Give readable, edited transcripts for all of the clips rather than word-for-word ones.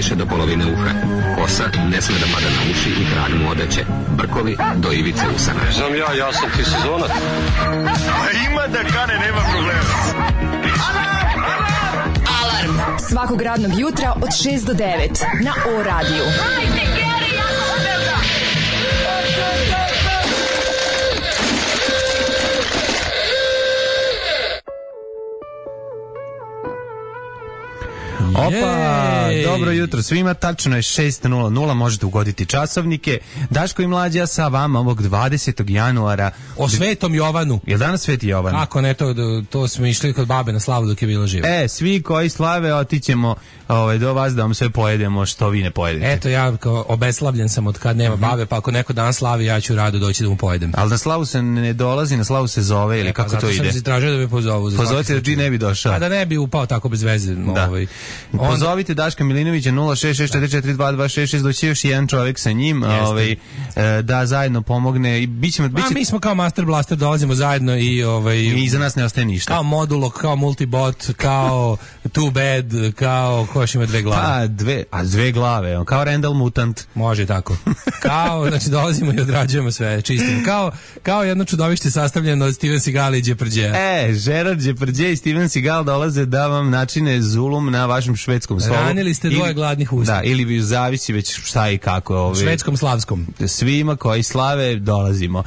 više do polovine uha. Kosa ne sme da pada na uši i krag mu odeće. Brkovi do ivice usana. Znam ja sam ti sezonac. Ima da kane, nema problema. Alarm svakog radnog jutra od 6 do 9 na O-radiju. Opa, dobro jutro svima, tačno je 6:00, možete ugoditi časovnike. Daško i Mlađa sa vama ovog 20. januara. O Svetom Jovanu. Je danas Sveti Jovan? Kako ne, to smo išli kod babe na slavu dok je bila živa. Svi koji slave otićemo do vas da vam sve pojedemo što vi ne pojedete. Eto, ja kao obeslavljen sam od kad nema babe, pa ako neko dan slavi, ja ću rado doći da mu pojedem. Ali na slavu se ne dolazi, na slavu se zove ili kako to ide? Zato sam se tražio da me pozovu. Pozovite da G ne bi došao. A da ne bi upao tako bez veze. Da. Pozovite Daška Milinovića 066442266, doći još jedan čovjek sa njim da zajedno pomogne i biće... mi smo kao Master Blaster, dolazimo zajedno i iza nas ne ostaje ništa. Kao Modulo, kao Multibot, kao Too Bad, kao ko još ima dve glave. Dve glave, kao Randall Mutant. Može tako. Kao, znači dolazimo i odrađujemo sve, čistimo. Kao jedno čudovište sastavljeno od Steven Seagal i Depardieu. Gerard Depardieu i Steven Seagal dolaze da vam načine zulum na vašem švedskom stolu. Ranili ste dvoje gladnih usta. Da, ili bi zavisi već šta i kako. Švedskom, slavskom. Svima koji slave dolazimo.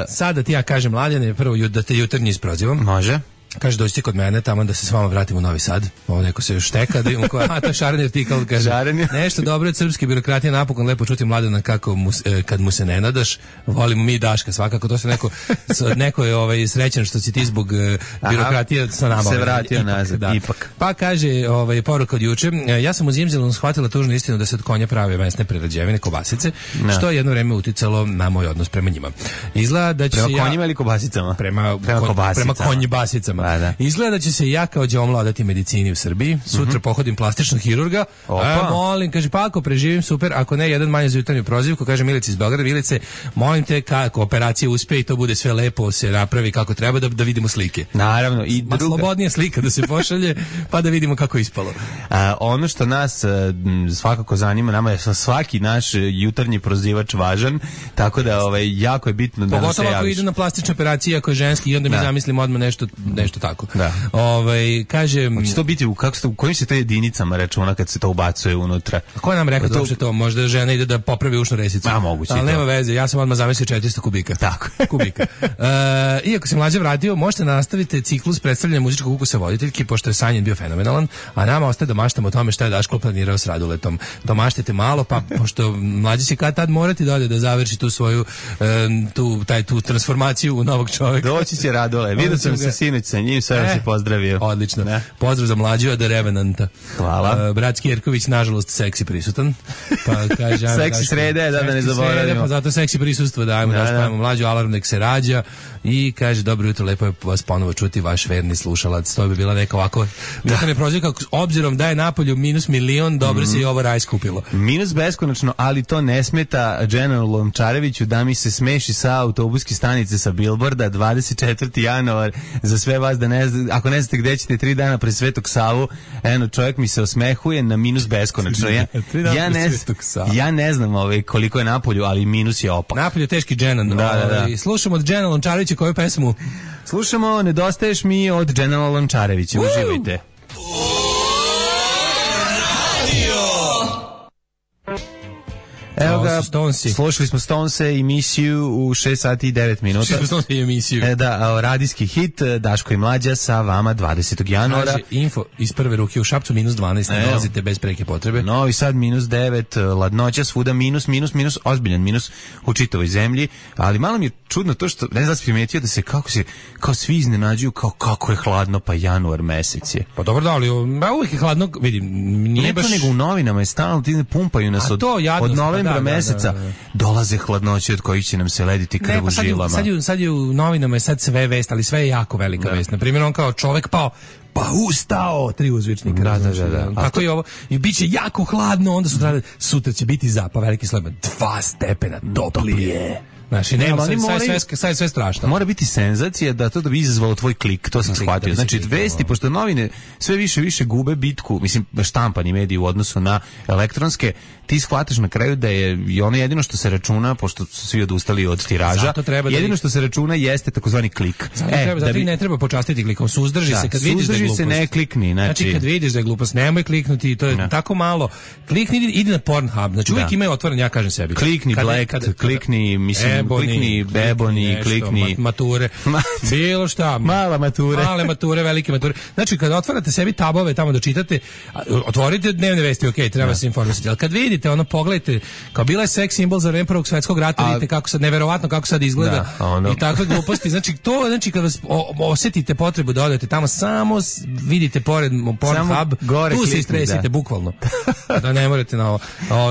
Sada ti ja kažem, Mladene, prvo da te jutarnji isprozivam. Može. Kaže, dođite kod mene tamo da se s vama vratimo u Novi Sad. Ovo neko se još šteka, da imamo koja, to Šaren artikal, kaže, nešto dobro od srpske birokratije, napokon lepo čuti Mladena kako kad mu se ne nadaš, volimo mi Daška, svakako, to se neko je srećan što si ti zbog birokratije sa nama. Se vratio nazad, ipak. Pa kaže, poruka od juče, ja sam u Zimzelom shvatila tužnu istinu da se od konja prave mesne prerađevine, kobasice, što je jedno vreme uticalo na moj odnos prema njima. Izgleda da ću prema konjima ili kobasicama? Prema konjibasicama. Da. Izgleda da će se ja kao đomla odati medicini u Srbiji. Sutra pohodim plastičnog hirurga. Molim, kaže, pa ako preživim, super, ako ne, jedan manje za jutarnju prozivku, kaže Milici iz Beograda, Milice, molim te kako operacija uspe i to bude sve lepo, se napravi kako treba, da vidimo slike. Naravno. I slobodnija slika da se pošalje, pa da vidimo kako je ispalo. Ono što nas svakako zanima, nama je svaki naš jutarnji prozivač važan, tako da jako je bitno da nam se javiš. Pogotovo ako ide na plastične operacije, ako je ženski, i onda mi zamislim odmah nešto tako. Da. Kaže, hoće to biti u kojim se to jedinicama računa kad se to ubacuje unutra? A ko nam rekao da uopšte to? Možda žena ide da popravi ušnu resicu. Moguće. Ali nema veze, ja sam odmah zamislio 400 kubika. Tako. Kubika. Iako se Mlađa vratio, možete nastaviti ciklus predstavljanja muzičkog ukusa voditeljki, pošto je Sanjen bio fenomenalan, a nama ostaje da maštamo o tome šta je Daško planirao s Raduletom. To maštite malo, pa pošto Mlađa će kad tad morati dalje da završi tu svoju tu transformaciju u novog čovjeka. Doći će Radule. Vidio sam se sinoć sa njim, sve se pozdravio. Odlično. Ne? Pozdrav za Mlađu od Revenanta. Hvala. Brat Skjerković, nažalost, seksi prisutan. Pa kaže, seksi srede, da ne zaboravimo. Pa zato seksi prisustvo, dajmo Mlađu, alarm nek se rađa. I kaže, dobro jutro, lepo je vas ponovo čuti, vaš verni slušalac. To bi bila neka ovako... Da me prozivka, obzirom da je napolju -1.000.000, dobro se i ovo raj skupilo. Minus beskonačno, ali to ne smeta Generalu Lončareviću da mi se smeši sa autobuske stanice sa Bilborda 24. januar za sve vas da ne znate, ako ne znate gde ćete 3 dana pre Svetog Savu, čovjek mi se osmehuje na minus beskonačno. Ja ne znam koliko je napolju, ali minus je opak. Napolju je teški Genan. Da. Slušamo od Genera Lončarevića koju pesmu? Slušamo Nedostaješ mi od Genera Lončarevića. Uživajte. Evo ga, slušali smo Stonese i emisiju u 6 sati i 9 minuta. Slušali smo Stonese i emisiju. Da, radijski hit, Daško i Mlađa sa vama 20. januara. Kaže, info iz prve ruke u Šapcu -12, ne dolazite bez preke potrebe. Novi Sad -9, ladnoća svuda minus, ozbiljan minus u čitavoj zemlji, ali malo mi je čudno to što, ne znam da si primetio da se kao svi iznenađuju kako je hladno, pa januar mesec je. Pa dobro da, ali uvijek je hladno, vidim, nije baš... Ne to nego u novinama je stalno, ti ne pumpaju nas od novembra meseca dolaze hladnoće od kojih će nam se lediti krv u žilama. Sad je u novinama je sad sve vest, ali sve je jako velika vest. Na primjer, on kao čovjek pao, pa ustao, 3 uzvičnika. Da. Kako je ovo? I bit će jako hladno, onda sutra će biti veliki slaba 2 stepena toplije. Znači, nema, sad je sve strašno. Mora biti senzacija da to da bi izazvalo tvoj klik, to sam shvatio. Znači, vesti, pošto novine sve više gube bitku, mislim, štampani mediji u odnosu na elektronske, ti shvataš na kraju da je i ono jedino što se računa, pošto su svi odustali od tiraža, jedino što se računa jeste takozvani klik. Zato ne treba počastiti klikom, suzdrži se kad vidiš da je glupost. Se, ne klikni. Znači, kad vidiš da je glupost, nemoj kliknuti, to je tako malo. Klikni, idi na Pornhub, znači uvijek imaju otvoren, ja kažem sebi. Klikni klikni, mislim, klikni Ebony, klikni mature, bilo šta. Male mature, velike mature. Znači, kad otvarate sebi tabove tamo da čitate, otvorite dnevne vesti, okej, treba se informisati, ali kad vidite, ono, pogledajte, kao bila je seks simbol za vreme Prvog svjetskog rata, vidite kako sad, neverovatno kako sad izgleda i takve gluposti. Znači, kad vas osjetite potrebu da odete tamo, samo vidite pored Pornhub, tu se istresite, bukvalno. Da ne morate na ovo.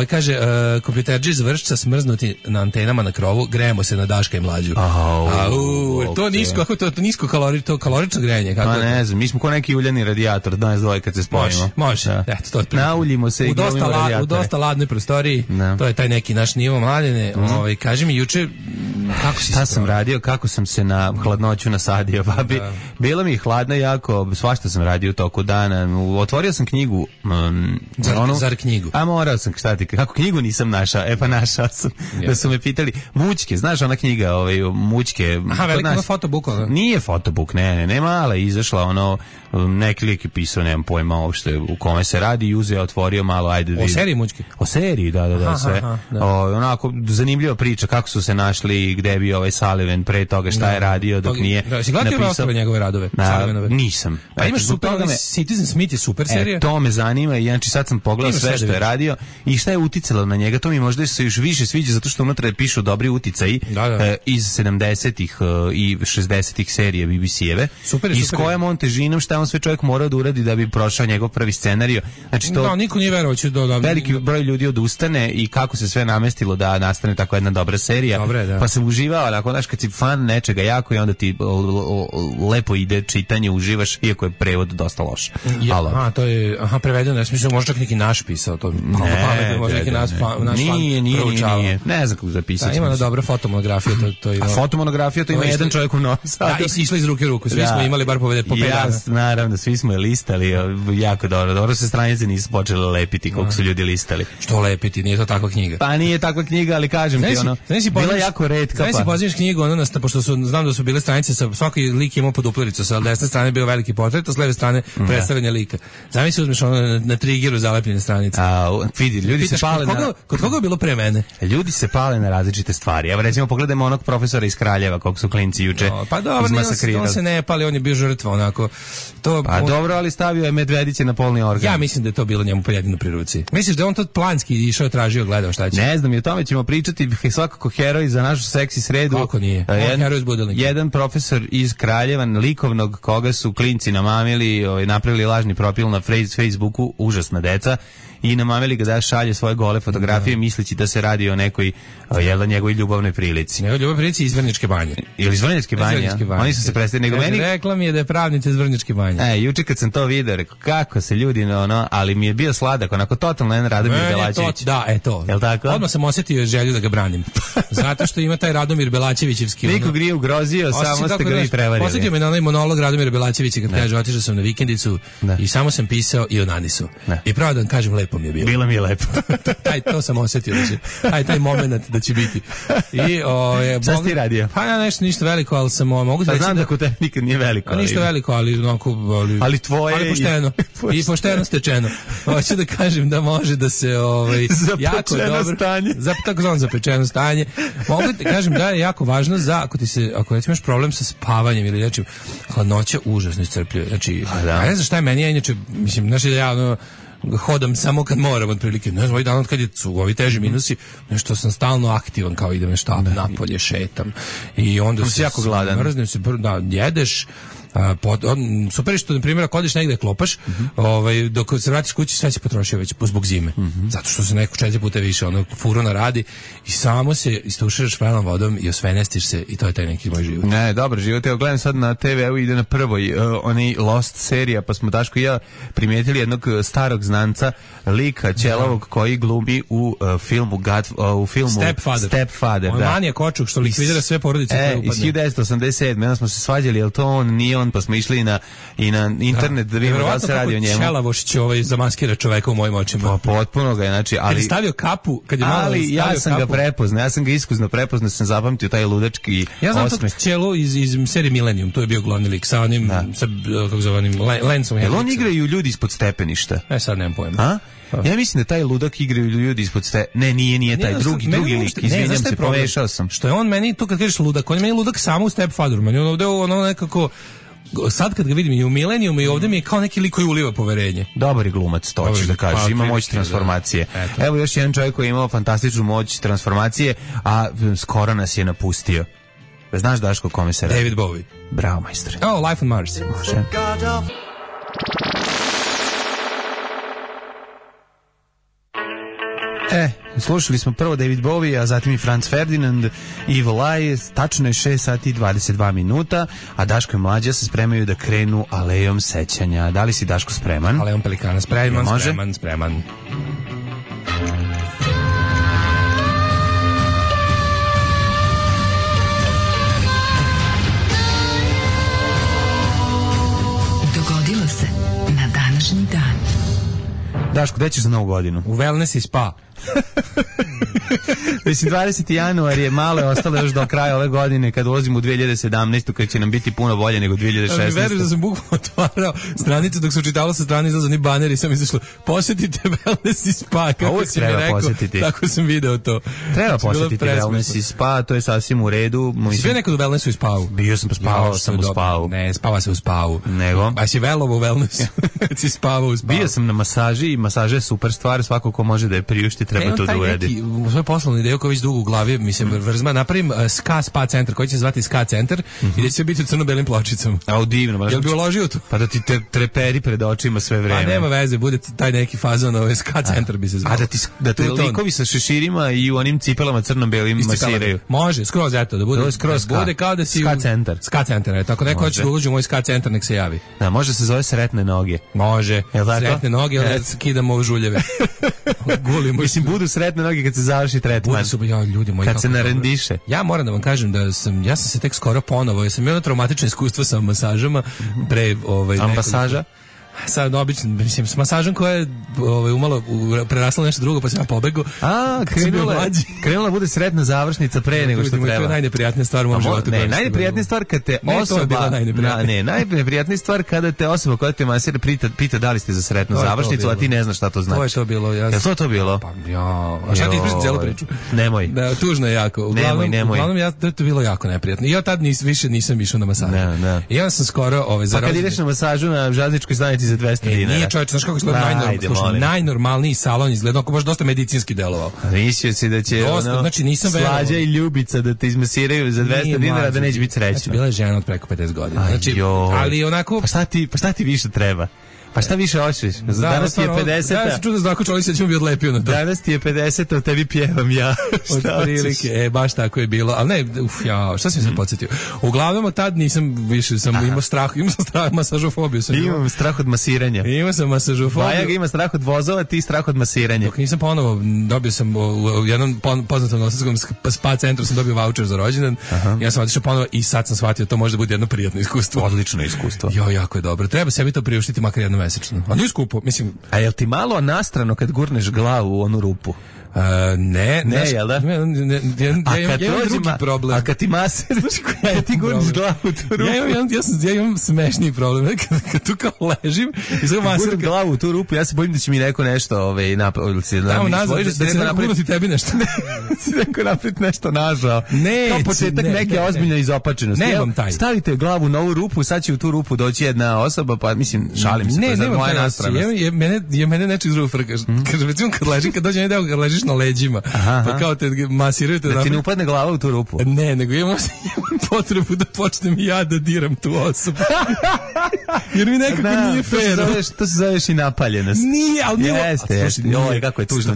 Kaže, kompjuterđi iz Vršca smrznuti na antenama na krovu, grejemo se na Daška i Mlađu. To nisko, kako to nisko kalorično grejanje. Pa ne znam, mi smo ko neki uljani radijator, danas dvoje kad se spojimo. Može. Eto, to je nauljimo se i glumimo radijatore. U dosta ladnoj prostoriji, to je taj neki naš nivo, Mladene. Kaži mi, juče, šta sam radio, kako sam se na hladnoću nasadio, babi. Bila mi je hladna jako, svašta sam radio u toku dana. Otvorio sam knjigu. Zar knjigu? A morao sam, šta ti, kako knjigu nisam našao? Pa našao sam. Da su me pitali, Mućke, znaš ona knjiga, Mućke. Aha, veliko fotobuk, ono? Nije fotobuk, ne, mala je izašla, neki lik je pisao, nemam pojma uopšte u kome se radi i uzeo, otvorio malo, ajde. O seriji Mućke? O seriji, da, sve. Onako, zanimljiva priča, kako su se našli, gde je bio Sullivan pre toga, šta je radio dok nije napisao. Si gledao ostale njegove radove? Nisam. Pa imaš super, Citizen Smith je super serija. To me zanima i znači sad sam pogledao sve što je radio i šta je uticalo na njega, to mi možda se još više sviđa zato što unutra pišu dobri uticaji iz 70-ih i 60-ih serije BBC-eve i s kojom on težinom šta on sve čovjek morao da uradi da bi prošao njegov prvi scenario. Znači to niko nije verovao će veliki broj ljudi odustane i kako se sve namestilo da nastane tako jedna dobra serija. Pa sam uživao, ali ako znaš kad si fan nečega jako i onda ti lepo ide čitanje, uživaš, iako je prevod dosta loš. To je prevedeno, ja mislim možda čak neki naš pisao to. Nije. Ne znam kako zapisati. Ima dobra fotomonografija, to ima. A fotomonografija to ima jedan čovjek u Novom Sadu. Išla iz ruke u ruku, svi smo imali bar po 5 dana. Naravno, svi smo je listali, jako dobro. Dobro se stranice nisu počele lepiti koliko su ljudi listali. Što lepiti, nije to takva knjiga. Pa nije takva knjiga, ali kažem ti bila jako retka. Znaš si pozivaš knjigu, pošto znam da su bile stranice sa svaki lik imao poduplericu, sa desne strane bio veliki portret, a s leve strane predstavljanje lika. Zamisli uzmeš na trigeru zalepljene stranice. Vidi, ljudi se pale kod koga je bilo pre mene? Ljudi se pale na različite stvari. Evo recimo pogledajmo onog profesora iz Kraljeva, kog su klinci juče izmasakrirali. On se ne pali, on je bio žrtva onako. Dobro, ali stavio je medvediće na polni organ. Ja mislim da je to bilo njemu jedino pri ruci. Misliš da je on to planski išao, tražio, gledao šta će? Ne znam, i o tome ćemo pričati, svakako heroj za našu seksi sredu. Kako nije? Heroj iz Budelnika. Jedan profesor iz Kraljeva, likovnog, koga su klinci namamili, napravili lažni profil na Facebooku, užasna deca, i namamili ga da šalje svoje gole fotografije misleći da se radi o nekoj njegovoj ljubavnoj prilici. Njegovoj ljubavnoj prilici iz Vrnjačke banje. Ili iz Vrnjačke banje? Oni su se predstavili. Rekla mi je da je pravnica iz Vrnjačke banje. Juče kad sam to video, rekao kako se ljudi, ali mi je bio sladak, onako totalno jedan Radomir Belačević. To. Jel tako? Odmah sam osjetio želju da ga branim. Zato što ima taj Radomir Belačevićevski. Nikog nije ugrozio, samo ste ga vi prevarili. Posjetio me na onaj monolog Radomira Belačevića kad kaže otišao sam na vikendicu i samo sam pisao i onanisu. I pravo da vam kažem, lepo mi je bilo. Bilo mi je lepo. To sam osjetio da će, taj moment da će biti. Šta si ti radio? Pa ja ništa veliko, ali sam mogu da reći znam da kod te nikad nije veliko. Ništa veliko, ali tvoje ali pošteno. I pošteno stečeno. Hoću da kažem da može da se jako dobro stanje. Takozvano zapečeno stanje. Mogu da kažem da je jako važno ako imaš problem sa spavanjem ili nečim, hladnoća užasno iscrpljuje. Znači, ne znam šta je meni, inače, mislim, znači da ja hodam samo kad moram otprilike, ne znam, ovaj dan kad su ovi teži minusi, nešto sam stalno aktivan, kao idem na štap, napolje, šetam i onda si jako gladan. Mrznem se, jedeš, Super je što, na primjer, ako odeš negde klopaš, dok se vratiš kući, sve se potrošio već zbog zime. Zato što se neko 4 puta više furuna radi i samo se istuširaš pravom vodom i osvenestiš se i to je taj neki moj život. Ne, dobar život. Evo gledam sad na TV-u, ide na prvoj onaj Lost serija, pa smo Daško i ja primijetili jednog starog znanca, lika ćelavog koji glumi u filmu Stepfather. On manija kočuk što likvidira sve porodice koje upadne. Iz 1987. Onda smo se svađali, jel to on, nije on, pa smo išli i na internet da vidimo da se radi o njemu. Ćelavošć zamaskira čoveka u mojim očima. Pa potpuno ga je, znači, ali... Kad je stavio kapu, ali ja sam ga prepoznao, ja sam ga iskuzno prepoznao, sam zapamtio taj ludački osmeh. Ja znam tog ćelu iz serije Millennium, to je bio glavni lik sa onim, kako zove onim, Lensom. Jel on igraju ljudi ispod stepeništa? Sad nemam pojma. Ja mislim da taj ludak igraju ljudi ispod Ne, nije taj drugi lik. Izvinjam se, pomešao sam. Što je on meni, to kad kažeš ludak, on je meni ludak samo u Stepfatheru. Meni on ovde nekako... Sad kad ga vidim i u Millenniumu i ovde mi je kao neki lik koji uliva poverenje. Dobar je glumac, to ćeš da kažeš. Ima moć transformacije. Evo još jedan čovjek koji je imao fantastičnu moć transformacije, a skoro nas je napustio. Znaš, Daško, kome se radi? David Bowie. Bravo, majstore. Life on Mars. Može. Slušali smo prvo David Bowie, a zatim i Franz Ferdinand, Evil Eye, tačno je 6 sati i 22 minuta, a Daško i Mlađa se spremaju da krenu alejom sećanja. Da li si, Daško, spreman? Alejom Pelikana, spreman. Dogodilo se na današnji dan. Daško, gde ćeš za Novu godinu? U wellness i spa. Mislim, 20. januar je malo je ostalo još do kraja ove godine kad ulazimo u 2017. kad će nam biti puno bolje nego 2016. Ali veriš da sam bukvalno otvarao stranicu dok se učitalo sa strane izlazani baner i sam izašlo posjetite wellness i spa. Kako si mi rekao, tako sam video to. Treba posjetiti wellness i spa, to je sasvim u redu. Si bio nekad u wellnessu i spavu? Bio sam, spavao sam u spavu. Ne, spava se u spavu. Nego? A si velovo u wellnessu, si spavao u spavu. Bio sam na masaži i masaža je super stvar, svako ko može da je priušti treba to da uredi. U svoj poslovni ideju koji već dugo u glavi mi se vrzma, napravim spa centar koji će se zvati Ska centar i da će biti u crno-belim pločicama. A divno. Jel bi uložio to? Pa da ti treperi pred očima sve vreme. Pa nema veze, bude taj neki fazon, Ska centar bi se zvao. A da te likovi sa šeširima i u onim cipelama crno-belim masiraju. Može, skroz eto, da bude kao da si Ska centar. Ska centar, tako neko hoće da uloži u moj Ska centar, nek se javi. Da, može se zove sretne noge. Može. Sretne noge, onda kidamo žuljeve. Mislim, budu sretne noge kad se završi tretman. Ljudi moji, kad se narendiše. Ja moram da vam kažem da ja sam se tek skoro ponovo, ja sam imao traumatično iskustvo sa masažama pre masaža. Sad obično, mislim, s masažom koja je umalo prerasla nešto drugo, pa sam ja pobegao. Krenula bude sretna završnica pre nego što treba. To je najneprijatnija stvar u mom životu. Ne, najneprijatnija stvar kad te osoba... najneprijatnija stvar kada te osoba koja te masira pita da li ste za sretnu završnicu, a ti ne znaš šta to znači. To je to bilo. Je to bilo? Pa ja... A šta ti ispričam cijelu priču? Nemoj. Da, tužno je jako. Uglavnom, to je bilo jako neprijatno. I ja tad više nisam išao na masažu. I onda sam skoro... Pa kad ideš na masažu na železničkoj stanici za 200 dinara. Nije čovječ, znaš kako izgleda najnormalniji salon izgleda, ako baš dosta medicinski delovao. Mislio si da će Slađa i Ljubica da te izmasiraju za 200 dinara da neće biti srećna. Znači, bila je žena od preko 50 godina. Znači, ali onako... Pa šta ti više treba? Pa šta više hoćeš? Danas ti je 50. Ja sam čudo znako čovjek se ćemo bi odlepio na to. Danas ti je 50, a tebi pjevam ja. Od prilike, baš tako je bilo. Ali ne, šta sam se podsjetio? Uglavnom od tad nisam više, imao strah masažofobiju. Imam strah od masiranja. Imao sam masažofobiju. Bajaga ima strah od vozova, ti strah od masiranja. Dok nisam ponovo, dobio sam u jednom poznatom nosarskom spa centru sam dobio voucher za rođendan. Ja sam otišao ponovo i sad sam shvatio to može da bude jedno prijatno iskustvo. Odlično iskustvo. Jako je dobro. Treba sebi to priuštiti makar jednom mesečno. A nije skupo, mislim. A jel ti malo nastrano kad gurneš glavu u onu rupu? Ne, jel da? Ja imam drugi problem. A kad ti maser, kad ti gurniš glavu u tu rupu? Ja imam smešniji problem. Kad tu kao ležim i sad maser glavu u tu rupu, ja se bojim da će mi neko nešto napraviti. Da će neko gurnuti tebi nešto. Da će neko napraviti nešto nažao. Kao početak neke ozbiljne izopačenosti. Nemam taj. Stavite glavu na ovu rupu, sad će u tu rupu doći jedna osoba, pa mislim, šalim se. Ne, nemam taj. Mene nečeg drugog frkaš. Kaže, recimo kad ležim, kad dođe jedan deo, kad ležiš na leđima. Pa kao te masiraju te da ti ne upadne glava u tu rupu. Ne, nego imam potrebu da počnem ja da diram tu osobu. Jer mi nekako nije fair. To se zoveš i napaljenost. Nije, ali nije. Jeste. Joj, kako je tužno.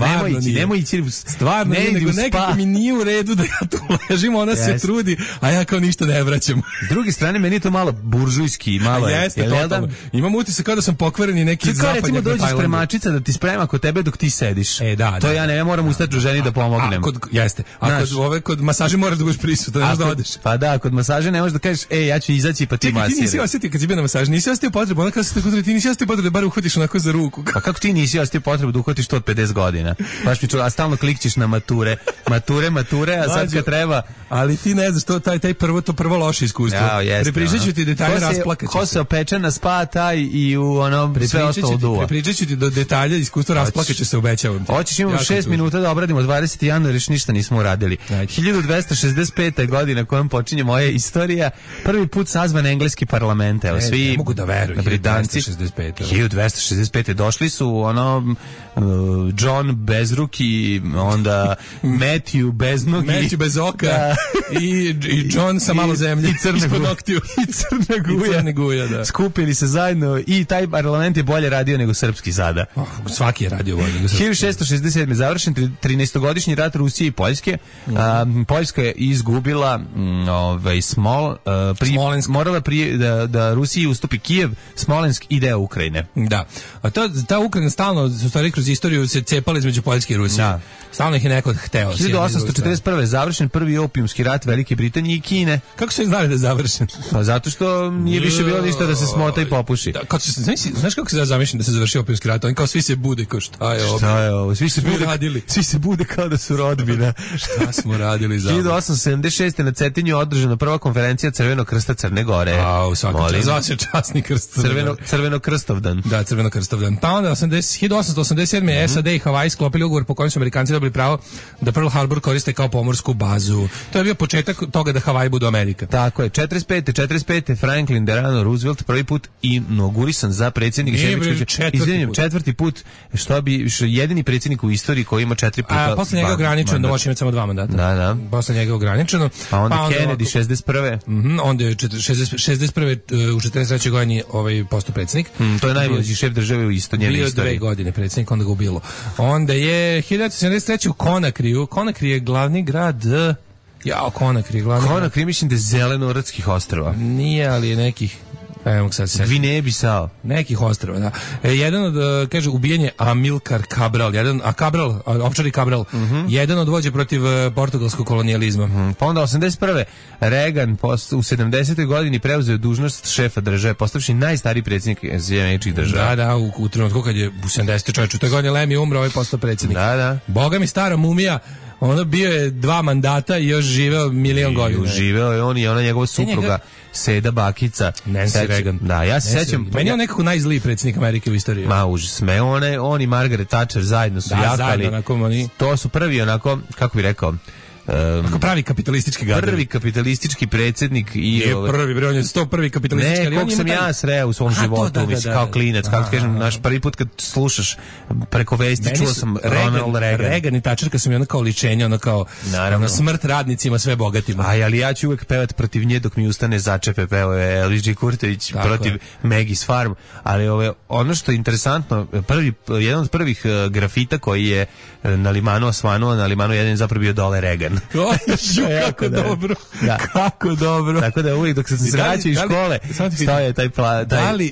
Nemoj ići. Stvarno, nego nekako mi nije u redu da ja tu ležim, ona se trudi, a ja kao ništa ne vraćam. S druge strane, meni je to malo buržujski, malo je. Jeste, totalno. Imam utisak kao da sam pokvareni neki zapadnjak. Recimo dođe spremačica da ti sprema kod tebe dok ti sediš. Da. To ja moram ustati ženi da pomognem. Jeste. A kod masaže moraš da budeš prisutan, ne možeš da odeš. Pa da, kod masaže ne možeš da kažeš, ja ću izaći pa ti masiraš. Ti nisi osjetio kad si bio na masaži, nisi osjetio potrebu, ona kada se tako ti nisi osjetio potrebu da bar uhvatiš onako za ruku. Pa kako ti nisi osjetio potrebu da uhvatiš to od 50 godina? Baš mi čuo, a stalno klikćeš na mature, a sad kad treba. Ali ti ne znaš, taj prvo loše iskustvo. Prepričat ću ti detalje, rasplakaću se. Ko se opeče na spa, taj i u ono sve ostalo duva. Prepričat ću ti do detalja, iskustvo, rasplakaću se, obećavam ti. Hoćeš, imamo 6 minuta da obradimo 20. januar, još ništa nismo uradili. 1265. godina kojom počinje moja istorija, prvi put sazvan engleski parlament. Evo, svi ne mogu da veruju, Britanci 1265. došli su John Bezruki, onda Matthew Beznogi, Matthew bez oka i John sa malo zemlje i Crna Guja, da. Skupili se zajedno i taj parlament je bolje radio nego srpski sada. Svaki je radio bolje nego srpski. 1667. završen 13-godišnji rat Rusije i Poljske. Poljska je izgubila morala da Rusiji ustupi Kijev, Smolensk i deo Ukrajine. Da. A ta Ukrajina stalno, u stvari kroz istoriju se cepala između Poljske i Rusije. Da. Stalno ih je neko hteo. 1841. završen prvi opijumski rat Velike Britanije i Kine. Kako su znali da je završen? Pa zato što nije više bilo ništa da se smota i popuši. Znaš kako se ja zamišljam da se završio opijumski rat? Oni kao svi se bude, kao šta je ovo? Svi se bude kao da su rodbina. Šta smo radili za 1876. na Cetinju održana prva konferencija Crvenog krsta Crne Gore. Zvao se časni krst. Crveno krstovdan. Da, Crveno krstovdan. Pa onda 1887. SAD i Havaji sklopili ugovor po kojem su Amerikanci dobili pravo da Pearl Harbor koriste kao pomorsku bazu. To je bio početak toga da Havaji budu Amerika. Tako je. 45. Franklin Delano Roosevelt prvi put inaugurisan za predsjednika četvrti put, jedini predsjednik u istoriji koji ima 4 puta. A posle njega ograničeno da može imati samo 2 mandata. Da. Posle njega ograničeno. Pa onda Kennedy 61. Onda je 61. u 43. godini postao predsjednik. To je najmlađi šef države u njene istoriji. Bio 2 godine predsjednik, onda ga ubilo. Onda je 1973. u Konakriju. Konakri je glavni grad... Konakri mislim da je zelenorodskih ostrva. Nije, ali je nekih... Gvineje Bisao. Nekih ostrva, da. Jedan od, kaže, ubijen je Amilcar Cabral, Ovčari Cabral, jedan od vođa protiv portugalskog kolonijalizma. Pa onda 81. Reagan u 70. godini preuzeo dužnost šefa države, postavši najstariji predsjednik Sjedinjenih država. Da, u trenutku kad je u 70. čovječu, to je godine Lem je umro, postao predsjednik. Da. Boga mi stara mumija, ono bio je 2 mandata i još živeo 1.000.000 godina. Živeo je on i ona njegova supruga Seda Bakica. Nancy Reagan. Da, ja se sećam. Meni je on nekako najzliji predsjednik Amerike u istoriji. Ma užas. On i Margaret Thatcher zajedno su jakali. To su prvi onako, kako bi rekao, pravi kapitalistički gadovi. Prvi kapitalistički predsjednik i prvi, on je 101. kapitalistički. Ne, koliko sam ja sreo u svom životu, mislim, kao klinac, kako ti kažem, naš prvi put kad slušaš preko vesti, čuo sam Ronald Reagan. Reagan i Thatcher, kad sam je ono kao ličenje, ono kao smrt radnicima, sve bogatima. Ali ja ću uvek pevat protiv nje dok mi ustane začepe, pevao je Elvis G. Kurtović protiv Maggie's Farm, ali ono što je interesantno, jedan od prvih grafita koji je na limanu osvanuo, na limanu jedan je zapravo bio dole Reagan. Kako dobro. Da. Kako dobro. Tako da uvijek dok sam se vraćao iz škole stoje taj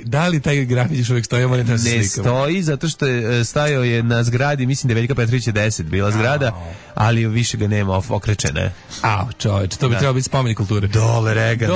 Da li taj grafit još uvijek stoji? Ne stoji, zato što je stajao je na zgradi, mislim da je Veljka Petrovića 10 bila zgrada, ali više ga nema, okrečene. Čovječ, to bi trebalo biti spomenik kulture. Dole Reagan.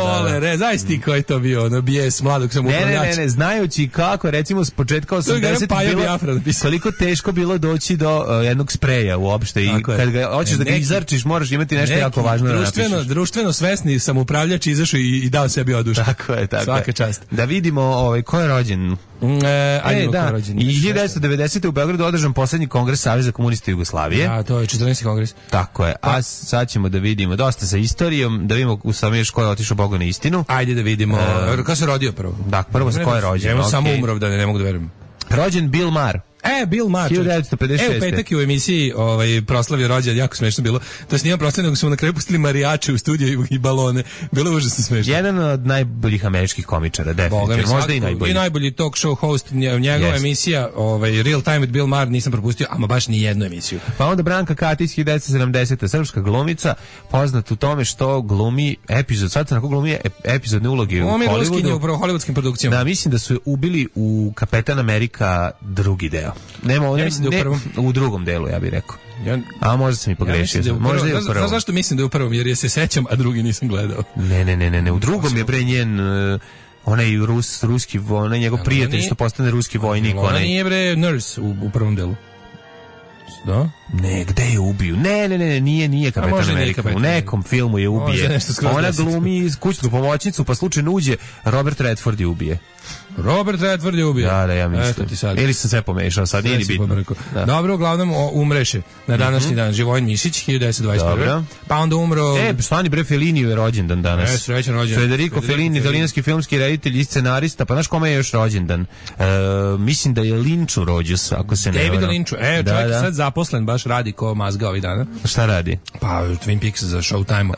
Znaš ti koji to bio, ono bijes mladog samoupravljača. Ne, znajući kako, recimo s početka 80 bilo, koliko teško bilo doći do jednog spreja uopšte i kad ga hoćeš da ga izarčiš, moraš imati nešto jako važno da napišeš. Društveno svesni samoupravljač izašao i dao sebi oduška. Tako je. Svaka čast. Da vidimo ko je rođen. I 1990. u Beogradu održan poslednji kongres Saveza komunista Jugoslavije. To je 14. kongres. Tako je. A sad ćemo da vidimo dosta sa istorijom, da vidimo u samom još ko je otišao Bogu na istinu. Ajde da vidimo. Ko se rodio prvo? Da, prvo sa ko je rođen. Evo samo umrov da ne mogu da verujem. Rođen Bill Maher, Bill Maher. 1956. U petak je u emisiji proslavio rođendan, jako smešno bilo. To se nije proslavio, nego su mu na kraju pustili marijače u studiju i balone. Bilo je užasno smešno. Jedan od najboljih američkih komičara, definitivno. Možda i najbolji. I najbolji talk show host, njegova emisija, Real Time with Bill Maher, nisam propustio, ama baš ni jednu emisiju. Pa onda Branka Katić, 1970. srpska glumica, poznat u tome što glumi epizodne uloge u Hollywoodu. Upravo hollywoodskim produkcijama. Da, mislim da su je ubili u Kapetan Amerika drugi deo. U drugom delu, ja bih rekao. A možda sam i pogrešio. Možda je u prvom. Zašto mislim da je u prvom? Jer je se sećam, a drugi nisam gledao. Ne. U drugom je pre njen... onaj ruski, onaj njegov prijatelj što postane ruski vojnik. Ona nije bre nurse u prvom delu. Da? Ne, gde je ubiju? Ne, nije Kapetan Amerika. U nekom filmu je ubije. Ona glumi kućnu pomoćnicu, pa slučajno uđe, Robert Redford je ubije. Robert Redford je ubio. Da, ja mislim. Ili sam sve pomešao, sad nije ni bitno. Dobro, uglavnom umreše na današnji dan Živojin Mišić, 1921. Pa onda umro... stani bre, Fellini je rođendan danas. Srećan rođendan. Federico Fellini, italijanski filmski reditelj i scenarista, pa znaš kome je još rođendan? Mislim da je Lynchu rođus, ako se ne varam. David Lynchu, čovjek je sad zaposlen, baš radi ko mazga ovih dana. Šta radi? Pa Twin Peaks za Showtime.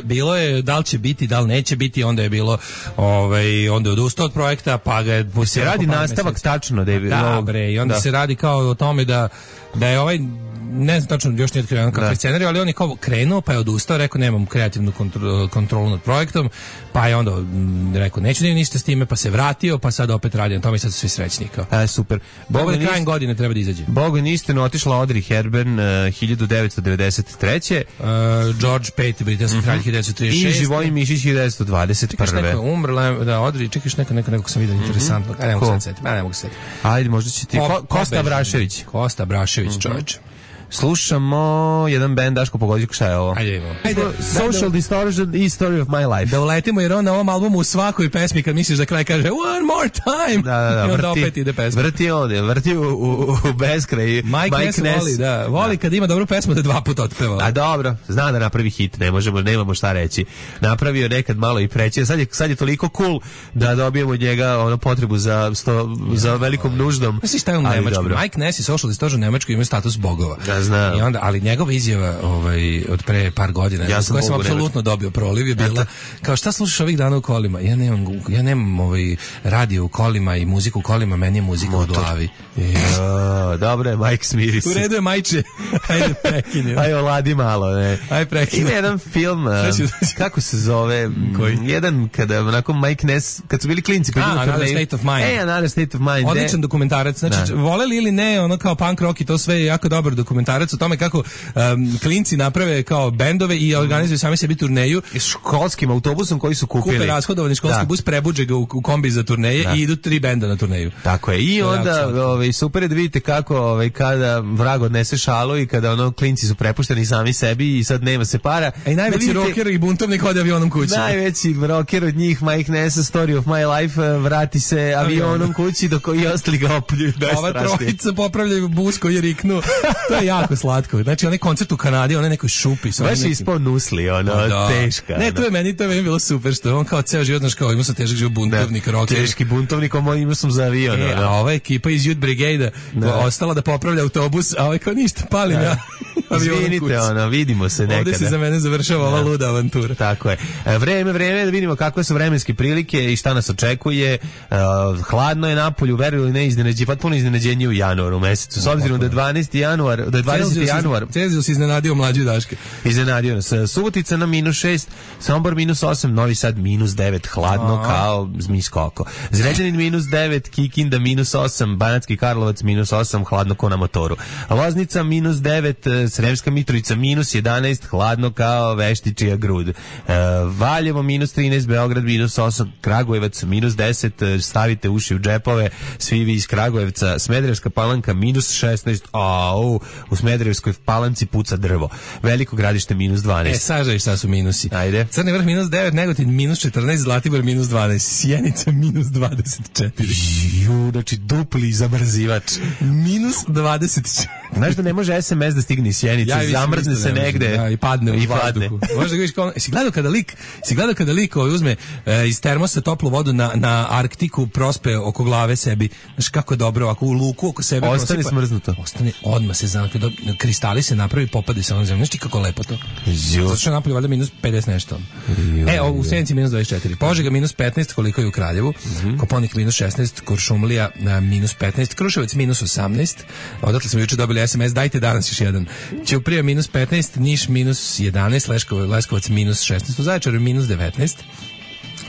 Bilo je, da li će biti, da li neće biti, onda je bilo, onda je odustao od projekta, pa ga je... Se radi nastavak tačno, David. Da, bre, i onda se radi kao o tome da je ne znam tačno, još nije otkrio kakav scenarij, ali on je kao krenuo, pa je odustao, rekao nemam kreativnu kontrolu nad projektom, pa je onda rekao neću ništa s time, pa se vratio, pa sad opet radi na tome i sad su svi srećni. Super. Krajem godine treba da izađe. Bogom istinu otišla Audrey Hepburn 1993. George V, britanski kralj 1936. I Živojin Mišić 1921. Čekaš neko umrla, da, Audrey, čekaš nekog sam vidio interesantno. Ne mogu se setiti. Ajde, možda će ti... Kosta Brašević. Kosta Brašević, čovječe. Slušamo jedan band, Daško, pogodi šta je ovo. Ajde, imamo. Social Distortion i Story of My Life. Da uletimo, jer on na ovom albumu u svakoj pesmi kad misliš da kraj kaže one more time. Da, i onda opet ide pesma. Vrti u beskraj. Mike Ness voli kad ima dobru pesmu da dva puta otpeva. A dobro, zna da napravi hit, nemamo šta reći. Napravio nekad malo i preće. Sad je toliko cool da dobijemo od njega potrebu za velikom nuždom. Misliš šta je on nemački? Mike Ness i Social Distortion nemački imaju status bogova. Znam. I onda, ali njegova izjava od pre par godina, koja sam apsolutno dobio proliv, je bila kao šta slušaš ovih dana u kolima? Ja nemam radio u kolima i muziku u kolima, meni je muzika u glavi. Dobro je, Mike, smiri se. U redu je, Majče. Ajde, prekinio. Ajde, oladi malo, ne. Ajde, prekinio. Ima jedan film, kako se zove? Koji? Jedan kada, onako, Mike Ness, kad su bili klinci, Another State of Mind. Another State of Mind. Odličan dokumentarac. Znači, voleli ili ne, ono kao punk rock i to sve je jako dobar dokumentarac o tome kako klinci naprave kao bendove i organizuju sami sebi turneju školskim autobusom koji su kupili. Kupe rashodovani školski bus, prebuđe ga u kombi za turneje i idu 3 benda na turneju. Tako je. I onda super je da vidite kako kada vrag odnese šalu i kada klinci su prepušteni sami sebi i sad nema se para. A i najveći rocker i buntovnik ode avionom kući. Najveći rocker od njih, Mike Ness, Story of My Life, vrati se avionom kući dok i ostali ga opljuju. Ova trojica popravljaju bus koji je riknuo. To je jako slatko. Znači, onaj koncert u Kanadi, onaj nekoj šupi. Baš je ispao nusli, teška. Ne, to je meni bilo super, što on kao ceo život, znaš, kao imao sam težak život, buntovnik, rocker. Teški buntovnik, imao sam za avion. A ova ekipa iz Youth Brigade ostala da popravlja autobus, a ovaj kao ništa, palim ja. Izvinite, vidimo se nekada. Ovdje se za mene završava ova luda avantura. Tako je. Vreme, da vidimo kakve su vremenske prilike i šta nas očekuje. Hladno je napolju, veruju ili ne, potpuno iznenađenje u januaru mesecu. S obzirom da je 20. januar. Celzijus iznenadio mlađu Daške. Iznenadio nas. Subotica na -6, Sombor -8, Novi Sad -9, hladno kao zmijsko oko. Zrenjanin -9, Kikinda -8, Banatski Karlovac -8, hladno ko na motoru. Loznica -9, Sremska Mitrovica -11, hladno kao veštičija grud. Valjevo -13, Beograd -8, Kragujevac -10, stavite uši u džepove, svi vi iz Kragujevca. Smederevska Palanka -16, u Smederevskoj Palanci puca drvo. Veliko Gradište -12. Sažaj šta su minusi. Ajde. Crni Vrh -9, Negotin -14, Zlatibor -12, Sjenica -24. Znači dupli zamrzivač. -24. Znaš da ne može SMS da stigne iz Sjenice, zamrzne se negde i padne u vazduhu. Možda ga vidiš kao, si gledao kada lik uzme iz termosa toplu vodu na Arktiku, prospe oko glave sebi. Znaš kako je dobro, ako u luku oko sebe ostane smrznuto. Ostane, odmah se znam, kada kristali se napravi, popade se ono zemlje. Znaš ti kako lepo to? Zato što napoli valjda minus 50 nešto. U Sjenici minus 24. Požega minus 15, koliko je u Kraljevu. Koponik minus 16, Kuršumlija minus 15, Kruševac minus 18. Odatle smo juče dobili SMS, dajte danas još jedan. Ćuprija minus 15, Niš minus 11, Leskovac minus 16, u Zaječaru minus 19.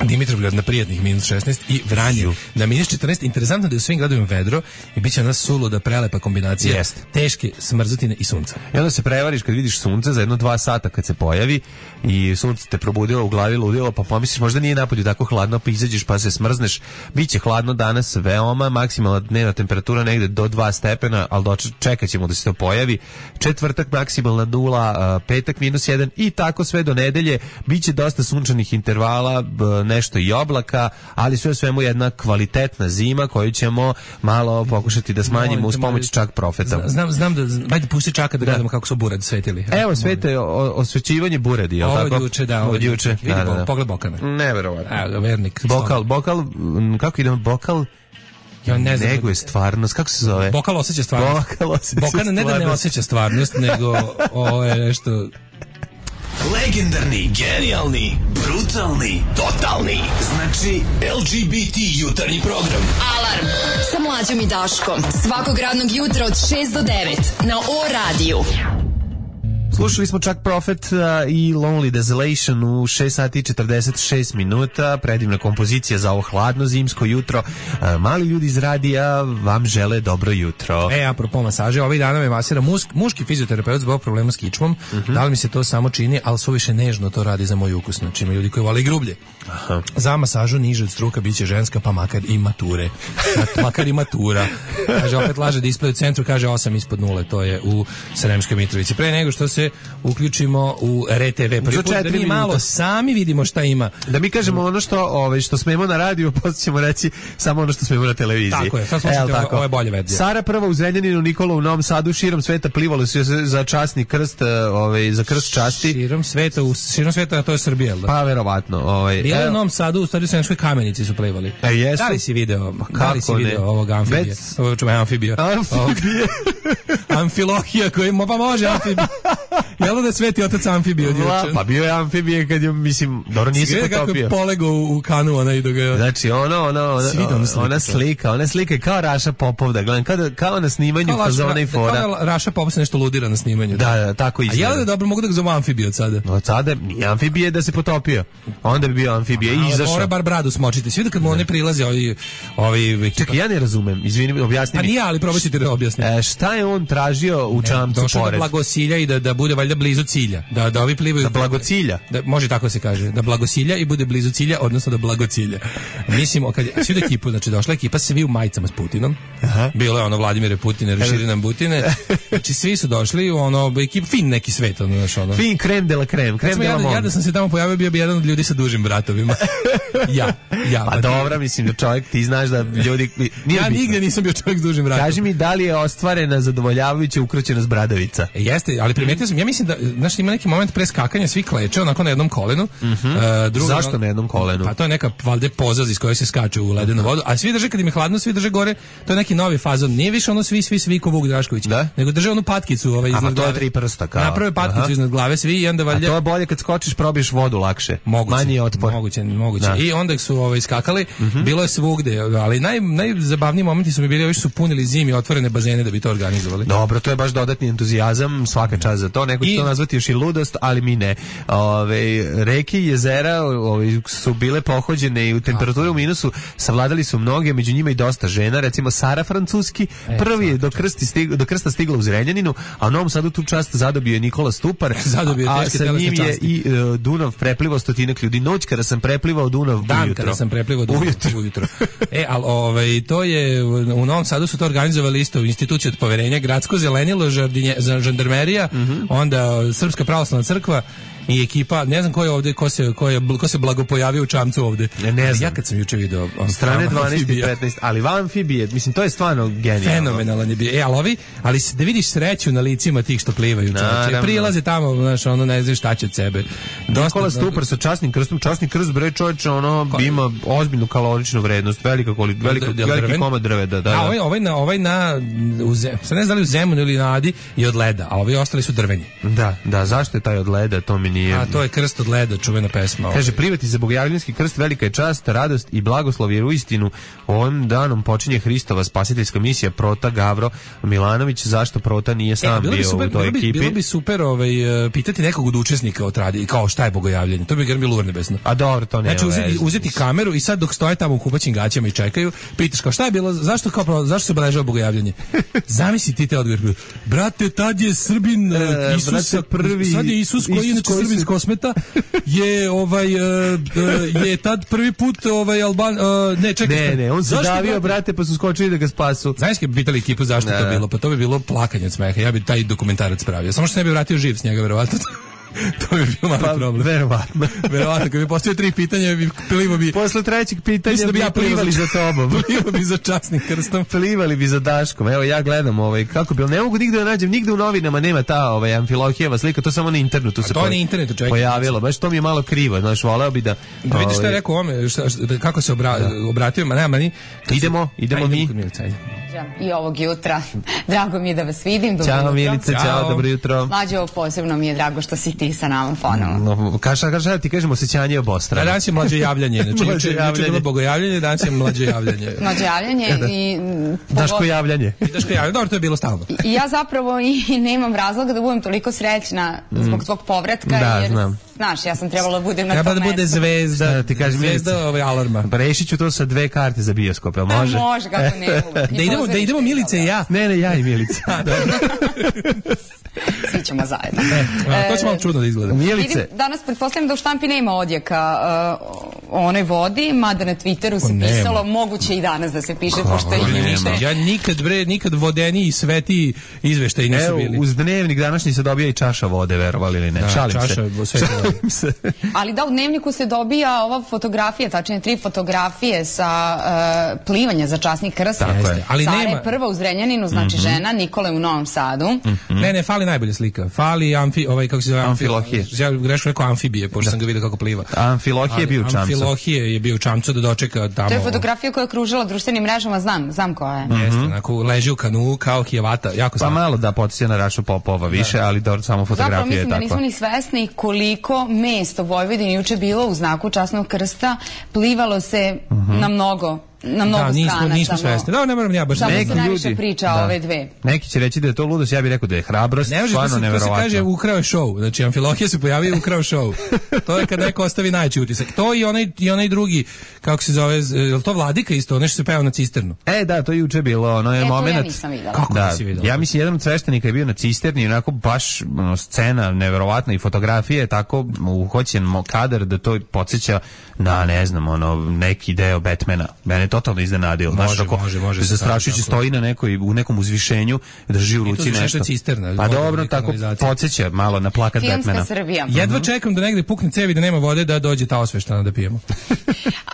Dimitrovgrad na prijatnih minus 16 i Vranje na minus 14. Interesantno da je u svim gradovima vedro i bit će ona suluda prelepa kombinacija teške smrzutine i sunca. I onda se prevariš kad vidiš sunce za 1-2 sata kad se pojavi i sunce te probudilo u glavi, ludilo, pa pomisliš možda nije napolju tako hladno, pa izađeš pa se smrzneš. Biće hladno danas veoma, maksimalna dnevna temperatura negde do 2 stepena, ali čekat ćemo da se to pojavi. Četvrtak maksimalna 0, petak minus 1 i tako sve do nedelje. Biće dosta sunčanih intervala, nešto i oblaka, ali sve svemu jedna kvalitetna zima koju ćemo malo pokušati da smanjimo uz pomoć čak profeta. Znam da, ajde pusti čaka da gledamo kako su buradi svetili. Evo svete osvećivanje buradi, je li tako? Ovo juče, da. Ovo juče. Vidi, pogled Bokana. Neverovatno. Evo ga, vernik. Bokal, kako idemo, Bokal? Ja ne znam. Nego je stvarnost, kako se zove? Bokal osjeća stvarnost. Bokana ne da ne osjeća stvarnost, nego ovo je nešto... Legendarni, genijalni, brutalni, totalni. Znači LGBT jutarnji program. Alarm sa Mlađom i Daškom. Svakog radnog jutra od 6 do 9 na O-radiju. Slušali smo čak Prophet i Lonely Desolation u 6 sati i 46 minuta. Predivna kompozicija za ovo hladno zimsko jutro. Mali ljudi iz radija vam žele dobro jutro. Apropo masaže, ovih dana me masira muški fizioterapeut zbog problema s kičmom. Da li mi se to samo čini, ali suviše nežno to radi za moj ukus. Znači ima ljudi koji vole i grublje. Aha. Za masažu niže od struka biće ženska, pa makar i mature. Makar i matura. Kaže, opet laže display u centru, kaže 8 ispod 0. To je u Sremskoj Mitrovici. Pre nego što se uključimo u RTV. Prvi put da mi malo sami vidimo šta ima. Da mi kažemo ono što smemo na radiju, posle ćemo reći samo ono što smemo na televiziji. Tako je, sad slušajte, ovo je bolje verzija. Sara prva u Zrenjaninu, Nikola u Novom Sadu, širom sveta plivalo se za časni krst, za krst časti. Širom sveta, a to je Srbija, da? Pa verovatno. Bilo je u Novom Sadu, u stvari Sremskoj Kamenici su plivali. Jesu? Da li si video ovog amfibija? Amfibije. Amfilohija koji pa može amfibija. Jel da je Sveti otac amfibije odjučen? Pa bio je amfibije kad je, mislim, dobro nisi potopio. Kako je polegao u kanu ona i dok je... Znači, ona slika je kao Raša Popov, da gledam, kao na snimanju fazona i fora. Kao Raša Popov se nešto ludira na snimanju. Da, tako izgleda. A jel da je dobro, mogu da ga zove amfibije od sada? Od sada nije amfibije da se potopio. Onda bi bio amfibije i izašao. Mora bar bradu smočiti. Svi da kad mu one prilaze ovi... Čekaj, ja ne razumem, izvini, objasni mi. Pa nije, ali probaj ću ti da objasnim. Šta je on tražio u čamcu pored? Došao da blagosilja i da bude valjda blizu cilja. Da ovi plivaju... Da blagocilja? Da, može tako se kaže. Da blagosilja i bude blizu cilja, odnosno da blagocilja. Mislimo, kad svi da ekipu, znači došla ekipa, svi u majicama s Putinom. Aha. Bilo je ono Vladimire Putine, Reširinan Butine. Znači svi su došli, ekip, fin neki svet. Fin krem de la krem, krem de la monde. Ja da sam se tamo pojavio, bio bi jedan od ljudi sa dužim vratovima. Ja. Pa dobra, mislim da čovjek, ti znaš da ljudi... Ja nigde nisam bio čovjek s dužim vratom. Kaži mi da li je ostvarena zadovoljavajuća ukroćenost bradavica? Jeste, ali primetio sam, ja mislim da, znaš, ima neki moment pre skakanja, svi kleče onako na jednom kolenu. Zašto na jednom kolenu? Pa to je neka valjda pozaz iz koje se skače u ledenu vodu, a svi drže kad im je hladno, svi drže gore. To je neki novi fazon. Nije više ono svi ko Vuk Drašković, nego drže onu patkicu iznad glave. To je 3 prsta kao. Naprave patkicu iznad glave svi i onda valjda. A to je bolje kad skočiš, probiješ vodu lakše. Manji je otpor. Moguće. I onda su skakali, bilo je svugde, ali najzabavniji momenti su mi bili, ovi su punili zimi otvorene bazene da bi to organizovali. Dobro, to je baš dodatni entuzijazam, svaka čast za to. Neko će to nazvati još i ludost, ali mi ne. Reke i jezera su bile pohođene i u temperaturi u minusu savladali su mnoge, među njima i dosta žena, recimo Sara Francuski, prvi je do krsta stigla u Zrenjaninu, a u Novom Sadu tu čast zadobio je Nikola Stupar, a sa njim je i Dunav preplivao stotinak ljudi. Noć kada sam preplivao Dunav ujutro. Kada sam preplivao Dunav ujutro. Ali to je, u Novom Sadu su to organizovali isto institucije od poverenja, gradsko zelenilo, žandarmerija, onda Srpska pravoslavna crkva i ekipa, ne znam ko je ovde, ko se blagopojavio u čamcu ovde. Ne znam. Ja kad sam juče video strane 12 i 15, ali van amfibije, mislim, to je stvarno genijalno. Fenomenalan je bio. Ali da vidiš sreću na licima tih što plivaju, čoveče. Prilaze tamo, znaš, ono ne znaš šta će od sebe. Nikola Stupar sa časnim krstom, časni krst, bre, čovječe, ono ima ozbiljnu kaloričnu vrednost, veliki komad drveta, da. A ovaj sad ne znam da li u Zemunu ili na Adi je od leda, a ovi ostali su drveni. Da, zašto je taj od leda, to mi nije... A to je krst od leda, čuvena pesma. Kaže, privati za bogojavljanski krst, velika je čast, radost i blagoslov, jer uistinu ovim danom počinje Hristova spasiteljska misija. Prota Gavro Milanović, zašto Prota nije sam bio u toj ekipi? Bilo bi super pitati nekog od učesnika o tradiciji, kao šta je bogojavljanje, to bi bilo urnebesno. A dobro, to nema veze. Znači uzeti kameru i sad dok stoje tamo u kupaćim gaćama i čekaju, pitaš kao šta je bilo, zašto se obeležava bogojavljanje? Zamisli ti te odgovor. Brate, tad je Srbin Isusa prvi. Sad je Isus koji je inače Srbin s Kosmeta je tad prvi put Alban Ne, on se davio, brate, pa su skočili da ga spasu. Znaš kad bi pitali ekipu zašto je to bilo? Pa to bi bilo plakanje od smeha. Ja bi taj dokumentarac pravio. Samo što se ne bi vratio živ s njega, verovatno. To bi bio mali problem. Verovatno, kad bi postavio 3 pitanja, plivo bi... Posle trećeg pitanja bi plivali za tobom. Plivo bi za časnim krstom. Plivali bi za Daškom. Evo, ja gledam kako bi... Ne mogu nigde da nađem, nigde u novinama nema ta Amfilohijeva slika, to samo na internetu se pojavilo. Baš to mi je malo krivo, znaš, voleo bi da... Da vidiš šta je rekao ome, kako se obratio, idemo mi. I ovog jutra. Drago mi je da vas vidim. Ćao Milice, ćao, dobro jutro. Mlađo, posebno mi je drago što si ti sa nama ponovo. Kaže, ti kažemo osjećanje obostrano. Danas je mlađe javljanje. Znači, juče je bilo bogojavljanje, danas je mlađe javljanje. Mlađe javljanje i... Daško javljanje. Dobro, to je bilo stalno. I ja zapravo i nemam razloga da budem toliko srećna zbog tvog povratka. Da, znam. Znaš, ja sam trebala da budem na tom mestu. Treba da bude zvezda, ti kažem, zvezda alarma. Rešit ću to sa 2 karte za bioskop, jel može? Može, kako ne. Da idemo Milice i ja. Ne, ja i Milica. Svi ćemo zajedno. To će malo čudno da izgleda. Milice. Danas pretpostavljam da u štampi nema odjeka o onoj vodi, mada na Twitteru se pisalo, moguće i danas da se piše, pošto i više. Ja nikad vodeniji i svetiji izveštaji nisu bili. Evo, uz dnevnik današnji se dobija i čaša vode, verovali ili ne. Šalim se. Ali da, u dnevniku se dobija ova fotografija, tačnije 3 fotografije sa plivanja za časni krst. Sara je prva u Zrenjaninu, znači žena, Nikola je u Novom Sadu. Ne, fali najbolja slika. Fali kako se zove? Amfilohije. Ja greško rekao amfibije, pošto sam ga vidio kako pliva. Amfilohije je bio u čamcu. Amfilohije je bio u čamcu da dočeka tamo. To je fotografija koja je kružila društvenim mrežama, znam koja je. Jeste, onako leži u kanu kao Hijevata, jako pa malo da podsjeća na Rašu Popova više, ali dobro, samo fotografija je takva. Zapravo mislim da nismo ni svesni koliko mesta u Vojvodini juče bilo u znaku časnog krsta, plivalo se na mnogo strana. Nismo svesni. Da, ne moram ja baš. Samo se najviše priča o ove dve. Neki će reći da je to ludost, ja bih rekao da je hrabrost, stvarno neverovatno. To se kaže ukrao je show. Znači, Amfilohije se pojavio i ukrao show. To je kad neko ostavi najveći utisak. To i onaj drugi, kako se zove, je to Vladika isto, nešto se peva na cisternu. Da, to je juče bilo, ono je moment. To ja nisam videla. Kako nisi videla? Ja mislim, jedan od sveštenika je bio na cisterni, onako baš scena neverovatna i fotografije, tako uhoćen kadar da to podsjeća na, ne znam, neki deo Batmana. Mene totalno iznenadio. Može. Zastrašujući stoji u nekom uzvišenju, drži u ruci nešto. Pa dobro, tako podsjeća malo na plakat Batmana. Filmska Srbija. Jedva čekam da negde pukne cevi da nema vode da dođe ta osveštana da pijemo.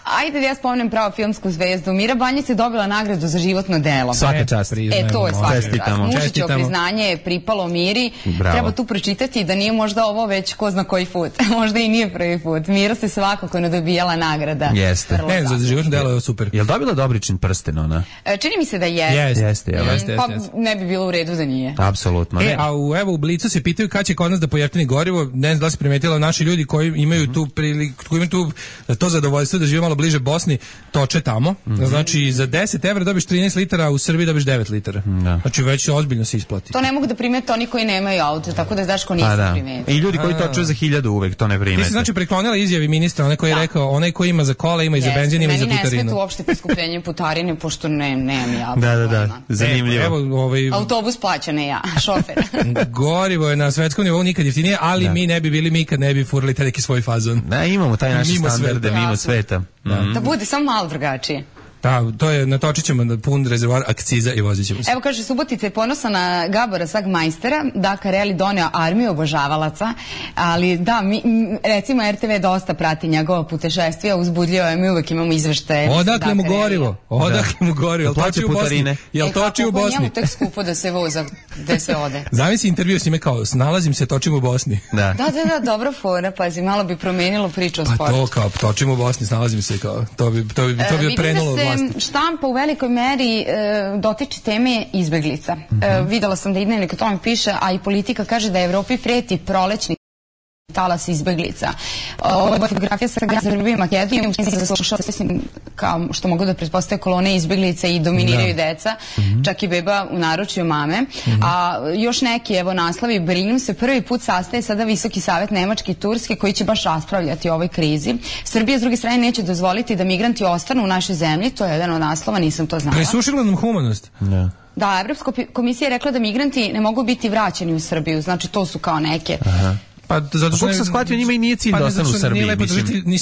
Ajde da ja spomenem pravo filmsku zvezdu. Mira Banjac je dobila nagradu za životno delo. Svaka čast. To je svaka čast. Mušićevo priznanje je pripalo Miri. Treba tu pročitati da nije možda ovo već ko zna koji put. Možda i nije prvi put. Mira se svakako nadobijala nagrada. Jeste. Ne, za životno delo je super. Jel dobila Dobričin prsten ona? Čini mi se da jeste. Jeste. Pa ne bi bilo u redu da nije. Apsolutno. A u Blicu se pitaju kad će kod nas da pojeftini gorivo. Ne znam da li se primetila, naši ljudi koji imaju tu to zadovoljstvo da žive malo bliže Bosni, toče tamo. Znači za 10 evra dobiš 13 litara, u Srbiji dobiš 9 litara. Znači već ozbiljno se isplati. To ne mogu da primete oni koji nemaju auto, tako da Daško nisam primetio. I ljudi koji toče za 1000 uvek to ne primete. Ti se znači preklonila izjavi ministra, onaj koji je rekao, onaj koji ima za kola, ima i za benzin, ima i za putarinu. Meni ne smeta uopšte poskupljenje putarine, pošto nemam ja. Da, zanimljivo. Autobus plaća, ne ja, šofer. Gorivo je na svetskom nivou nikad jeftinije, ali mi ne bi bili, mi kad ne bi furali taj neki svoj fazon. Da, imamo taj naši standarde mimo sveta. Da bude samo malo drugačije. Da, to je, natočit ćemo pun rezervoar akciza i vozit ćemo se. Evo kaže, Subotica je ponosna na Gabora Sagmajstera, Dakar Rally doneo armiju obožavalaca, ali da, recimo RTV dosta prati njegova putešestvija, uzbudljivo je, mi uvek imamo izveštaje. Odakle mu gorivo? Odakle mu gorivo? Jel toči u Bosni? Jel toči u Bosni? Njemu tek skupo da se voza, gde se ode. Zamisli intervju s njime kao, snalazim se, točim u Bosni. Da, dobra fora, pazi, malo bi promenilo priču o sportu. Pa to kao, točim u Bosni, snalazim se kao, to bi prenulo od vlasti. Vidim da se štampa u velikoj meri dotiče teme izbeglica. Videla sam da i Dnevnik o tome piše, a i Politika kaže da Evropi preti prolećni talas izbeglica. Ova fotografija sa Srbije i Makedonije kao što mogu da pretpostavljaju kolone izbeglica i dominiraju deca, čak i beba u naručju mame. A još neki, evo, naslovi, Berlin se prvi put sastaje sada Visoki savet Nemačke i Turske koji će baš raspravljati o ovoj krizi. Srbija s druge strane neće dozvoliti da migranti ostanu u našoj zemlji, to je jedan od naslova, nisam to znala. Presušila nam humanost. Da, Evropska komisija je rekla da migranti ne mogu biti vraćeni u Srbiju, znači to su kao neke... Pa zato što sam shvatio, njima i nije cilj da ostanu u Srbiji.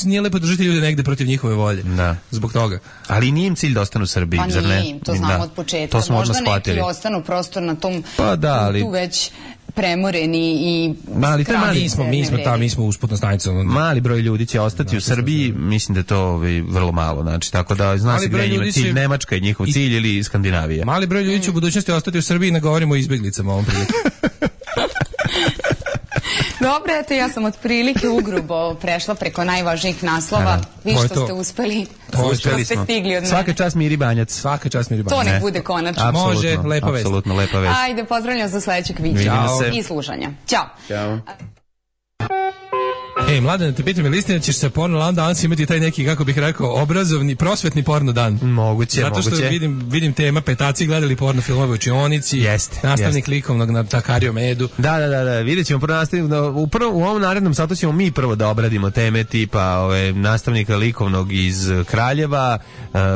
Nije lepo držati ljude negde protiv njihove volje. Da. Zbog toga. Ali nije im cilj da ostanu u Srbiji, zar ne? Pa nije im, to znamo od početka. To smo možda shvatili. Neki ostanu prosto na tom ali... tu već premoreni i mi smo usputna stanica. Mali broj ljudi će ostati u Srbiji, mislim da je to vrlo malo, znači tako da zna se gde njima cilj, Nemačka je njihov cilj ili Skandinavija. Mali broj ljudi će u budućnosti ostati u Srbiji, ne govorimo o izbeglicama ovom priliku. Dobro, eto, ja sam otprilike ugrubo prešla preko najvažnijih naslova. Vi što ste uspeli. Uspeli smo. Svaka čast Miri Banjac. Svaka čast Miri Banjac. To nek bude konačno. Može, lepa vest. Apsolutno lepa vest. Ajde, pozdravljam za sledećeg viđenja i slušanja. Ćao. Ćao. Mladene, te pitam, je li istina ćeš se porno danas imati taj neki, kako bih rekao, obrazovni, prosvetni porno dan? Moguće. Zato što vidim tema, petaci gledali porno filmove u učionici, nastavnik likovnog na Takario Medu. Da, vidjet ćemo prvo nastavnik, u ovom narednom satu ćemo mi prvo da obradimo teme tipa nastavnika likovnog iz Kraljeva,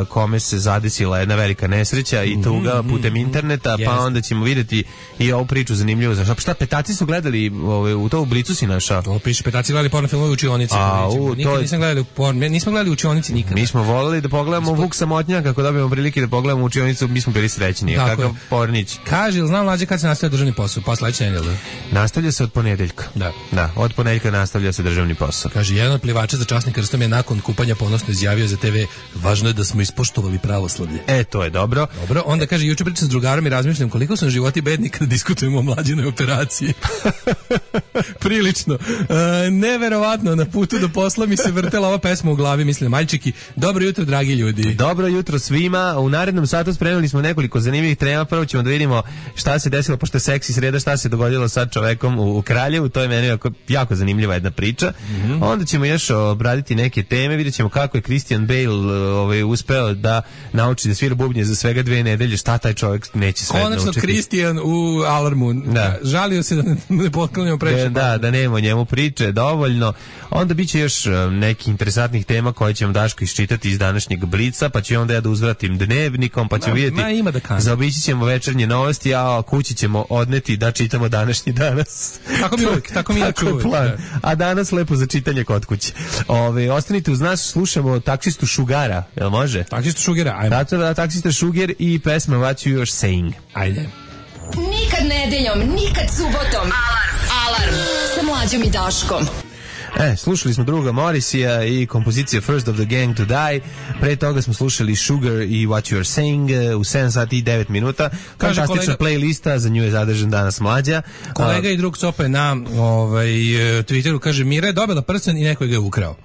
kome se zadesila jedna velika nesreća i tuga putem interneta, pa onda ćemo vidjeti i ovu priču zanimljivu. Šta, petaci su gledali, u to u Blicu si našao? To piše, petaci gledali porno filmove u učionici. Nikad nisam gledali porno, nismo gledali u učionici nikad. Mi smo voleli da pogledamo Vuk Samotnjak, ako dobijemo prilike da pogledamo u učionicu, mi smo bili srećni. Kakav pornić. Kaže, znam Mlađe kad se nastavlja državni posao, pa sledeće nedelje. Nastavlja se od ponedeljka. Da, od ponedeljka nastavlja se državni posao. Kaže, jedan od plivača za časnim krstom je nakon kupanja ponosno izjavio za TV, važno je da smo ispoštovali pravoslavlje. To je dobro. Dobro, onda kaže, juče pričam s drugarom i razmišljam koliko sam životi bedni kada diskutujemo o Mlađinoj operaciji. Prilično. Neverovatno, na putu do posla mi se vrtela ova pesma u glavi, mislim, Maljčiki, dobro jutro, dragi ljudi. Dobro jutro svima, u narednom satu spremili smo nekoliko zanimljivih tema, prvo ćemo da vidimo šta se desilo, pošto je seksi sreda, šta se dogodilo sad čovekom u Kraljevu, to je meni jako zanimljiva jedna priča. Onda ćemo još obraditi neke teme, vidjet ćemo kako je Christian Bale uspeo da nauči da svira bubnje za svega 2 nedelje, šta taj čovjek neće sve naučiti. Konačno Christian u Alarmu, žalio se da ne potklanjamo previše. Da nema o njemu priče dovoljno. Onda biće još nekih interesantnih tema koje ćemo Daško iščitati iz današnjeg Blica, pa ću onda ja da uzvratim dnevnikom, pa ću vidjeti. Zaobići ćemo večernje novosti, a kući ćemo odneti da čitamo današnji danas. Tako mi je plan. A danas lepo za čitanje kod kuće. Ostanite uz nas, slušamo Taksistu Šugara, jel može? Taksistu Šugara, ajmo. Taksista Šuger i pesma What You Are Saying. Ajde. Nikad nedeljom, nikad subotom. Alarm sa Mlađom i Daškom. Slušali smo druga Morrisija i kompozicija First of the Gang to Die. Pre toga smo slušali Sugar i What You Are Saying u 7 sati i 9 minuta. Fantastična playlista, za nju je zadržan danas Mlađa. Kolega i drug Cope na Twitteru kaže, Mira je dobila prsten i neko ga je ukrao.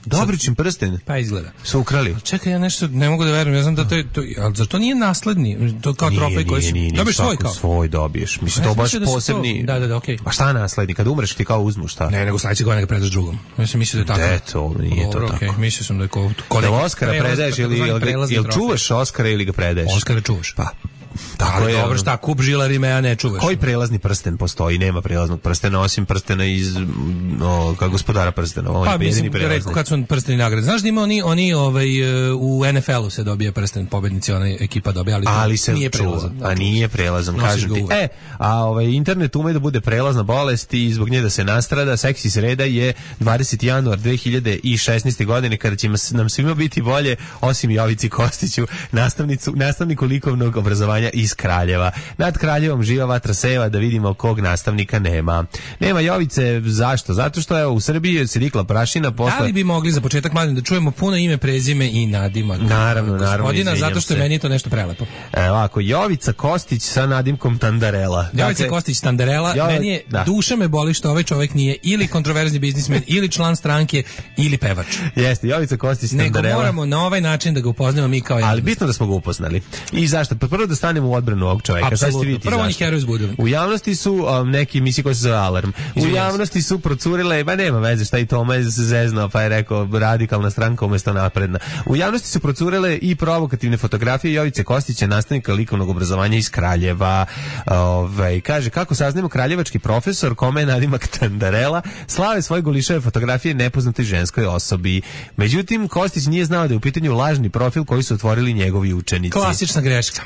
Dobričin prsten? Pa izgleda. Su ukrali. Čekaj, ja nešto ne mogu da verujem. Ja znam da to je, ali zar to nije nasledni? To kao trofej koji si dobiješ svoj kao? Svoj dobiješ. Mislim, to baš posebni. Da, okej. A šta nasledni? Kad umreš ti kao uzmu, šta? Ne, nego sledeće godine ga predaš drugom. Ja sam mislio da je tako. To nije to tako. Okej, mislio sam da je da Oskara predaješ ili čuvaš Oskara ili ga predaješ? Oskara čuvaš. Pa. Ali dobro, šta, kup žilarime, a ne čuvaš. Koji prelazni prsten postoji? Nema prelaznog prstena, osim prstena iz kao gospodara prstena. Pa mislim, rekao kad su prsteni nagrade. Znaš da ima oni u NFL-u se dobije prsten, pobednici, ona ekipa dobije, ali se nije prelazan. A nije prelazan, kažem ti. Internet ume da bude prelazna bolest i zbog nje da se nastrada. Seksi sreda je 20. januar 2016. godine, kada će nam svima biti bolje, osim Jovici Kostiću, nastavniku likovnog obrazovanja iz Kraljeva. Nad Kraljevom živa vatra seva, da vidimo kog nastavnika nema. Nema Jovice, zašto? Zato što evo u Srbiji se dikla prašina posle... Da li bi mogli za početak, mladim, da čujemo puno ime, prezime i nadimak? Naravno, gospodina, zato što je meni to nešto prelepo. Ovako, Jovica Kostić sa nadimkom Tandarela. Jovica Kostić Tandarela, meni je, duša me boli što ovaj čovjek nije ili kontroverzni biznismen, ili član stranke, ili pevač. Jeste, Jovica Kostić Tandarela. Nego moramo na ovaj način da ga upoznamo mi kao jedan. Ali bitno da smo ga upoznali. I zašto? Prvo da stanemo u odbranu ovog čovjeka. Apsolutno. Prvo oni heroj zbudili. U javnosti su neki misli koji se zove Alarm. U javnosti su procurile, ba nema veze šta i Toma se zeznao, pa je rekao radikalna stranka umjesto napredna. U javnosti su procurile i provokativne fotografije Jovice Kostića, nastavnika likovnog obrazovanja iz Kraljeva. Kaže, kako saznamo, kraljevački profesor, kome je nadimak Tandarela, slave svoje golišave fotografije nepoznatoj ženskoj osobi. Međutim, Kostić nije znao da je u pitanju lažni profil koji su otvorili njegovi učenici. Klasična greška.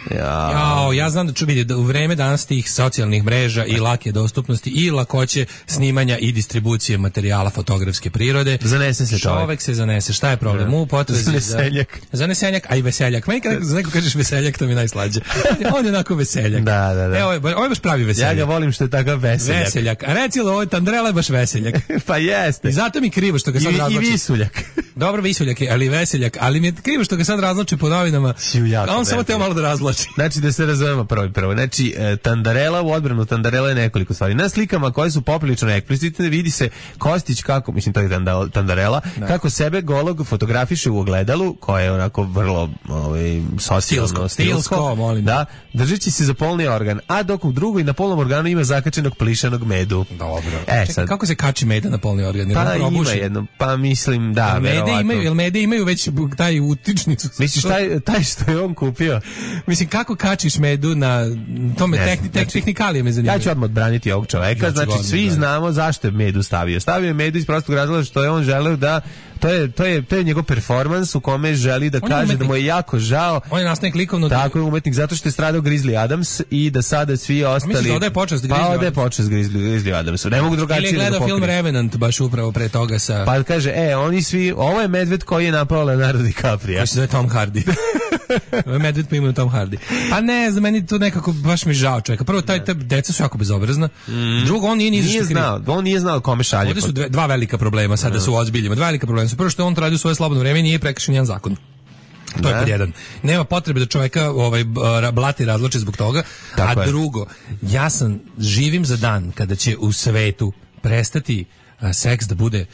Ja znam da ću vidjeti da u vreme danas tih socijalnih mreža i lake dostupnosti i lakoće snimanja i distribucije materijala fotografske prirode. Zanese se čovjek se zanese. Šta je problem? U potrezi zanesenjak, a i veseljak. Meni kad neko kažeš veseljak, to mi je najslađe. On je onako veseljak. Da. Evo, ovo je baš pravi veseljak. Ja ga volim što je takav veseljak. A reci li ovo Tandarela je baš veseljak? Pa jeste. I zato mi krivo što ga sad razloči. I visuljak. Dobro, visuljak je, ali veseljak. Ali mi je krivo što ga sad razloči po novinama. A on samo teo malo da razloči. Znači da se razumemo prvo. Znači, Tandarela, u odbranu Tandarela je nekoliko stvari. Na slikama koje su poprilično eksplicitne vidi se Kostić kako, mislim to je Tandarela, kako sebe golog fotografiše u ogledalu, koje je onako vrlo socijalno stilsko, molim. Da, držeći se za polni organ, a dok u drugoj na polnom organu ima zakačenog plišanog medu. Dobro. Sad, kako se kači meda na polni organ? Pa ima jedno, pa mislim da, verovatno. Jel mede imaju već taj utičnicu? Misliš taj što je on kupio? Mislim, kako kačiš medu na tome tehnikalije me zanimaju. Ja ću odmah odbraniti ovog čoveka, znači svi znamo zašto je medu stavio. Stavio je medu iz prostog razloga što je on želeo da to je njegov performans u kome želi da kaže da mu je jako žao. On je nastavnik likovnog. Tako je umetnik, zato što je stradao Grizzly Adams i da sada svi ostali. Misliš da odaje počast Grizzly Adamsu? Pa odaje počast Grizzly Adamsu. Ne mogu drugačije da pokriju. Ili je gledao film Revenant baš upravo pre toga sa... Pa kaže, oni svi, ovo je medved koji je napao Leonardo DiCaprio. Koji se zove Tom Hardy. Ovo je medved po imenu Tom Hardy. Pa ne, za meni to nekako baš mi žao čovjeka. Prvo, ta deca su jako bezobrazna. Drugo, on nije znao kome šalje. Ovdje su dva velika problema, sada su ozbiljima. Dva velika problema su. Prvo što on to radi u svoje slobodno vreme i nije prekršen jedan zakon. To je pod jedan. Nema potrebe da čovjeka blati razloči zbog toga. A drugo, živim za dan kada će u svetu prestati seks da bude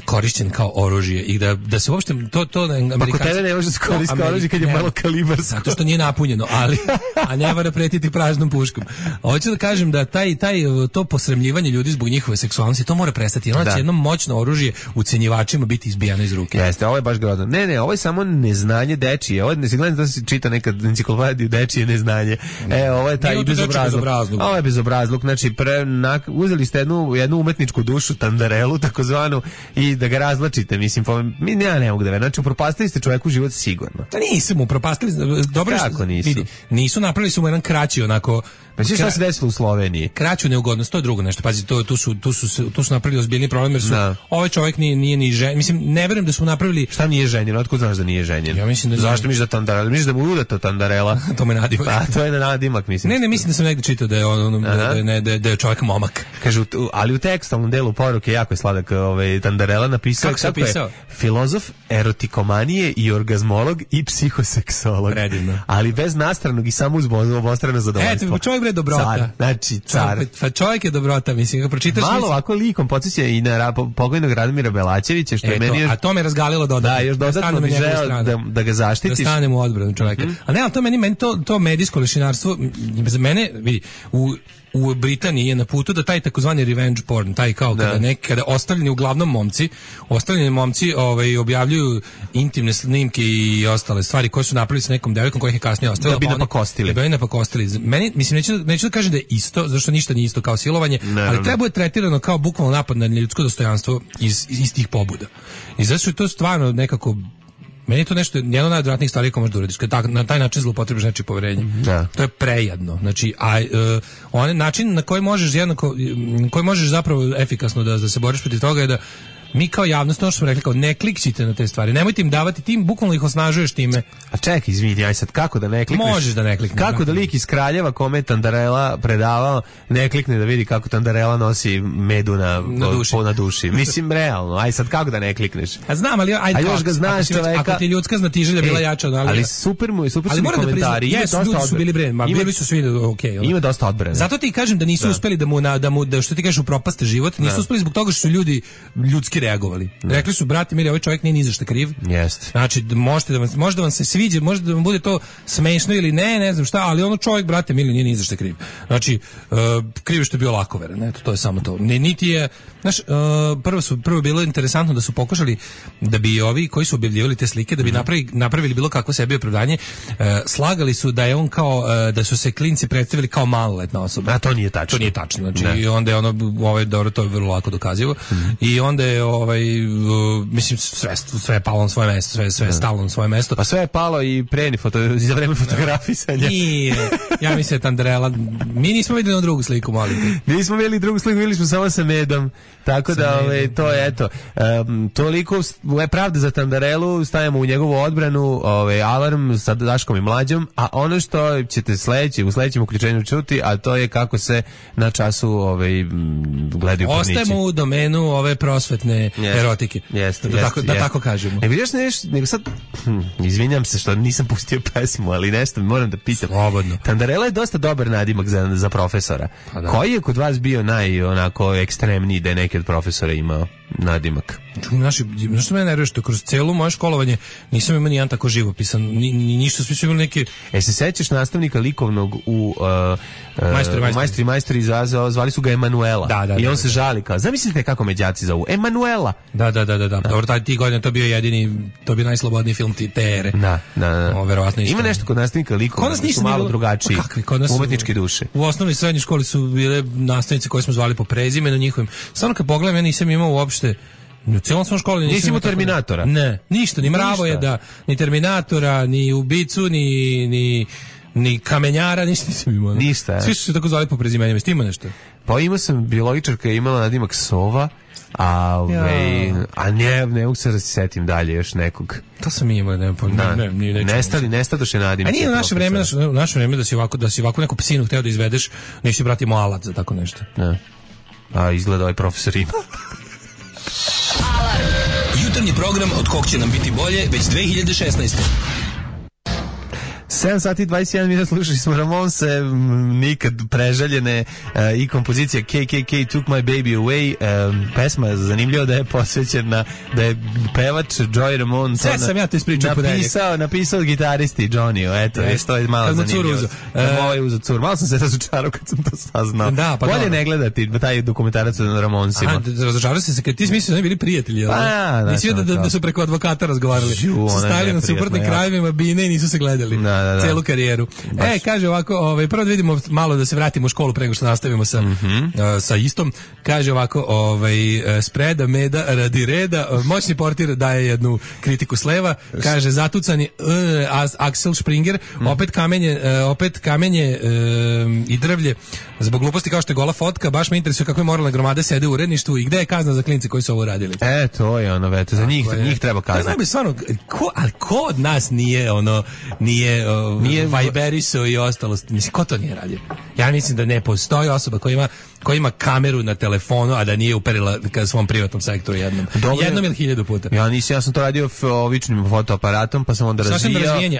korišćen kao oružje i da se uopšte to Amerikanci... Pa kod tebe ne može se koristiti kao oružje kad je malo kalibarsko. Zato što nije napunjeno, a ne mora pretiti praznom puškom. Hoću da kažem da to posramljivanje ljudi zbog njihove seksualnosti, to mora prestati. Ono će jedno moćno oružje ucenjivačima biti izbijano iz ruke. Jeste, ovo je baš grozno. Ne, ovo je samo neznanje dečije. Ovo ne se gledam da se čita nekad enciklopediju dečije neznanje. Ovo je taj bezobrazluk. Ovo je bezobrazluk. Znači, uzeli ste jednu umetničku dušu, Tandarelu, takozvanu, i da ga razlačite, mislim, ja ne mogu da verujem. Znači, upropastili ste čovjeku život sigurno. Da nisu mu upropastili, dobro kako nisu? Vidi, nisu napravili su mu jedan kraći onako... Znači, šta se desilo u Sloveniji? Kraću neugodnost, to je drugo nešto. Pazi, tu su napravili ozbiljni problem, jer su ovaj čovjek nije ni ženjen. Mislim, ne verujem da su napravili... Šta nije ženjen? Otkud znaš da nije ženjen? Ja mislim da... Zašto misliš da Tandarela? Misliš da mu udata Tandarela? To me nadimak. Pa, to je nadimak, mislim. Ne, mislim da sam negdje čitao da je čovjek momak. Kažu, ali u tekstalnom delu poruke jako je sladak Tandarela napisao kako je filozof erotikomanije i orgazmolog i psihoseksolog. Predivno. Ali bez nastranog i samo uz obostrano zadovoljstvo. Čovjek bre dobrota. Car. Pa čovjek je dobrota, mislim, ga pročitaš... Malo ovako likom podsjeća i na pokojnog Radomira Belačevića, što je meni još... A to me razgalilo dodatno. Da, još dodatno bi želeo da ga zaštitiš. Da stanem u odbranu čovjeka. A ne, ali to meni to medijsko lešinarstvo, za mene, vidi, u Britaniji je na putu da taj takozvani revenge porn, taj kao kada ostavljeni uglavnom momci objavljuju intimne snimke i ostale stvari koje su napravili sa nekom devojkom koja ih je kasnije ostavila. Da bi napakostili. Da bi napakostili. Meni, mislim, neću da kažem da je isto, zašto ništa nije isto kao silovanje, ali treba je tretirano kao bukvalno napad na ljudsko dostojanstvo iz tih pobuda. I zato je to stvarno nekako, meni je to nešto, jedna od najodvratnijih stvari koje možeš da uradiš, kada na taj način zloupotrebiš nečije poverenje. To je prejadno. Znači, onaj način na koji možeš zapravo efikasno da se boriš protiv toga je da mi kao javnost, ono što smo rekli, kao ne klikćite na te stvari, nemojte im davati, tim bukvalno ih osnažuješ time. A čekaj, izvini, aj sad, kako da ne klikneš? Možeš da ne klikneš. Kako da lik iz Kraljeva kome Tandarela predavao ne klikne da vidi kako Tandarela nosi medu na duši. Mislim, realno, aj sad, kako da ne klikneš? A znam, ali a još ga znaš čoveka. Ako ti ljudska znatiželja bila jača, ali super su mi komentari. Jesu, ljudi su bili bili su svi okej. Ima dosta odbrane. Zato ti kažem da nisu uspeli da što ti kažeš upropaste život, nisu uspeli zbog toga što su ljudi ljudski reagovali. Rekli su, brate mili, ovaj čovjek nije ni za šta kriv. Jeste. Znači, možda vam se sviđa, možda da vam bude to smešno ili ne znam šta, ali ono čovjek, brate mili, nije ni za šta kriv. Znači, kriv što je bio lakoveran, eto, to je samo to. Niti je, znaš, prvo bilo interesantno da su pokušali da bi ovi koji su objavljivali te slike, da bi napravili bilo kakvo sebi opravdanje, slagali su da je on kao, da su se klinci predstavili kao maloletna osoba. A to nije tačno. To nije tačno. Znači, i onda je ono, dobro, to je vrlo lako dokazivo. I onda je mislim sve je palo na svoje mesto, sve je stalo na svoje mesto. Pa sve je palo i za vreme fotografisanja. Nije. Ja mislim Tandarela, mi nismo videli drugu sliku, molim. Nismo videli drugu sliku, videli smo samo sa medom. Tako da to je eto. Toliko je pravda za Tandarelu, stavljamo u njegovu odbranu, alarm sa Daškom i Mlađom, a ono što ćete u sledećem uključenju čuti, a to je kako se na času gledaju pornići. Ostajemo u domenu ove prosvetne erotike. Da tako kažemo. Vidiš nešto, nego sad, izvinjam se što nisam pustio pesmu, ali nešto moram da pitam. Slobodno. Tandarela je dosta dobar nadimak za profesora. Koji je kod vas bio ekstremniji da je neki od profesora imao nadimak? Što me nervira, što kroz celo moje školovanje nisam imao nijedan tako živopisan, ništa, svi su imali neke... Se sećaš nastavnika likovnog u Majstori zvali su ga Emanuela. I on se žali kao, zamislite kako me đaci zovu, Emanuela. Da. Dobro, ti godine to bio najslobodniji film te ere. Da. Verovatno ima nešto kod nastavnika likovnog, su malo drugačiji, umetničke duše. U osnovnoj i srednjoj školi su bile nastavnice koje smo zvali po prezimenu njihovim. Samo kad pogledam, ja nisam imao uopšte u celom svom školi nisi imao Terminatora? Ne, ništa, ni Mravojeda, ni Terminatora, ni ubicu, ni kamenjara, ništa nisam imao. Ništa. Svi su se tako zvali po prezimenima, ste imao nešto? Pa imao sam biologičarka, imala nadimak Sova, a ne mogu se da se setim dalje još nekog. To sam imao, nestadoše nadimak. A nije u naše vreme da si ovako neku psinu hteo da izvedeš, nisi bratimo alat za tako nešto. Ne. A izgleda ovaj profesor ima. Jutarnji program od kog će nam biti bolje već 2016. 7 sati 21 minuta slušali smo Ramonse, nikad prežaljene, i kompozicija KKK Took My Baby Away. Pesma je zanimljiva da je posvećena, da je pevač Joey Ramone sve sam ja to ispričao napisao gitaristi Johnny, eto, to je malo zanimljivo. Malo sam se razočarao kad sam to saznao. Bolje ne gledati taj dokumentarac o Ramonsima. Razočarao sam se kad ti smislio da ne bili prijatelji, nisi vidio da su preko advokata razgovarali, su stajali na suprotnim krajevima bine i nisu se gledali celu karijeru. Kaže ovako, prvo da vidimo malo, da se vratimo u školu pre nego što nastavimo sa istom. Kaže ovako, spreda meda radi reda, moćni portir daje jednu kritiku s leva, kaže zatucani Axel Springer, opet kamenje i drvlje zbog gluposti kao što je gola fotka, baš me interesuje kakve moralne gromade sede u uredništvu i gde je kazna za klince koji su ovo radili. To je ono, veto, za njih treba kazna. Ko od nas nije Viberiso i ostalo, mislim, ko to nije radio? Ja mislim da ne postoji osoba koja ima kameru na telefonu, a da nije uperila ka svom privatnom sektoru jednom ili 1000 puta. Ja sam to radio običnim fotoaparatom, pa sam onda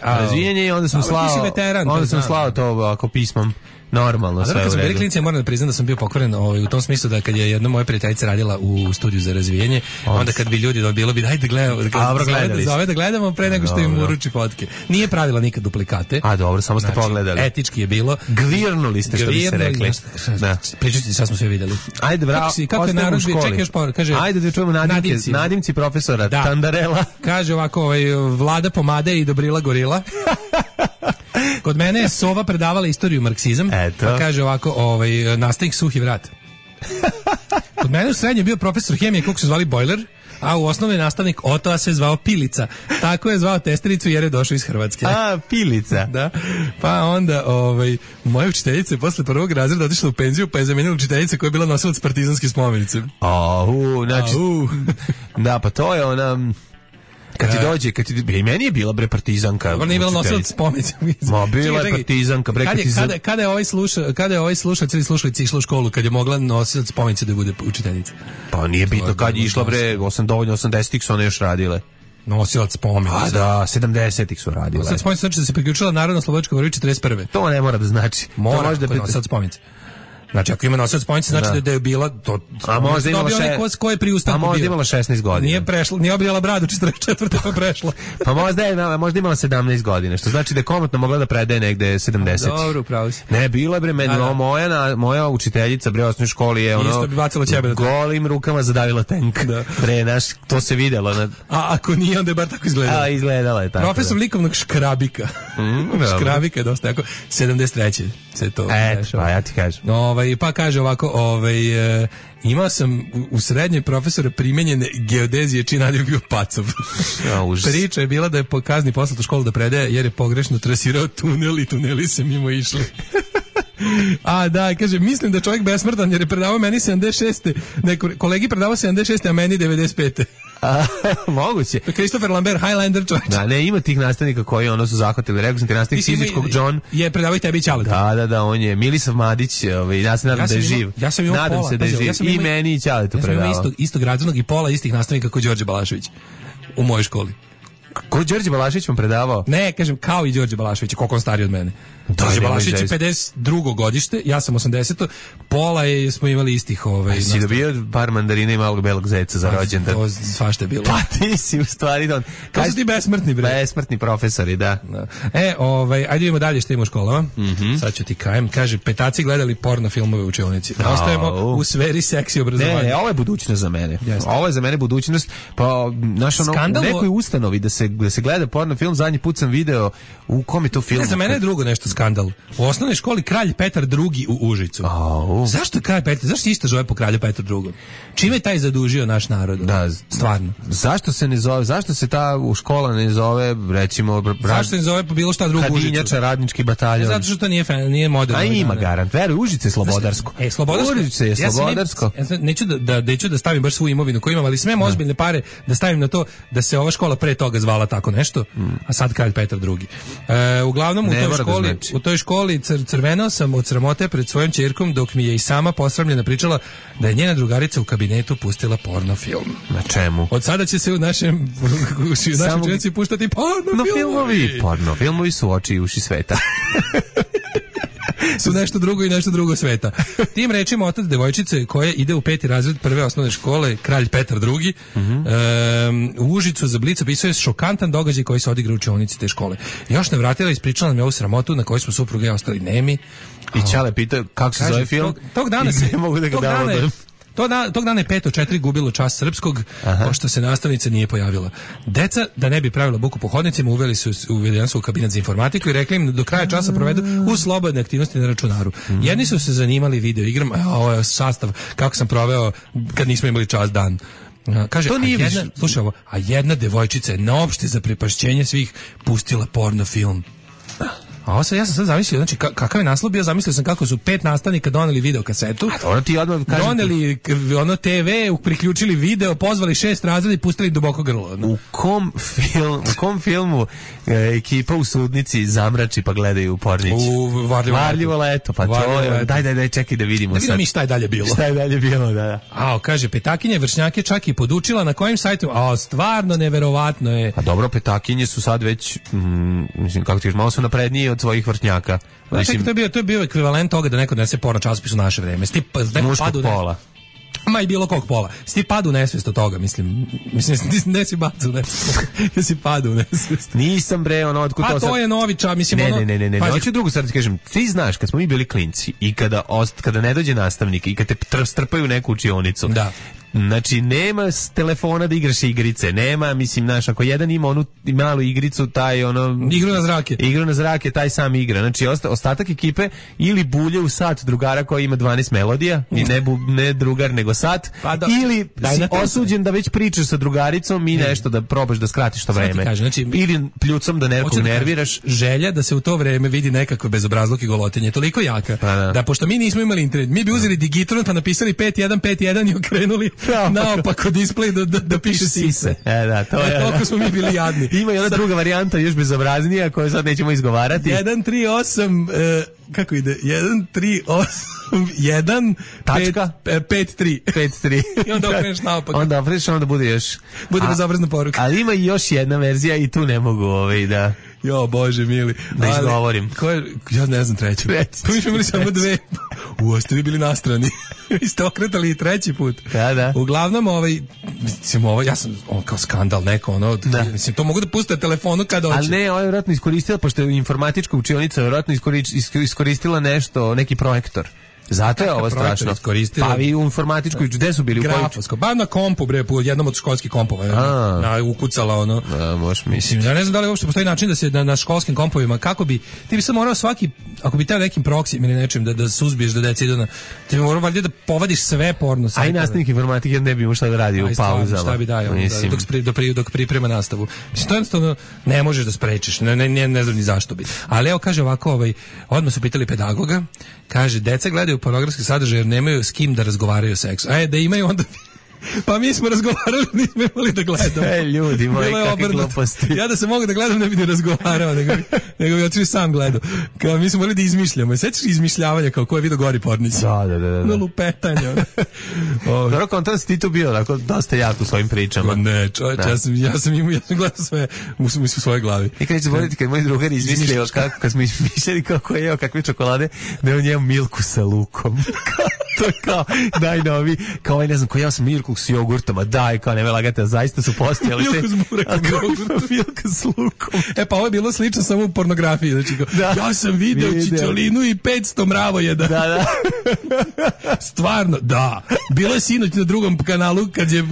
razvijenje i onda sam slao to ako pismom. Normalno, sve u redu. Kad sam bili klinici, ja moram da priznam da sam bio pokvaren u tom smislu da kad je jedna moja prijateljica radila u studiju za razvijenje, onda kad bi ljudi bilo bi, ajde zove da gledamo pre nego što im uruči fotke. Nije pravila nikad duplikacije. duplikate. A dobro, samo ste pogledali. Etički je bilo. Gvirnuli ste, što bi se rekli. Da. Pričat ću ti šta smo sve videli. Ajde, bravo. Kako je narod bio, čekaj još kaže. Ajde da čujemo nadimci profesora Tandarela. Kaže ovako, Vlada Pomade i Dobrila Gorila. Kod mene je Sova predavala istoriju marksizam. Pa kaže ovako, nastavnik Suhi vrat. Kod mene u srednje bio profesor hemije kog su zvali Bojler, a u osnovni nastavnik Otoa se zvao Pilica. Tako je zvao testericu jer je došao iz Hrvatske. A, Pilica. Da. Pa onda, moja učiteljica je posle prvog razreda otišla u penziju, pa je zamenila učiteljica koja je bila nosilac partizanske spomenice. Znači, da, pa to je ona... Kad i meni je bila partizanka. Dobro, nije bila nosilac spomenice. Ma, bila je partizanka. Kada je ovaj slušalac ili slušalica išla u školu, kad je mogla nosilac spomenice da bude učiteljica? Pa nije bitno kad je išla, dovoljno 80-ih su one još radile. Nosilac spomenice. A da, 70-ih su radile. Nosilac spomenice znači da se priključila Narodno-slobodačkoj borbi 41. To ne mora da znači. Mora da je nosilac spomenice. Znači, ako ima nosilac spomenice, znači da je bila to. A možda imala a možda imala 16 godina. Nije prešla, nije obrijala bradu 44. pa prešla. Pa možda imala 17 godina, što znači da je komotno mogla da predaje negde 70. Dobro, upravo si. Ne, bila bre meni, moja učiteljica bre u osnovnoj školi je isto bi bacila ćebe golim rukama zadavila tank. Bre, to se videlo. A ako nije, onda je bar tako izgledalo. A, izgledala je tako. Profesor likovnog Škrabika. Škrabika je dosta jako 73. se to dešava. Pa ja ti kažem. Pa kaže ovako, imao sam u srednjoj profesora primenjene geodezije čiji naziv bio Pacov. Priča je bila da je po kazni poslat u školu da predaje jer je pogrešno trasirao tunel i tuneli se mimo išli. A da, kaže, mislim da čovjek besmrtan jer je predavao meni 76. Kolegi predavao 76. a meni 95. Moguće. Christopher Lambert, Highlander čovječ. Da, ne, ima tih nastavnika koji su zahvatili. Rekao sam ti nastavnik fizičkog John. Je predavao i tebi i Ćaletu. Da, on je Milisav Madić, ja se nadam da je živ. Ja sam imao nadam pola, se da je živ. I meni i Ćaletu predavao. Ja sam imao istog razrednog i pola istih nastavnika kao Đorđe Balašević u mojoj školi. Ko Đorđe Balašević vam predavao? Ne, kažem, kao i Đorđe Balašević, koliko on stariji od mene. Đorđe Balašević je 52. godište, ja sam 80. Pola smo imali istih si dobio par mandarina i malog belog zeca za rođendan? To svašta je bilo. Pa ti si u stvari don. To su ti besmrtni, bre. Besmrtni profesori, da. Ajde idemo dalje što ima u školama. Sad ću ti kajem. Kaže, petaci gledali porno filmove u učionici. Ostajemo u sferi seksi obrazovanja. Ne, ovo je budućnost za mene. Ovo je za mene budućnost. Pa, nekoj ustanovi da se gleda porno film, zadnji put sam video u kom je to film. Za mene je drugo nešto skandal. U osnovnoj školi Kralj Petar II u Užicu. Zašto Kralj Petar? Zašto se isto zove po Kralju Petru II? Čime je taj zadužio naš narod? Da, stvarno. Zašto se ne zove? Zašto se ta škola ne zove, recimo, zašto se ne zove po bilo šta drugo Užicu? Kadinjača, radnički bataljon. Zato što to nije moderno. A ima garant. Veruj, Užice je slobodarsko. Užice je slobodarsko. Neću da stavim baš svu imovinu koju imam, ali smem ozbiljne pare da stavim na to da se ova škola pre toga zvala tako nešto, a sad Kralj Petar II. Uglavnom u toj školi crvenao sam od sramote pred svojom ćerkom dok mi je i sama posramljena pričala da je njena drugarica u kabinetu pustila porno film. Na čemu? Od sada će se u našem dženici puštati porno filmovi. Porno filmovi su oči i uši sveta. Su nešto drugo i nešto drugo sveta. Tim rečima otac devojčice koja ide u 5. razred prve osnovne škole, Kralj Petar II, u Užicu za Blic opisuje šokantan događaj koji se odigra u učionici te škole. Još ne vratila, ispričala mi ovu sramotu na kojoj smo supruge ostali nemi. I Ćale pitao kako se zove film. Tog dana ne mogu da ga downloadujem. Tog dana je 5/4 gubilo čas srpskog, pošto se nastavnica nije pojavila. Deca, da ne bi pravila buku po hodnicima, uvedena su u kabinet za informatiku i rekli im da do kraja časa provedu u slobodne aktivnosti na računaru. Jedni su se zanimali video igram, ovo je sastav kako sam proveo kad nismo imali čas dan. Kaže, slušaj ovo, a jedna devojčica je na opšte zaprepašćenje svih pustila porno film. A ja sam sad zamislio, znači kakav je naslov bio, zamislio sam kako su 5 nastavnika doneli video kasetu, doneli TV, priključili video, pozvali 6 razreda i pustili duboko grlo. U kom filmu ekipa u sudnici zamrači pa gledaju pornić? U Varljivo leto, pa to je, daj, čekaj da vidimo sad. Da vidimo mi šta je dalje bilo. Šta je dalje bilo, da. Kaže, petakinje vršnjake čak i podučila na kojim sajtu, stvarno neverovatno je. A dobro, petakinje su sad već, mislim, kako ti još, malo su napredniji od svojih vršnjaka. To je bio ekvivalent toga da neko donese porno časopis u naše vreme. Muškog pola. ma i bilo kog pola. Si ti padu u nesvest od toga, mislim ne si bacu, ne si padu u nesvest. Nisam bre, ono, otkud to sad... je novi ča, mislim, Ne, hoću drugu stvar da kažem. Ti znaš, kad smo mi bili klinci i kada ne dođe nastavnik i kad te strpaju u neku učionicu, da. Znači, nema telefona da igraš igrice, nema, mislim, znaš, ako jedan ima onu malu igricu, taj ono... Igru na zrake, taj sam igra. Znači, ostatak ekipe ili bulje u sat drugara koji ima 12 melodija, i ne drugar, nego sat, ili si osuđen da već pričaš sa drugaricom i nešto da probaš da skratiš to vreme. Znači, ili pljucom da nekog nerviraš. Želja da se u to vreme vidi nekako bezobrazluk i golotenje, toliko jaka, da pošto mi nismo imali internet, mi bi uzeli digitron pa napisali 5.1.5.1 i okrenuli naopako display da piše sise. To je. Toliko smo mi bili jadni. Ima i ona druga varijanta još bezobraznija koju sad nećemo izgovarati. 138 kako ide? 138 5.3 i onda okreneš naopako. Onda okreneš, onda bude još bezobrazna poruka. Ali ima i još jedna verzija i tu ne mogu da... Jo, Bože mili. Da izgovorim. Ja ne znam treću. Pa mi smo imali samo dve. Ste vi bili nastrani. Vi ste okretali i treći put. Da. Uglavnom, ja sam kao skandal neko, mislim, to mogu da puste na telefonu kada hoće. Ali ne, ovo je vjerojatno iskoristila, pošto je informatička učionica vjerojatno iskoristila nešto, neki projektor. Zato je ovo strašno. Pa vi u informatičkoj, gde su bili? Grafovsko, na kompu, bre, po jednom od školskih kompova. Ukucala možeš misliti. Ja ne znam da li uopšte postoji način da se na školskim kompovima, kako bi, ti bi sad morao svaki, ako bi teo nekim proksijem ili nečim da suzbiješ da deca idu ti bi morao valjda da povadiš sve porno sajtove. A i nastavnik informatike ne bi imao šta da radi u pauzama. Šta bi dao, dok priprema nastavu. Mislim, to jednostavno ne možeš da sprečiš, ne znam ni zašto bi. Ali evo, kaže ovako, odmah su pitali pedagoga, kaže, deca gledaju pornografski sadržaj jer nemaju s kim da razgovaraju o seksu. Da imaju onda... Pa mi smo razgovarali, nismo imali da gledamo. Ljudi moji, kakve gluposti. Ja da se mogu da gledam, ne bi ne razgovarao, nego bi otišao sam gledao. Kao mi smo morali da izmišljamo. Sećaš izmišljavanja kao ko je vidio Gori Pornić? Da. Na lupetanje. Dobro, kontra si ti tu bio, tako dosta jak u svojim pričama. Ne, čovječ, ja sam gledao sve u svojoj glavi. I kad neće boliti, kad moj drugar izmislio kad smo izmišljali kako je jeo kakve čokolade, da je on jeo milku sa lukom. To je kao najnovi, kao ne znam, ko ja sam Mirku s jogurtom, a daj, kao neme lagate, zaista su postojali te... Milku s burekom jogurtom. Milka s lukom. Pa ovo je bilo slično samo u pornografiji, znači ja sam video čičolinu i 500 mravojeda. Da. Stvarno, da. Bilo je sinoć na drugom kanalu, kad je...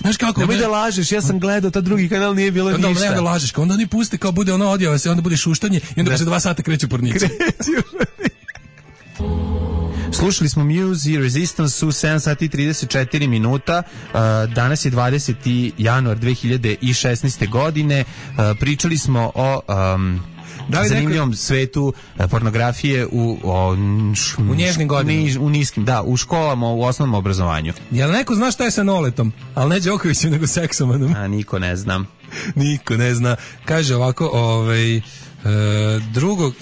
Znaš kako... Nemoj da lažeš, ja sam gledao, ta drugi kanal nije bilo ništa. Onda da lažeš, onda oni puste, kao bude ono odjava se, onda bude šuštanje i onda se 2 sata kreću pornici. Slušali smo Muse i Resistance u 7 sati i 34 minuta. Danas je 20. januar 2016. godine. Pričali smo o zanimljivom svetu pornografije u nježnim godinama. U niskim, da, u školama, u osnovnom obrazovanju. Jel neko zna šta je sa Noletom? Ali ne Đokovićem, nego seksomanom. Niko ne zna. Niko ne zna. Kaže ovako, drugo,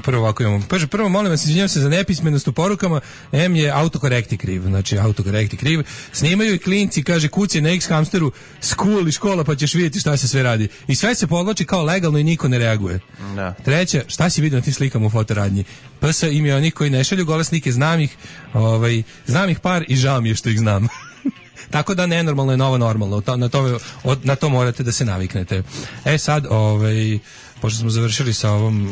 prvo ovako imamo. Prvo, molim vas, izvinjam se za nepismenost u porukama. M je autokorekti kriv. Znači, autokorekti kriv. Snimaju i klinci, kaže, kuci na X-hamsteru school i škola, pa ćeš vidjeti šta se sve radi. I sve se podloči kao legalno i niko ne reaguje. Da. Treća, šta si vidio na tim slikama u fotoradnji? PS im je onih koji ne šalju gole slike, znam ih par i žao mi je što ih znam. Tako da nenormalno je novo normalno. Na to morate da se naviknete. Sad, pošto smo završili sa ovom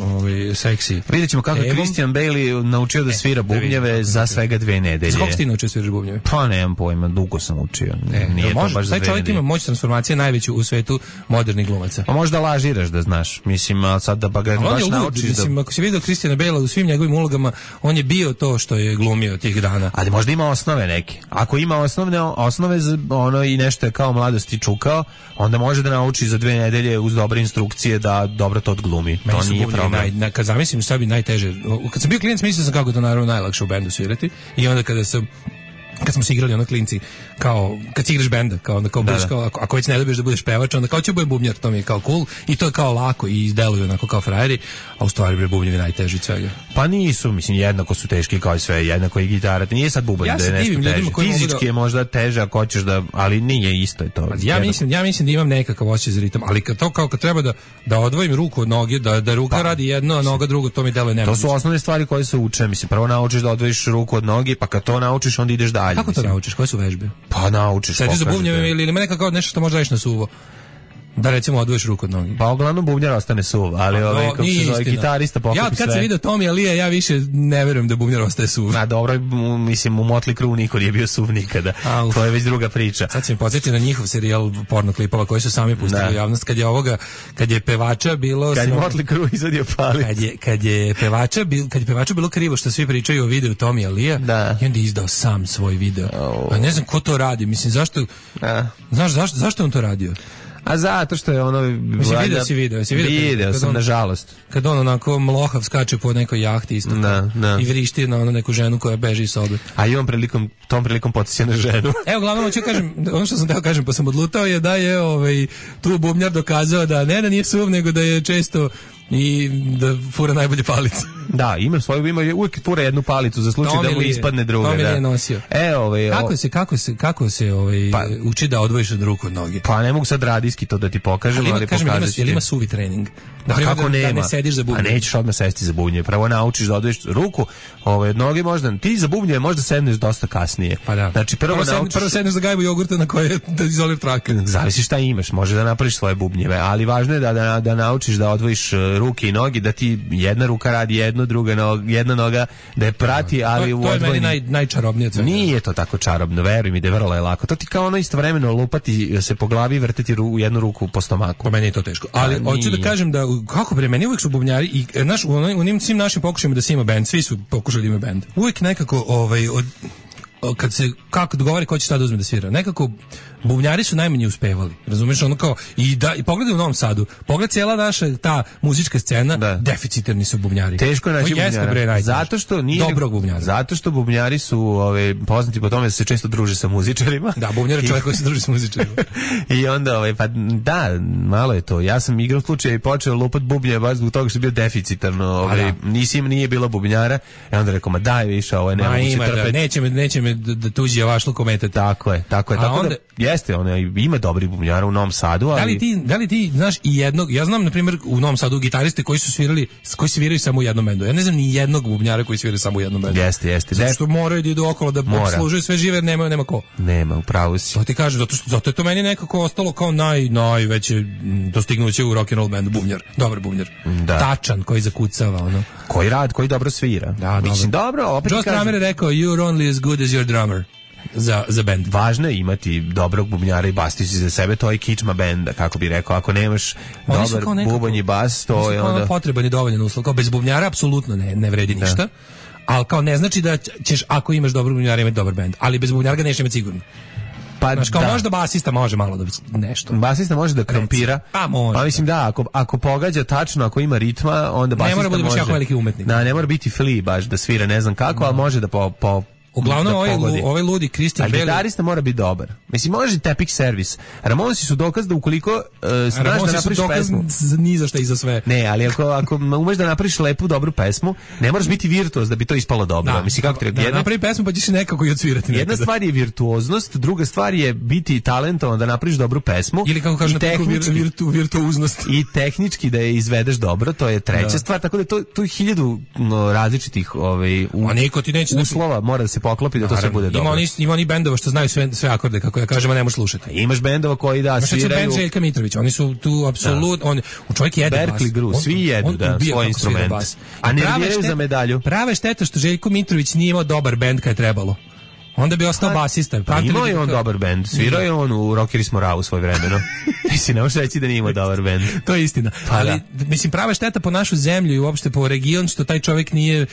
seksi. Vidjet ćemo kako je Christian Bale naučio da svira bubnjeve za svega 2 nedelje. Kako si ti naučio sviraš bubnjeve? Pa nemam pojma, dugo sam učio. Nije to baš za 2 nedelje. Taj čovjek ima moć transformacije najveću u svetu modernih glumaca. Pa možda lažiraš da znaš. Mislim, ali sad da baš naučiš da... Mislim, ako si vidio Christiana Bale u svim njegovim ulogama, on je bio to što je glumio tih dana. Ali možda ima osnove neke. Ako ima osnove i nešto je kao mladosti čukao, onda može da nauči za 2 nedelje uz dobre instrukcije da dobro to odglumi. To nije problem. Kad zamislim šta bi najteže, kad sam bio klijent mislio sam kako to naravno najlakše u bendu svirati i onda kad smo se igrali ono klinci, kao kad si igraš benda, kao onda kao budeš kao ako već ne dobiješ da budeš pevač, onda kao će budem bubnjar, to mi je kao cool i to je kao lako i izdeluju onako kao frajeri, a u stvari bre bubnjevi najteži od svega. Pa nisu, mislim, jednako su teški kao i sve, jednako i gitara, nije sad bubanj da je nešto teže. Fizički je možda teže ako hoćeš da, ali nije isto je to. Ja mislim da imam nekakav osjećaj za ritam, ali kad treba da odvojim ruku od noge, da ruka radi jedno, a noga drugo, to mi deluje nemoguće. To su osnovne stvari koje se uče, mislim, prvo naučiš da odvojiš ruku od noge, pa kad to naučiš onda ideš dalje. detalj. Kako to naučiš? Koje su vežbe? Pa naučiš. Sediš za bubnjeve ili ima nekako nešto što možda radiš na suvo? Da recimo odvojiš ruku od nogi. Pa uglavnom bubnjar ostane suv, ali kako se zove gitarista poklopi sve. Ja kad sam vidio Tommy Alija, ja više ne verujem da bubnjar ostaje suv. A dobro, mislim u Motley Crue niko nije bio suv nikada. To je već druga priča. Sad se mi podsjeti na njihov serijal porno klipova koji su sami pustili u javnost kad je pevača bilo kad je Motley Crue izvadio palicu. Kad je pevača bilo krivo što svi pričaju o videu Tommy Alija, i onda je izdao sam svoj video. A ne znam ko to radi, mislim zašto? Znaš zašto on to radio? A zato što je ono... Video sam, nažalost. Kad on onako mlohav skače po nekoj jahti isto i vrišti na neku ženu koja beži iz sobe. A i on tom prilikom potisje na ženu. Evo, glavno hoću kažem, ono što sam teo kažem, pa sam odlutao je da je tu bubnjar dokazao da nije suv, nego da je često i da fura najbolje palice. Da, ima uvijek fura jednu palicu za slučaj da mu ispadne druga. To mi je nosio. Kako se uči da odvojiš od ruku od noge? Pa ne mogu sad radijski to da ti pokažem, ali pokazat ću ti. Jel ima suvi trening? Kako nema? Da ne sediš za bubnje. A nećeš odmah sesti za bubnje. Prvo naučiš da odvojiš ruku od noge, možda ti za bubnje možda sedneš dosta kasnije. Pa da. Znači prvo sedneš za gajbu jogurta na koje da izolira trake. Zavisi šta imaš, može da napraviš svoje bubnjeve, ali važno je da naučiš da odvojiš ruke i noge, da ti jedna ruka radi jedno, jedna noga da je prati, ali u odvojeni... To je meni najčarobnije. Nije to tako čarobno, veruj mi da je vrlo lako. To ti kao ono istovremeno lupati se po glavi i vrteti u jednu ruku po stomaku. Po meni je to teško. Ali hoću da kažem da, kako bre, meni uvijek su bubnjari i u onim svim našim pokušajima da se ima bend, svi su pokušali da ima bend. Uvijek nekako, kad se kako dogovori ko će šta da uzme da svira. Nekako bubnjari su najmanje uspevali. Razumeš, ono kao i pogledaj u Novom Sadu. Pogled cijela naša ta muzička scena, deficitarni su bubnjari. Teško je naći bubnjara. Zato što nije dobrog bubnjara. Zato što bubnjari su poznati po tome da se često druže sa muzičarima. Da, bubnjar je čovjek koji se druži sa muzičarima. I onda pa da, malo je to. Ja sam igrao slučaj i počeo lupat bubnje baš zbog toga što je bio deficitarno. Nije bilo bubnjara. I onda rekao, ma daj više, ovo je nemoguće trpeti. Neće me da tuđi javašluk omete. Tako je. Tako da jeste, ima dobri bubnjara u Novom Sadu, ali... Da li ti znaš i jednog, ja znam na primjer u Novom Sadu gitariste koji sviraju samo u jednom bendu. Ja ne znam ni jednog bubnjara koji svira samo u jednom bendu. Jeste. Zato što moraju da idu okolo da služuju sve žive, jer nema ko. Nema, upravo si. To ti kažem, zato je to meni nekako ostalo kao najveće dostignuće u rock and roll bendu, bubnjar. Dobar bubnjar. Tačan, koji zakucava, ono. Koji dobro svira. Da, mislim, dobro, opet Joe Strummer je rekao, you're only as good as your drummer. Za bend. Važno je imati dobrog bubnjara i basista za sebe, to je kičma benda, kako bi rekao. Ako nemaš dobar bubanj i bas, to je onda... potreban i dovoljan uslov. Kao bez bubnjara apsolutno ne vredi ništa, ali kao ne znači da ćeš, ako imaš dobrog bubnjara, imati dobar bend. Ali bez bubnjara ga neće imati sigurno. Znaš, kao možda basista može malo da nešto. Basista može da krompira. Pa može. Pa mislim ako pogađa tačno, ako ima ritma, onda basista može. Ne mora biti baš jako veliki umetnik. Ne mora biti Flea baš da svira ne znam kako, ali može da uglavnom ovaj ludi Christian Bale. A gitarista mora biti dobar. Mislim, može Tepic Service. Ramonsi su dokaz da ukoliko znaš da napraviš pesmu... ni za šta i za sve. Ne, ali ako umeš da napraviš lepu, dobru pesmu, ne moraš biti virtuoz da bi to ispalo dobro. Mislim, kako treba... napravi pesmu pa ćeš nekako i odsvirati. Jedna stvar je virtuoznost, druga stvar je biti talentovan da napraviš dobru pesmu. Ili kako kažu virtuoznost. I tehnički da je izvedeš dobro, to je treća stvar. Tako da to je 1000 različitih uslova mora da se poklopi da to sve bude dobro. Ima oni bendova što znaju sve akorde, kako ja kažem, a ne možeš slušati. Imaš bendova koji sviraju... Bend Željka Mitrovića, oni su tu apsolutno... Čovjek jede bas. Berkeley Gru, svi jedu svoj instrument. A ne nerviraju za medalju. Prava je šteta što Željko Mitrović nije imao dobar bend kad je trebalo. Onda bi ostao basista. Imao je on dobar bend. Svirao je on u Rockeri smo Ravu svoj vremeno. Mislim, ne možeš reći da nije imao dobar bend. To je istina. Ali, mislim, prava šteta po našu zemlju i uopšte po region što taj čovjek nije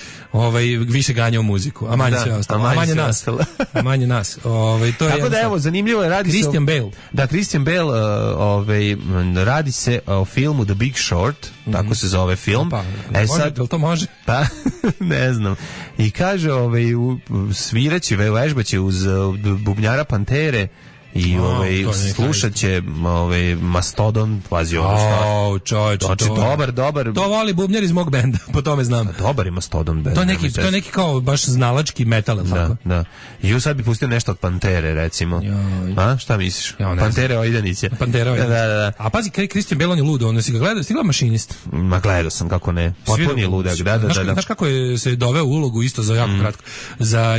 više ganjao muziku. A manje sve ostalo. A manje nas. A manje nas. Tako da, evo, zanimljivo je, radi Christian Bale. Da, Christian Bale, radi se o filmu The Big Short, tako se zove film. Jel to može? Pa, ne znam. I kaže, sviraće, vežbaće uz bubnjara Pantere I slušat će Mastodon, pazi ovo stvar. Čovječe, znači, dobar. To voli bubnjar iz mog benda, po tome znam. Dobar je Mastodon bend. To je neki kao baš znalački metal, ili tako? Da. I sad bi pustio nešto od Pantere, recimo. A, šta misliš? Pantere Ojdaniće. Da. A pazi, Christian Bale, on je ludo, ono si ga gledao, stigla Mašinist. Ma gledao sam, kako ne. Potpuno je ludak, da. Znaš kako je se doveo u ulogu isto za jako kratko.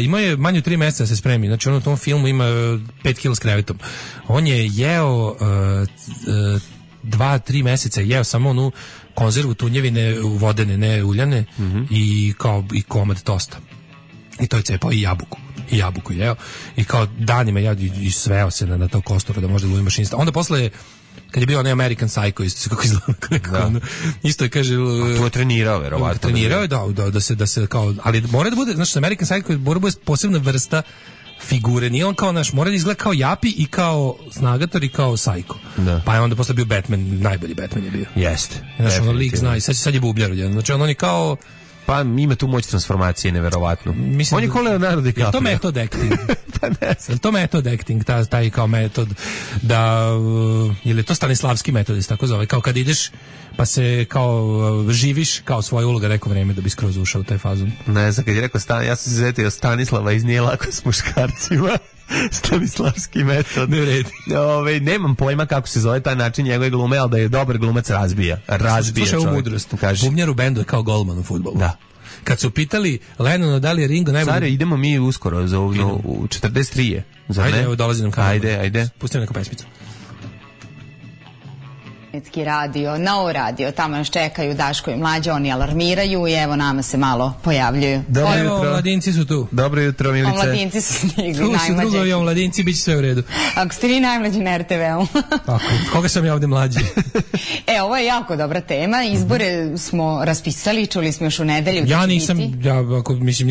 Imao je manje od 3 meseca da se spremi. Znači on u tom filmu ima 5 kila s krevetom. On je jeo 2-3 meseca jeo samo onu konzervu tunjevine vodene, ne uljane, i komad tosta. I to je cepao i jabuku jeo. I kao danima i sveo se na to kosturu da može da lovi Mašinista. Onda posle, kad je bio onaj American Psycho, isto se kako izgleda, isto je, kaže... A to je trenirao, verovatno. Trenirao je, da se kao... Ali mora da bude, znači, American Psycho mora da bude posebna vrsta figure, nije on kao naš, mora da izgleda kao Japi i kao Snagator i kao Psycho. Pa je onda posle bio Batman, najbolji Batman je bio. Jeste. Znači, ono lik zna i sad je bubljar. Znači, on je kao... Pa ima tu moć transformacije, neverovatno. On je kao Leonardo DiCaprio. Je to metod acting? Pa ne znam. Je to metod acting, taj kao metod da... Je li to Stanislavski metod, tako zove? Kao kad ideš pa se kao živiš kao svoja uloga neko vreme da bi skroz ušao u taj fazon. Ne znam, kad je rekao ja sam se zetio Stanislava iz Nije lako s muškarcima. Stanislavski metod. Nemam pojma kako se zove taj način njegove glume, ali da je dobar glumac razbija Slušaj ovu mudrost. Bubnjar u bendu je kao golman u fudbalu. Da. Kad su pitali Lennonu da li je Ringo najbolji... Zare, idemo mi uskoro za u 43 je. Ajde, evo dolazi nam kanal. Ajde. Pustimo neku pesmicu. Radio, Novo radio, tamo nas čekaju Daško i Mlađa, oni alarmiraju i evo nama se malo pojavljuju. Evo, mladinci su tu. Dobro jutro, Milice. Mladinci su stigli, najmlađi. Tu su mladinci, bit će sve u redu. Ako ste vi najmlađi na RTV-u. Tako, koga sam ja ovde mlađi? Ovo je jako dobra tema, izbore smo raspisali, čuli smo još u nedelju. Ja nisam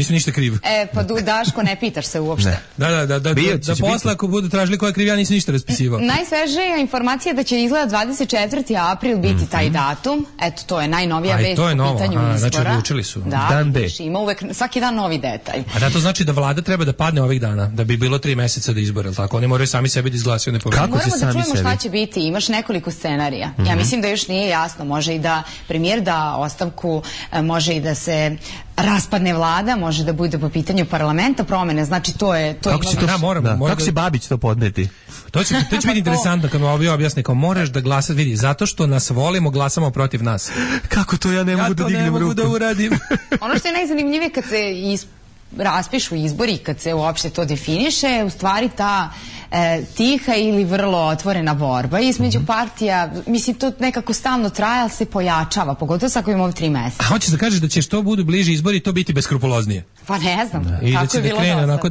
ništa kriv. Pa Daško, ne pitaš se uopšte. Da posle ako budu tražili ko je kriv, ja nisam ništa raspisivao. Najsvežija informacija da će izgleda 24. april biti taj datum. Eto, to je najnovija vest po pitanju izbora. Znači, odlučili su. Dan D. Ima uvek, svaki dan novi detalj. A da to znači da vlada treba da padne ovih dana, da bi bilo 3 meseca da izbore, tako? Oni moraju sami sebi da izglasaju nepoverenje. Moramo da čujemo šta će biti. Imaš nekoliko scenarija. Ja mislim da još nije jasno. Može i da premijer da ostavku, može i da se raspadne vlada, može da bude po pitanju parlamenta promene. Znači, to je... Kako će Babić to podneti? To će biti interesantno kad vam objasni kao moraš da glasati, vidi, zato što nas volimo, glasamo protiv nas. Kako to ja ne mogu da dignem ruku? Ja to ne mogu da uradim. Ono što je najzanimljivije kad se raspišu izbori, kad se uopšte to definiše, u stvari ta tiha ili vrlo otvorena borba između partija, mislim, to nekako stalno traje, ali se pojačava, pogotovo sa ako imamo 3 meseca. A hoćeš da kažeš da će što budu bliži izbori to biti beskrupuloznije? Pa ne znam. I da će da krene onako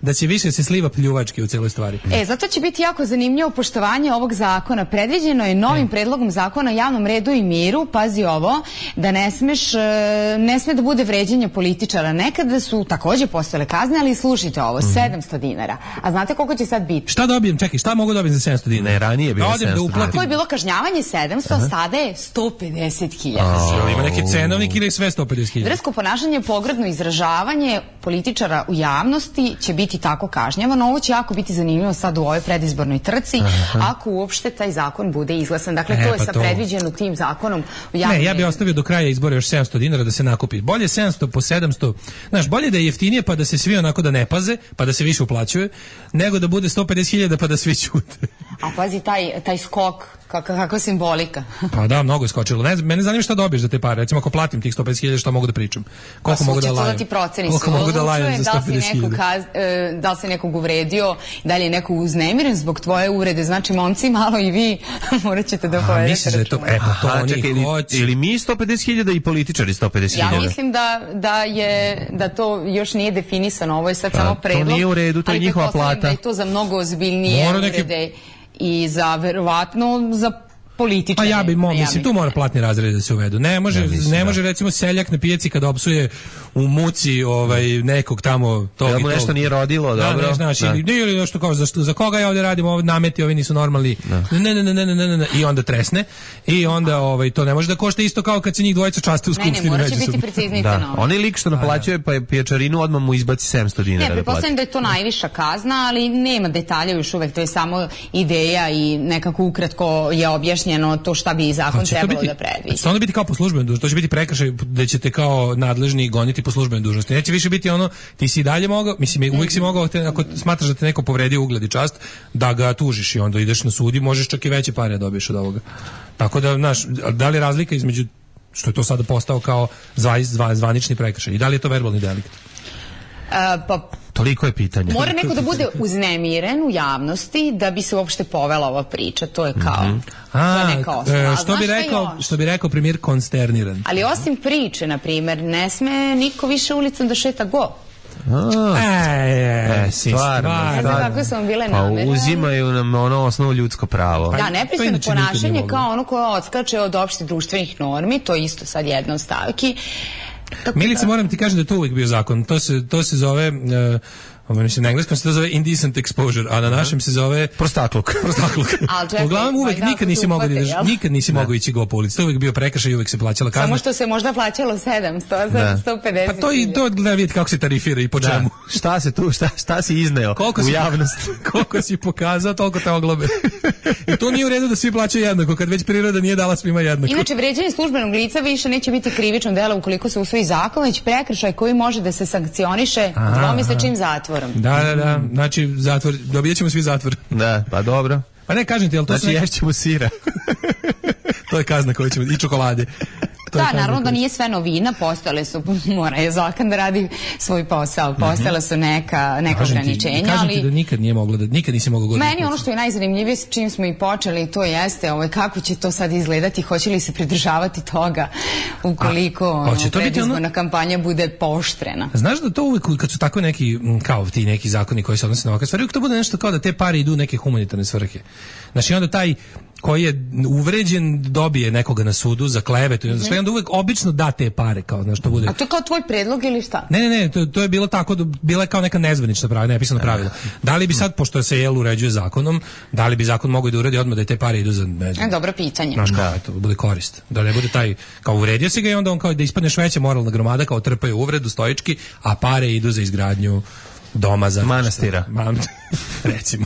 da će više se sliva pljuvački u celoj stvari. Zato će biti jako zanimljivo poštovanje ovog zakona. Predviđeno je novim predlogom zakona o javnom redu i miru, pazi ovo, da ne sme da bude vređanje političara. Nekada su takođe postojale kazne, ali slušajte ovo, 700 dinara. A znate koliko će sad biti? Šta dobijem? Čekaj, šta mogu dobiti za 700 dinara? Ne, ranije je bilo 700. Ako je bilo kažnjavanje 700, sada je 150.000. Ima neki cenovnik ili sve 150.000? Drsko ponašanje, pogrdno izražavanje političara u javnosti će biti tako kažnjavano. Ovo će jako biti zanimljivo sad u ovoj predizbornoj trci, ako uopšte taj zakon bude izglasan. Dakle, to je sad predviđeno tim zakonom u javnom. Ne, ja bih ostavio do kraja izbora još 700 dinara da se nakupi. Bolje 700 po 700, znaš, bolje da je jeftinije pa da se svi onako da ne paze, pa da se više uplaćuje, nego da bude 150.000 pa da svi ćute. A pazi, taj skok, kakva simbolika. Pa da, mnogo je skočilo. Mene zanima šta dobiješ za te pare. Recimo, ako platim tih 150.000, šta mogu da pričam? Koliko mogu da lajem? Koliko mogu da lajem za 150.000? Da li se nekog uvredio, da li je neko uznemiren zbog tvoje uvrede? Znači, momci, malo i vi morat ćete da povedete računa. To oni hoće. Ili mi 150.000 i političari 150.000? Ja mislim da to još nije definisano. Ovo je sad samo predlog. To nije u redu, to je njihova plata. Da je to za mnogo ozbiljnije uvrede i za verovatno za političare. A ja bih mislim tu mora platni razred da se uvedu. Ne može recimo seljak na pijaci kad opsuje u muci nekog tamo tog da mu nešto nije rodilo, dobro. Ili nešto kao za koga ja ovdje radim, nameti ovi nisu normalni. Ne. I onda tresne. I onda to ne može da košta isto kao kad se njih dvojica časte u skupštini. Ne, mora će biti preciznije. Onaj lik što naplaćuje pijačarinu odmah mu izbaci 700 dinara. Ne, pretpostavljam da je to najviša kazna, ali nema detalja još uvek, to je samo ideja i nekako ukratko je objašnjeno to šta bi zakon trebalo da predvidi. Će onda biti kao po službenoj dužnosti, to će biti prekršaj da ćete kao nadležni goniti po službenoj dužnosti. Neće više biti ti si i dalje mogao, mislim uvijek si mogao ako smatraš da te neko povredio ugled i čast, da ga tužiš i onda ideš na sud i možeš čak i veće pare dobiješ od ovoga. Tako da, da li je razlika između što je to sada postao kao zvanični prekršaj i da li je to verbalni delikt? Toliko je pitanje. Mora neko da bude uznemiren u javnosti da bi se uopšte povela ova priča. To je kao to je neka osnova. Što bi rekao premijer, konsterniran. Ali osim priče, na primjer, ne sme niko više ulicom da šeta go. Stvarno. Ne znam kako su vam bile namere. Pa uzimaju nam osnovu ljudsko pravo. Da, nepristojno ponašanje kao ono koje odskače od opštih društvenih normi, to je isto sad jedna od stavki. Milica, moram ti kažem da je to uvijek bio zakon. To se zove... mislim, na engleskom se to zove indecent exposure, a na našem se zove prostakluk. Uglavnom uvek nikad nisi mogao ići go po ulici. To je uvijek bio prekršaj i uvijek se plaćala kazna. Samo što se možda plaćalo 700, 150. Pa to gleda vidjeti kako se tarifira i po čemu. Šta se tu, šta si izneo u javnost? Koliko si pokazao, toliko te oglobe. I to nije u redu da svi plaćaju jednako, kad već priroda nije dala svima jednako. Inače, vređanje službenog lica više neće biti krivično delo ukoliko se usvoji zakon, već prekršaj koji može da se sankcioniše dvomesečnim zatvorom. Da, znači zatvor, dobijat ćemo svi zatvor. Da, pa dobro. Pa ne, kažem ti, ali to znači ješćemo sira. To je kazna koju ćemo, i čokolade. Da, naravno da nije sve novina, postojale su, mora je zakon da radi svoj posao, postojala su neka ograničenja, ali... Kažem ti da nikad nisi mogao goditi. Meni ono što je najzanimljivije s čim smo i počeli, to jeste kako će to sad izgledati, hoće li se pridržavati toga ukoliko predizborna kampanja bude pooštrena. Znaš da to uvijek, kad su tako neki, kao ti neki zakoni koji se odnose na ovakve stvari, uvijek to bude nešto kao da te pare idu u neke humanitarne svrhe. Znači onda taj koji je uvređen dobije nekoga na sudu za klevetu i onda uvek obično da te pare kao znaš što bude. A to je kao tvoj predlog ili šta? Ne, to je bilo tako, bila je kao neka nezvanična pravila, nepisano pravilo. Da li bi sad, pošto se uređuje zakonom, da li bi zakon mogao da uredi odmah da te pare idu za dobro pitanje. Znaš kao, eto, bude korist. Da ne bude taj, kao uredio si ga i onda on kao da ispadneš veća moralna gromada, kao trpaju uvredu stoički, a pare idu za izgradnju doma za manastira. Recimo.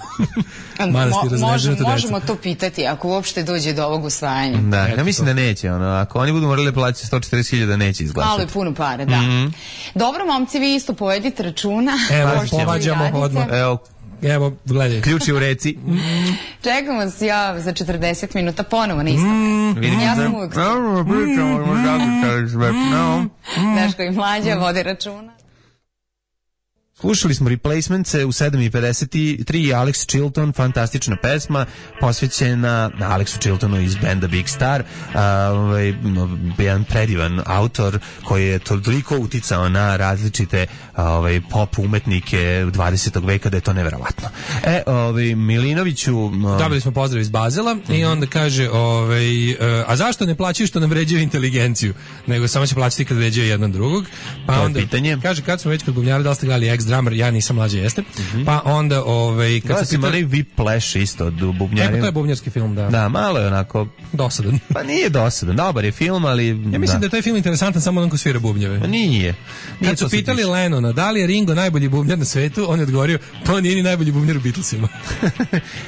Možemo to pitati ako uopšte dođe do ovog usvajanja. Da, ja mislim da neće. Ako oni budu morali plaćati 140.000 neće izglasati. Malo je puno pare, da. Dobro, momci, vi isto povedite računa. Evo, povađamo odmah. Evo, gledaj. Ključi u reci. Čekamo se za 40 minuta ponovo na isto. Ja sam uvijek. Daško i Mlađa vode računa. Slušali smo Replacements u 7:53 i Alex Chilton, fantastična pesma posvećena Alexu Chiltonu iz benda Big Star, jedan predivan autor koji je toliko uticao na različite pop umetnike 20. veka da je to neverovatno. Milinoviću... Dobili smo pozdrav iz Bazela i onda kaže a zašto ne plaćaju što nam vređaju inteligenciju, nego samo će plaćati kad vređaju jedan drugog. Pa to onda je pitanje. Kaže, kad smo već kod bubnjara, da li ste gledali Ex-Drummer, ja nisam, Mlađe jeste. Pa onda kad se pitali Whiplash isto od bubnjara. To je bubnjarski film, da. Da, malo je onako dosadan. Pa nije dosadan, dobar je film, ali ja mislim da je taj film interesantan samo onako svira bubnjeve. Pa nije. Kad su pitali Lennona da li je Ringo najbolji bubnjar na svetu, on je odgovorio, to nije ni najbolji bubnjar u Beatlesima.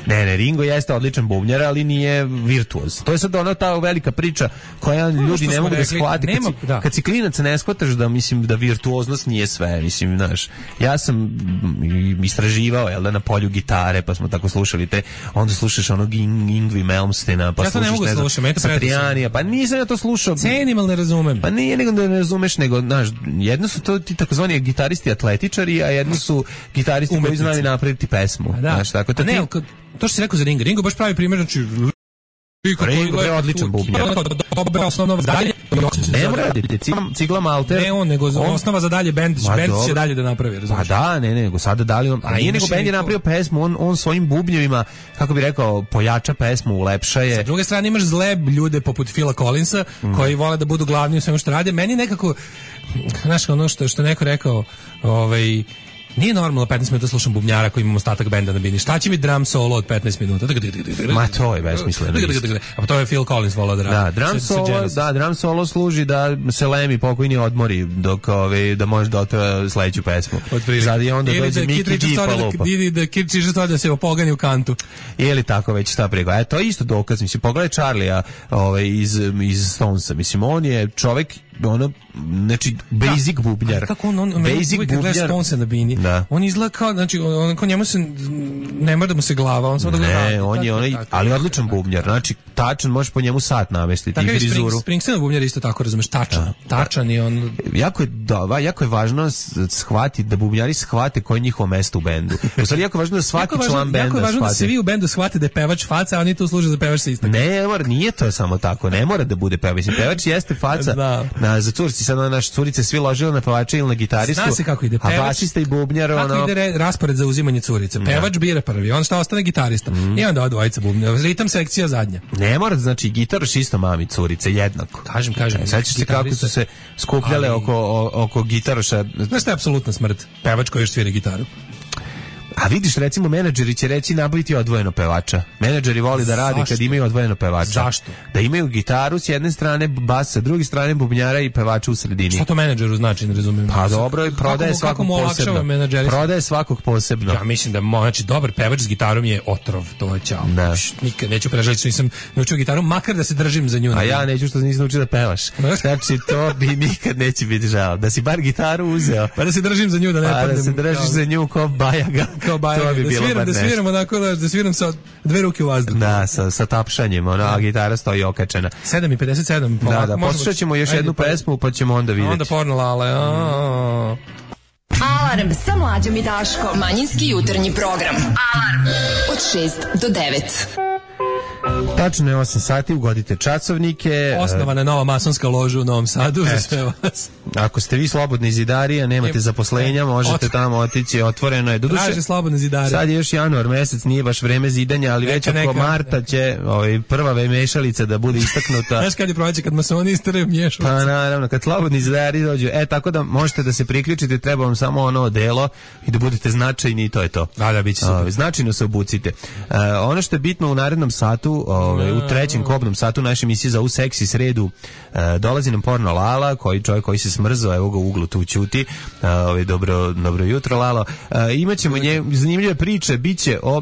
ne, Ringo jeste odličan bubnjar, ali nije virtuoz. To je sad ona ta velika priča koja ljudi ne mogu da shvate. Kad si klinac ne shvataš da mislim da virtuoznost nije sve, mislim, znaš. Ja sam istraživao na polju gitare, pa smo tako slušali onda slušaš onog Yngwie Malmsteena, pa slušaš Satrianija, pa nisam ja to slušao. Cenim, ali ne razumem. Pa nije nego da ne razumeš, nego, znaš, jedno su to ti takozvani gitaristi atletičari, a jedno su gitaristi koji znaju napraviti pesmu. Znaš, tako to što si rekao za Ringo baš pravi primjer, znači Ringo je odličan bubnjar. Dobra osnova za dalje. Ne mora raditi, Cigla Malter. Ne on, nego osnova za dalje bend će dalje da napravi, razumiješ? Pa da, ne, nego sada da li on, a nije nego bend je napravio pesmu, on svojim bubnjevima, kako bi rekao, pojača pesmu, ulepša je. Sa druge strane imaš zle ljude poput Phila Collinsa, koji vole da budu glavni u svemu što rade. Meni nekako, znaš, ono što neko rekao, nije normalno 15 minuta slušam bubnjara koji imamo ostatak benda na bini. Šta će mi drum solo od 15 minuta? Ma to je besmisleno. A to je Phil Collins volao da radi. Da, drum solo služi da se Lemmy pokojni odmori dok da može da otvara sledeću pesmu. Sad i onda dođe Mickey D pa lupa. Ili da Kid Richards da se opogani u kantu. Ili tako već šta prego. To je isto dokaz. Mislim, pogledaj Charlija iz Stonesa. Mislim, on je čovek znači basic bubnjar. Kako on basic bubnjar Stonesa na bini. Da. On izgleda kao, znači, on njemu se ne mora da mu se glava, on samo da gleda. Ne, on je onaj, ali odličan bubnjar. Znači, tačan, možeš po njemu sat namestiti i frizuru. Springsteen bubnjar isto tako, razumeš, tačan je on. Jako je važno shvatiti da bubnjari shvate koje je njihovo mesto u bendu. U stvari, jako je važno da svaki član benda shvati. Jako je važno da svi u bendu shvate da je pevač faca, a oni tu služe za pevač sa istakom. Ne, nije to samo tako, ne mora da bude pevač. Pevač jeste faca za curci, sad naše curice svi ložile na pevača ili na gitaristu. Zna se kako ide pevač. A basista i bubnjar, kako ide raspored za uzimanje curice. Pevač bira prvi, on šta ostane gitarista. I onda odvojica bubnjar. Ritam sekcija zadnja. Ne mora, znači gitaraš isto mami curice jednako. Kažem. Sećaš se kako su se skupljale oko gitaraša. Znaš šta je apsolutna smrt? Pevač koji još svira gitaru. A vidiš, recimo, menadžeri će reći nabaviti odvojeno pevača. Menadžeri voli da rade kad imaju odvojeno pevača. Zašto? Da imaju gitaru s jedne strane, bas sa druge strane, bubnjara i pevača u sredini. Šta to menadžeru znači, ne razumijem? Pa dobro, prodaje svakog posebno. Prodaje svakog posebno. Ja mislim da znači dobar pevač s gitarom je otrov, to je ćao. Nikad neću prežaliti što nisam naučio gitaru, makar da se držim za nju. A ja neću što nisam naučio da pevaš. Znači, to bi nikad neće biti žao. Da si bar gitaru uzeo. Pa da se držim za nju, da ne padnem. Da se držiš za nju kao bajaga. To bi bilo bar nešto. Da sviram onako, da sviram sa dve ruke u vazduhu. Da, sa tapšanjem, a gitara stoji okačena. 7:57. Da, poslušat ćemo još jednu pesmu, pa ćemo onda vidjeti. Onda porno lale. Alarm sa Mlađom i Daškom. Manjinski jutarnji program. Alarm od 6 do 9. Tačno je 8 sati, ugodite časovnike. Osnovana je nova masonska loža u Novom Sadu za sve vas. Ako ste vi slobodni zidari, a nemate zaposlenja, možete tamo otići, otvoreno je. Traže slobodne zidare. Sad je još januar mesec, nije baš vreme zidanja, ali već oko marta će prva mešalica da bude istaknuta. Znaš kad je proleće, kad masoni istaraju mješalice? Pa naravno, kad slobodni zidari dođu. Tako da možete da se priključite, treba vam samo ono delo i da budete značajni i to je to. Da, biće super. Značajno se obucite. Ono što je bitno u narednom satu, u trećem kobnom satu naše emisije za seksi sredu, dolazi nam porno Lala, čovjek koji se smrzao, evo ga u uglu tu ćuti. Dobro jutro, Lalo. Imaćemo zanimljive priče, biće o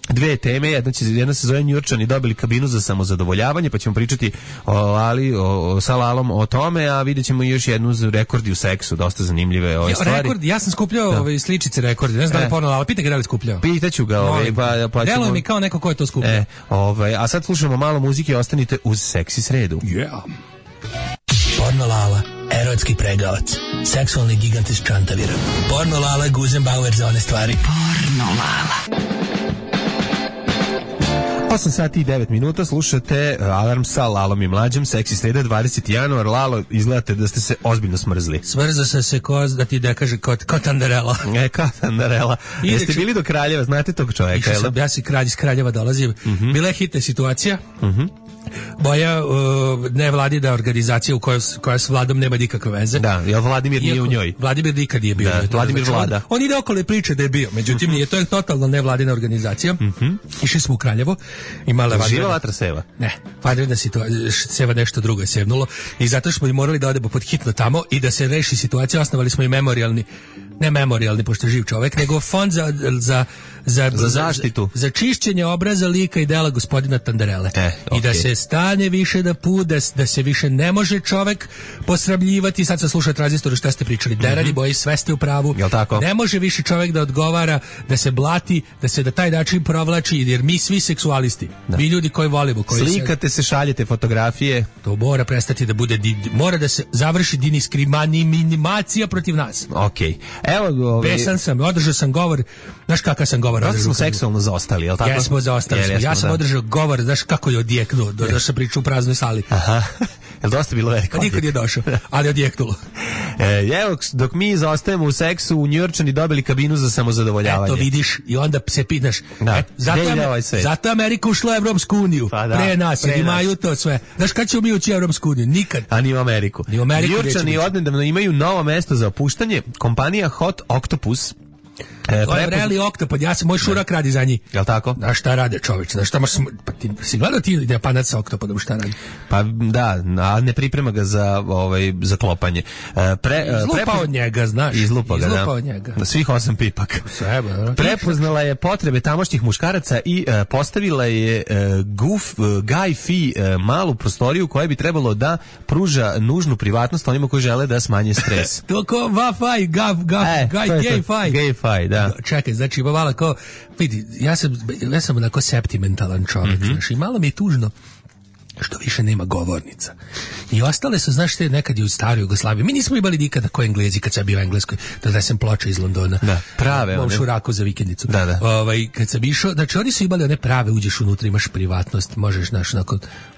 dve teme, jedna se zove Njurčani dobili kabinu za samozadovoljavanje, pa ćemo pričati sa Lalom o tome, a vidjet ćemo još jednu rekordi u seksu, dosta zanimljive stvari. Rekordi, ja sam skupljao sličice rekordi, ne znam da li porno Lala, pitaj ga da li skupljao. Pitaću ga, pa ćemo... Deluje mi kao neko ko je to skupljao. A sad slušamo malo muzike, ostanite uz seksi sredu. Yeah. Porno Lala, erotski pregavac, seksualni gigant iz Čantavira. Porno Lala, Guzenbauer za one stvari. Porno Lala. 8 sati i 9 minuta, slušate Alarm sa Lalom i Mlađom, seksi sreda, 20. januar. Lalo, izgledate da ste se ozbiljno smrzli. Smrzao sam se da ti da kaže kao Tandarela. Kao Tandarela. Jeste bili do Kraljeva, znate tog čovjeka? Ja si kralj iz Kraljeva dolazim. Bila je hitna situacija. Moja nevladina organizacija koja s vladom nema nikakve veze. Da, jer Vladimir nije u njoj. Vladimir nikad nije bio. Vladimir vlada. On ide okolo i priče da je bio. Međutim, nije, to je totalno nevladina organizacija. Išli smo u Kraljevo. Živa vatra seva? Ne, vanredna situacija, seva nešto drugo je sevnulo. I zato smo i morali da odemo pod hitno tamo i da se reši situacija. Osnovali smo i ne memorijalni, pošto je živ čovek, nego fond za zaštitu. Za čišćenje obraza, lika i dela gospodina Tandarele. I da se stane više da da se više ne može čovek posramljivati. Sad sam slušao tranzistoru šta ste pričali. Derani boji, sve ste u pravu. Ne može više čovek da odgovara, da se blati, da se na taj način provlači, jer mi svi seksualisti, mi ljudi koji volimo, koji slikate se, šaljete fotografije. To mora prestati da bude, mora da se završi diskriminacija protiv nas. Okej. Evo, besan sam, održao sam govor, znaš kakav sam govor održao? Smo seksualno zaostali, je li tako? Jesmo, zaostali smo. Ja sam održao govor, znaš kako je odjeknuo, da sam pričao u praznoj sali. Aha, je li dosta bilo veliko? Pa nikad je došao, ali odjeknulo. Evo, dok mi zaostajemo u seksu, u Njujorčani dobili kabinu za samozadovoljavanje. Eto, vidiš, i onda se pitaš, zato Amerika ušla u Evropsku uniju, pa da, pre nas, jer imaju to sve. Znaš kad ćemo mi ući u Evropsku uniju? Nikad. A ni u Ameriku. Njujorčani odnedavno imaju novo mesto za opuštanje, kompanija Hot Octopus. To je vreli oktopod, moj šurak radi za njih. Jel' tako? Da, šta rade čoveč? Da, šta pa ti si gledao ti Japanac sa oktopodom, šta radi? Pa da, a ne priprema ga za klopanje. Izlupa od njega, znaš. Izlupa ga, da. Od njega. Na svih 8 pipak. Prepoznala je potrebe tamošnjih muškaraca i postavila je Guy Fee malu prostoriju koja bi trebalo da pruža nužnu privatnost onima koji žele da smanje stres. To ko Wi-Fi, gay fi, da. Čekaj, znači ima malo kao, vidi, ja sam onako septimentalan čovjek, znaš, i malo mi je tužno što više nema govornica. I ostale su, znaš, te nekad i u staroj Jugoslaviji. Mi nismo imali nikada ko Englezi kad sam bio u Engleskoj, da sam ploče iz Londona. Da, prave one. Šuraku za vikendicu. Da. Kad sam išao, znači oni su imali one prave, uđeš unutra, imaš privatnost, možeš, znaš,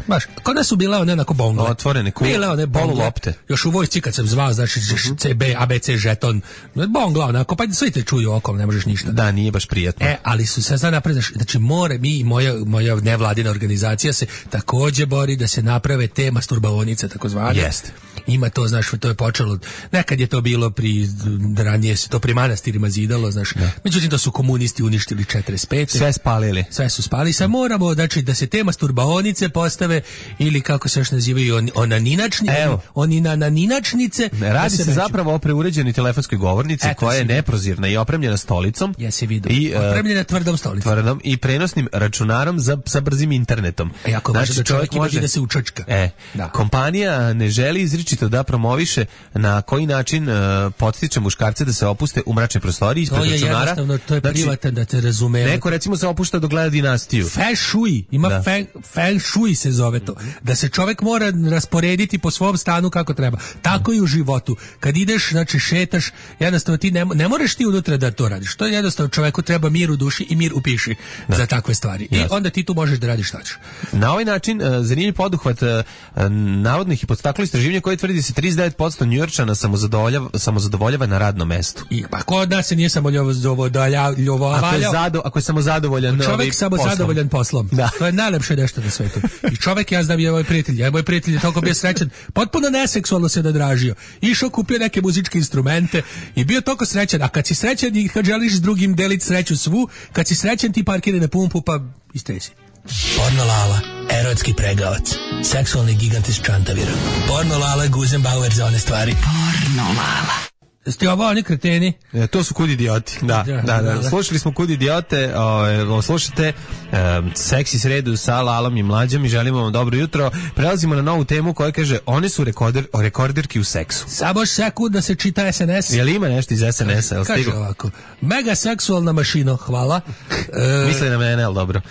baš, kod nas su bile one onako bongle. Otvorene kule. Bile one bongle lopte. Još u vojsci kad sam zvao, znači CB, ABC, žeton, bongla onako, pa svi te čuju okom, ne možeš ništa. Da, nije baš prijatno. Ali su se sad napred, znači mi i moja nevladina organizacija se takođe bori da se naprave te masturbaonice, takozvane. Jeste. Ima to, znaš, to je počelo, nekad je to bilo ranije se to pri manastirima zidalo, znaš. Da. Međutim, to su komunisti uništili 45. Sve spalili. Sve su spalili. Sad moramo, znači, da se te masturbaonice postave, ili kako se još nazivaju, onaninačnice. Radi se zapravo o preuređenoj telefonskoj govornici koja je neprozirna i opremljena stolicom. Jesi vidio. Opremljena tvrdom stolicom. Tvrdom i prenosnim računarom sa brzim internetom. Jako znači, da čovjek može da se učačka. Kompanija ne želi izričito da promoviše na koji način podstiče muškarce da se opuste u mračne prostorije ispred računara. To je jednostavno, to je privatan, da te razumemo. Neko recimo se opušta dok gleda Dinastiju. Feng shui, ima feng shui se zove to. Da se čovjek mora rasporediti po svom stanu kako treba. Tako i u životu. Kad ideš, znači šetaš, jednostavno ti ne moraš ti unutra da to radiš. To je jednostavno, čovjeku treba mir u duši i mir u piši za takve stvari. I onda ti tu možeš da radiš šta ćeš. Na ovaj način zanimljiv poduhvat navodnih i podstaklo istraživanja koje tvrdi se 39% Njujorčana samozadovoljava na radnom mestu. Pa kod nas se nije samozadovoljava. Ako je samozadovoljan čovjek samozadovoljan poslom. Da. To je najlepše nešto na svetu. I čovjek, ja znam, je moj prijatelj je toliko bio srećan, potpuno neseksualno se nadražio. Išao, kupio neke muzičke instrumente i bio toliko srećan. A kad si srećan i kad želiš s drugim deliti sreću svu, kad si srećan ti parkiraj na pumpu pa istresi. Porno Lala, erotski pregavac, seksualni gigant iz Čantavira. Porno Lala, Guzenbauer za one stvari. Porno Lala. Ste ovo oni kreteni? To su Kud idioti. Da. Slušali smo Kud idiote, slušate seksi sredu sa Lalom i Mlađom i želimo vam dobro jutro. Prelazimo na novu temu koja kaže one su rekorderki u seksu. Samo sekund da se čita SNS. Jel ima nešto iz SNS-a? Kaže ovako, mega seksualna mašino, hvala. Misli na mene, ali dobro.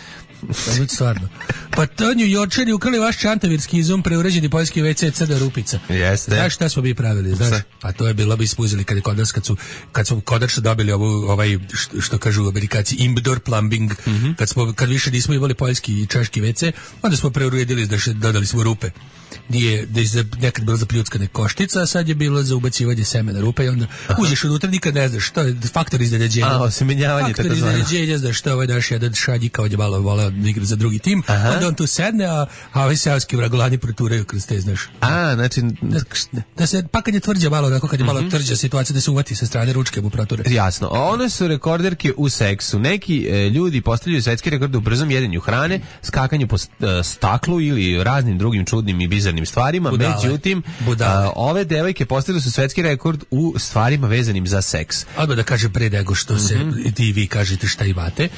Stvarno. Pa to Njujorčani ukrali vaš čantavirski izum, preuređeni poljski WC crna rupica. Jeste. Znaš šta smo mi pravili, znaš? Pa to je bilo bi ispuzili kad smo konačno dobili ovaj što kažu Amerikanci indoor plumbing, kad više nismo imali poljski i češki WC, onda smo preuredili, dodali smo rupe. Da je nekad bila za pljuckane koštica, a sad je bilo za ubacivanje semena rupe i onda uđeš unutra, nikad ne znaš što je faktor iznenađenja. Osemenjavanje. Faktor iznenađenja, znaš što ovaj naš jedan šadji kao je malo voleo da igra za drugi tim, onda on tu sedne, a ovi seoski vragolani proturaju kroz te, znaš. Znači... Da se, pa kad je tvrđa malo, onako kad je malo tvrđa situacija, da se uvati sa strane ručke mu proture. Jasno. One su rekorderke u seksu. Neki ljudi postavljaju svetski rekord u brzom jedenju hrane, skakanju po staklu ili raznim drugim čudnim i bizarnim stvarima. Međutim, ove devojke postavile su svetski rekord u stvarima vezanim za seks. Odmah da kažem pre nego što se ti vi kažete šta imate.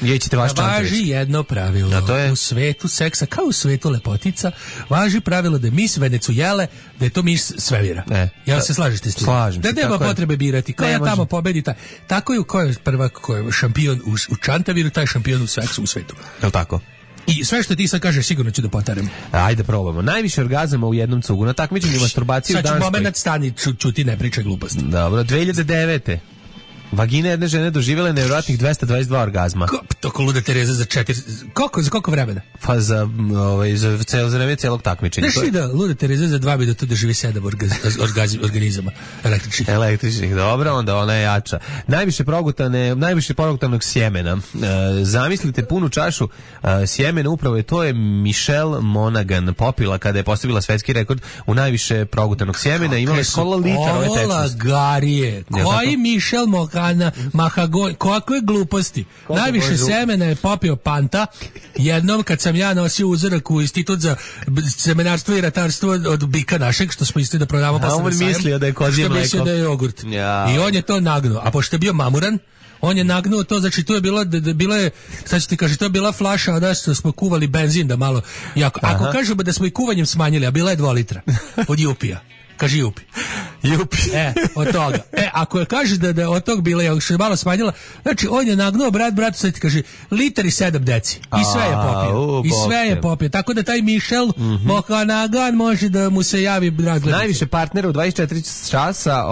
Važi jedno pravilo. A to je? U svetu seksa, kao u svetu lepotica, važi pravilo da je mis Venecuele, da je to mis svemira. Jel se slažete s tim? Slažem se. Da nema potrebe birati. Ko je tamo pobedi, taj. Tako je ko je prva, ko je šampion u Čantaviru, taj šampion u seksu u svetu. Je li tako? I sve što ti sad kažeš sigurno ću da potarem. Ajde probamo. Najviše orgazama u jednom cugu. Na takmičenju masturbaciju u Danskoj. Sad ću moment stani, čuti, ne pričaj gluposti. Dobro, 2009. Vagina jedne žene doživjela nevjerojatnih 222 orgazma. Toko luda Tereza za 4... Za koliko vremena? Pa za vreme celog takmičenja. Znaš li da luda Tereza za 2 minuta doživi 7 organizama električnih? Dobro, onda ona je jača. Najviše progutanog sjemena. Zamislite punu čašu sjemena, upravo to je Michelle Monaghan popila kada je postavila svetski rekord u najviše progutanog sjemena. Imala je skoro litar ove tečnosti. Lagarije. Koji Michelle Mahagon, kakve gluposti. Najviše semena je popio Panta. Jednom kad sam ja nosio uzorak u Institut za semenarstvo i ratarstvo od bika našeg, što smo isti da prodavamo posle na sajam. Mislio da je kozje mleko. Što mislio da je jogurt. Ja. I on je to nagnuo. A pošto je bio mamuran, on je nagnuo to, znači to je bila je, sad ću ti kaži, to je bila flaša da smo kuvali benzin da malo. Ako kažemo da smo i kuvanjem smanjili, a bila je 2 litra od Jupija. Kaži Jupi. Od toga. Ako je kaže da je od tog bila, još je malo smanjila, znači on je nagnuo bratu, sad ti kaže, liter i 7 deci. I sve je popio. Tako da taj Michel Mohanagan može da mu se javi razgledati. Najviše partnera u 24 časa,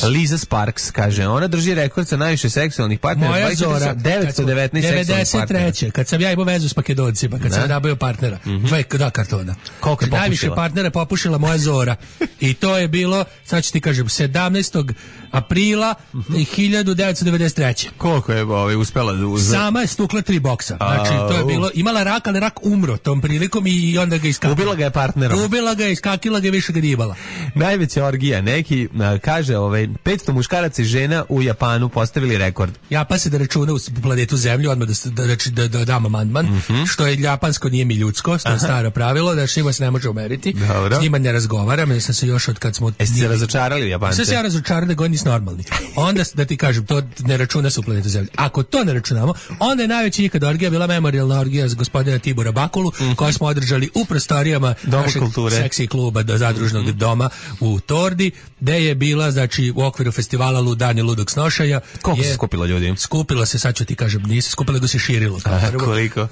Liza Sparks, kaže, ona drži rekord sa najviše seksualnih partnera. Moja Zora, 919 seksualnih partnera. 93. Kad sam ja imao vezu s Makedoncima, kad sam nabavio partnera, 2 kartona. Koliko je popušila? Najviše partnera popušila moja Zora. I to je bilo, sad ću ti kažem, 17. aprila 1993. Koliko je uspela da sama je stukla 3 boksa. Znači, to je bilo, imala rak, ali rak umro tom prilikom i onda ga iskakila. Ubila ga je partnerom. Ubila ga je, iskakila ga, više ga nije imala. Najveća orgija, neki kaže 500 muškaraca i žena u Japanu postavili rekord. Japan se da računa u planetu Zemlju, odmah da dam amandman, što je japansko, nije mi ljudsko, to je staro pravilo, da s njima se ne može umeriti. S njima ne razgovaram, sam se još od kad smo... Jeste se razočarali Japance? Sve se ja razočarali da god nisi normalni. Onda, da ti kažem, to ne računa se u planetu Zemlje. Ako to ne računamo, onda je najveća ikada orgija bila memorijalna orgija za gospodina Tibora Bakulu, koju smo održali u prostorijama našeg seksi kluba zadružnog doma u Tordi, gde je bila, znači, u okviru festivala Ludani Ludog snošaja. Koliko se skupilo ljudi? Skupilo se, sad ću ti kažem, nije se skupilo, nego se širilo. Koliko?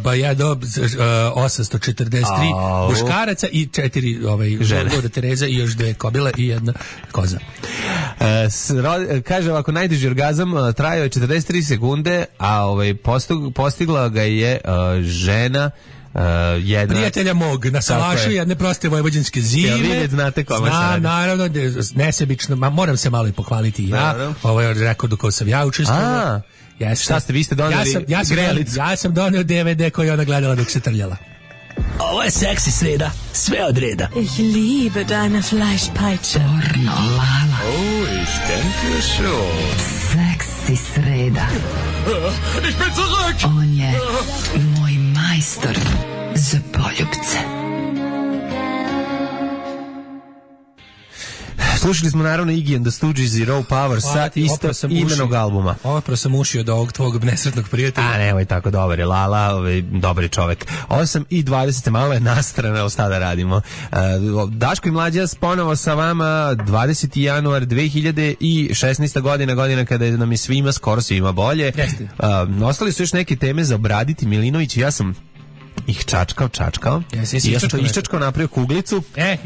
Pa je do 843 muškaraca i 4 žene. Luda Tereza i još 2 kobile i 1 koza. Kaže ovako, najduži orgazam trajao je 43 sekunde, a postigla ga je žena jedna... Prijatelja mog, na salašu jedne proste vojvođanske zime. Jel vi znate kome se radi? Naravno, nesebično, moram se malo i pohvaliti i ja. Ovo je rekord u kojem sam ja učestvovao. Šta ste, vi ste doneli grelicu? Ja sam donio DVD koji je ona gledala dok se trljala. Ovo je seksi sreda, sve od reda. Ich liebe deine Fleischpeitsche. Pornolala. Oh, ich denke schon. Seksi sreda. Ich bin zurück! On je moj majstor za poljubce. Slušali smo naravno Iggy and the Stooges i Raw Power sa isto imenog albuma. Ovo sam ušio od ovog tvog nesretnog prijatelja. A nemoj tako, dobar je Lala, dobar čovek. 8:20, malo je nastrana, šta da radimo. Daško i Mlađa ponovo sa vama, 20. januar 2016. godina kada nam je skoro svima bolje. Ostali su još neke teme za obraditi. Milinović i ja sam ih čačkao. I ja sam to iščačkao, napravio kuglicu.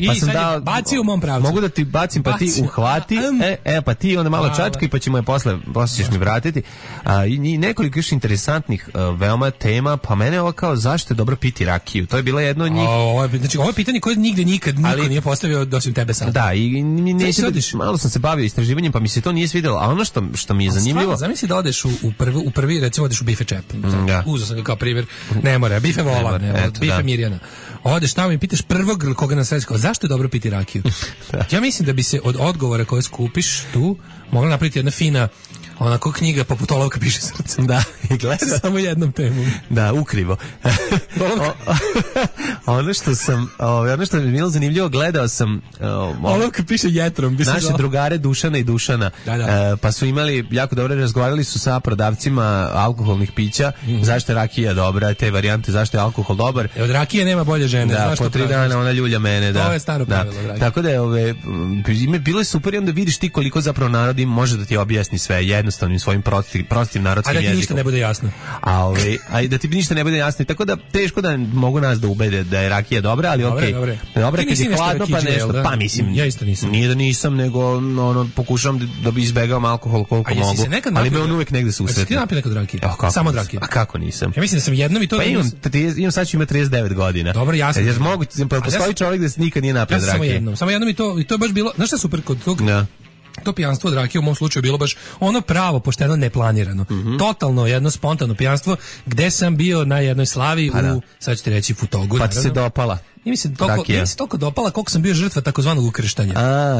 Pa sam dao, baci u mom pravcu. Mogu da ti bacim, pa ti uhvati. Pa ti onda malo čačkaj, pa ćemo je posle ćeš mi vratiti. I nekoliko još interesantnih veoma tema, pa mene ovo kao zašto je dobro piti rakiju. To je bila jedno od njih. Znači, ovo je pitanje koje nikad niko nije postavio osim tebe sad. Da, i malo sam se bavio istraživanjem, pa mi se to nije svidjelo. A ono što mi je zanimljivo... Zamisli da odeš u prvi, recimo odeš u Bife Čep. Uzeo sam ga kao primjer. Ne mora, Bife Vola. Bife Mirjana. Odeš tamo i pitaš prvog koga na svetu, zašto je dobro piti rakiju? Ja mislim da bi se od odgovora koje skupiš tu mogla napraviti jedna fina onako knjiga poput Olovka piše srce. Da, i gleda samo jednom temom. Da, ukrivo. Ono što mi je bilo zanimljivo, gledao sam Olovka piše jetrom. Naše drugare Dušana i Dušana. Pa su imali jako dobro, razgovarali su sa prodavcima alkoholnih pića, zašto je rakija dobra, te varijante zašto je alkohol dobar. Od rakije nema bolje žene. Da, po 3 dana ona ljulja mene, da. To je staro pravilo, dragi. Tako da je bilo je super i onda vidiš ti koliko zapravo narod im može da ti objasni sve jednostavnim svojim prostim narodskim jezikom. A da ti ništa ne bude jasno. A da ti ništa ne bude jasno. Tako da teško da mogu nas da ubede da je rakija dobra, ali okej. Dobra kad je hladno pa nešto. Pa mislim, ja isto nisam. Nije da nisam, nego pokušavam da bi izbegao alkohol koliko mogu. Ali me on uvek negde susretne. Ti napio nekad rakije? Samo od rakije. A kako nisam? Ja mislim da sam jednom i to... Pa imam sad ću imati 39 godina. Dobro, jasno. Jer postoji čovjek da se nikad nije napio rakije. Samo jednom i to je baš bilo... Znaš šta super kod tog... To pijanstvo od rakije u mom slučaju bilo baš ono pravo, pošteno, neplanirano. Totalno jedno spontano pijanstvo gde sam bio na jednoj slavi sad ću ti reći Futogu. Pa ti se dopala. Nije mi se toliko dopala koliko sam bio žrtva takozvanog ukrštanja.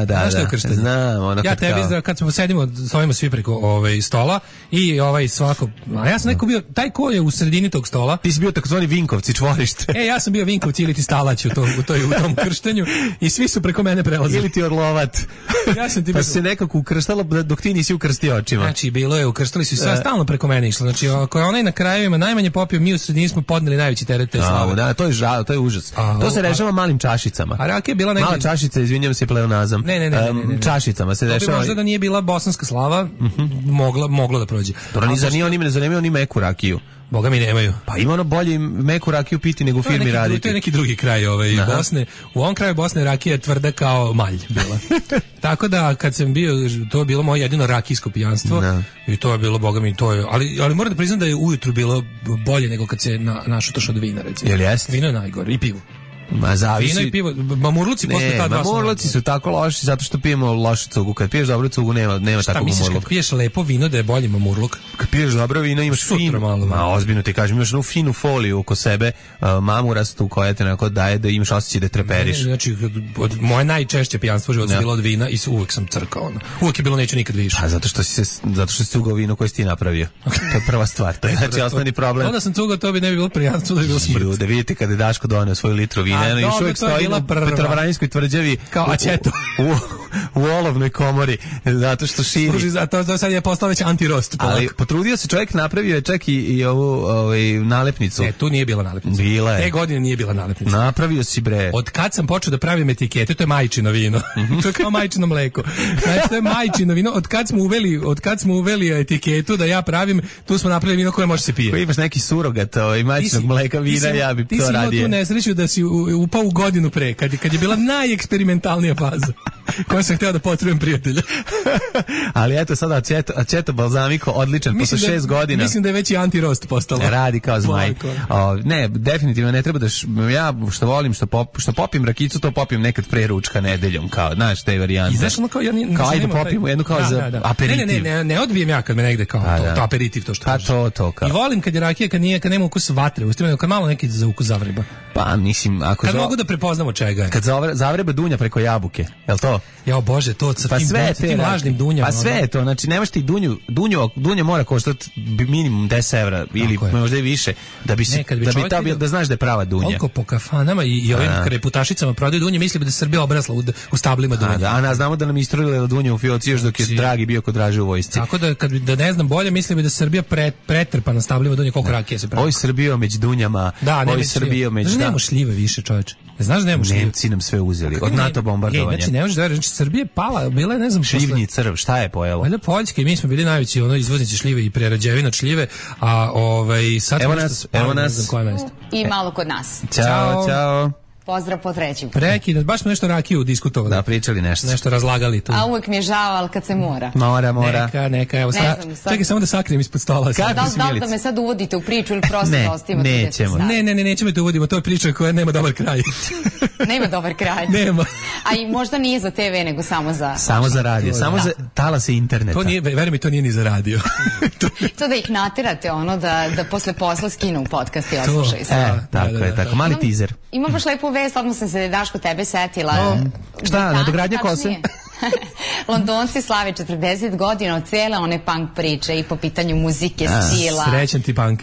Znaš što je ukrštanje? Znam. Ja tebi, kad smo sedimo, stojimo svi preko stola i svako... A ja sam neko bio, taj ko je u sredini tog stola... Ti si bio takozvani Vinkovci, čvorište. Ja sam bio Vinkovci ili ti Stalać u tom ukrštanju i svi su preko mene prelazili. Ili ti Orlovat. Ja sam ti pa se nekako ukrštalo dok ti nisi ukrstio očima. Znači, bilo je, ukrštali su sve stalno preko mene išlo. Znači, ako je onaj na krajevima najmanje popio, mi u sredini smo podneli najveći teret te slave. Da, to je žal, to je užas. To se rešava malim čašicama. A rakija je bila neka... Mala čašica, izvinjam se pleonazam. Ne. Čašicama se dešava. Možda da nije bila bosanska slava, moglo da prođe. Zar nemaju oni meku rakiju? Boga mi nemaju. Pa ima ono bolje meku rakiju piti nego u firmi raditi. To je neki drugi kraj Bosne. U ovom kraju Bosne rakija je tvrda kao malj bila. Tako da kad sam bio, to je bilo moje jedino rakijsko pijanstvo i to je bilo, boga mi, to je, ali moram da priznam da je ujutru bilo bolje nego kad se našutaš od vina, recimo. Jel jeste? Vino je najgore i pivo. Ma zavisi. Vino i pivo, mamurluci posle ta dva. Mamurluci su tako loši zato što pijemo lošu cugu. Kad piješ dobru cugu nema takvog mamurluka. Šta misliš kad piješ lepo vino da je bolji mamurluk? Kad piješ dobro vino imaš finu, ozbiljno ti kažem, imaš finu foliju oko sebe, mamurastu koja te onako daje da imaš osjećaj da treperiš. Znači, moje najčešće pijanstvo života bilo od vina i uvek sam crkao. Uvek je bilo neću nikad više. A zato što si cugao vino koje si ti napravio. To je prva stvar. To je znači osnovni problem. Onda sam cugao, to bi ne bi bilo pijanstvo, da bi bilo smrt. Da vidite kada je Daško doneo svoju litru vina, još uvek stoji na Petrovaradinskoj tvrđavi kao ačeto u olovnoj komori zato što širi. Služi za to sad je postao već antirost. Ali potrudio se čovjek, napravio je čak i ovu nalepnicu. Tu nije bila nalepnica. Bila je. Te godine nije bila nalepnica. Napravio si bre. Od kad sam počeo da pravim etikete, to je majčino vino. To je kao majčino mleko. Znači to je majčino vino. Od kad smo uveli etiketu da ja pravim, tu smo napravili vino koje može se pije. Ko imaš neki surogat majčinog mleka vina, ja bi to radio. Ti si imao tu nesreću da si upao u godinu pre, kad je bila najeksperimentalnija faza koju sam hteo da potrujem prijatelja. Ali eto sada aceto balzamiko odličan posle 6 godina. Mislim da je već i antirost postalo. Radi kao zmaj. Ne, definitivno ne treba da ja što volim što popim rakicu, to popim nekad pre ručka nedeljom, kao znaš te varijante. I znaš ono kao kao ajde popimo jednu kao za aperitiv. Ne odbijem ja kad me negde kao to aperitiv to što kažeš. To kao. I volim kad je rakija kad nema ukus vatre, ustavljeno kad malo neki za ukus zavreba. Pa mislim ako kad mogu da prepoznamo čega je. Kad zavreba dunja preko jabuke, jel to? Ja bože, to sa tim lažnim dunjama. Pa sve je to, znači nemaš ti dunja mora koštati minimum 10 evra ili možda i više da bi se da znaš da je prava dunja. Koliko po kafanama i ovim kreputašicama prodaju dunje, misli da je Srbija obrasla u stablima dunja. A znamo da nam istrulila dunja u fioci još dok je Dragi bio kod Draže u vojsci. Tako da ne znam bolje, mislim da je Srbija pretrpana stablima dunja, koliko rakije se pravi. Oj Srbijo među dunjama, oj Srbijo među... Nemo šljive više, čoveče. Znaš da nemo šljive? Nemci nam sve uzeli, od NATO bombardovanja. Znači, ne možeš da veriš, Srbija je pala, bila je, ne znam... Šljivni crv, šta je pojelo? Valjda Poljska i mi smo bili najveći izvoznici šljive i prerađevina od šljive, a sad... Evo nas. I malo kod nas. Ćao. Pozdrav po treći. Prekid, baš smo nešto rakiju diskutovali. Da, pričali nešto. Nešto razlagali tu. A uvek mi je žao, ali kad se mora. Mora. Neka, evo sad. Čekaj samo da sakrijem ispod stola. Da li da me sad uvodite u priču ili prosto da ostavimo? Nećemo. Nećemo da uvodimo, to je priča koja nema dobar kraj. Nema dobar kraj. Nema. A i možda nije za TV, nego samo za... Samo za radio, samo za talase interneta. To nije, veruj mi, to nije ni za radio. To da ih naterate, da posle posla skinu podcast i oslušaju se. Tako, mali teaser. Ima baš lepu vest, odmah sam se Daško tebe setila. Šta, nadogradnja kose? Londonci slave 40 godina od cijele one punk priče i po pitanju muzike, stila. Srećan ti punk.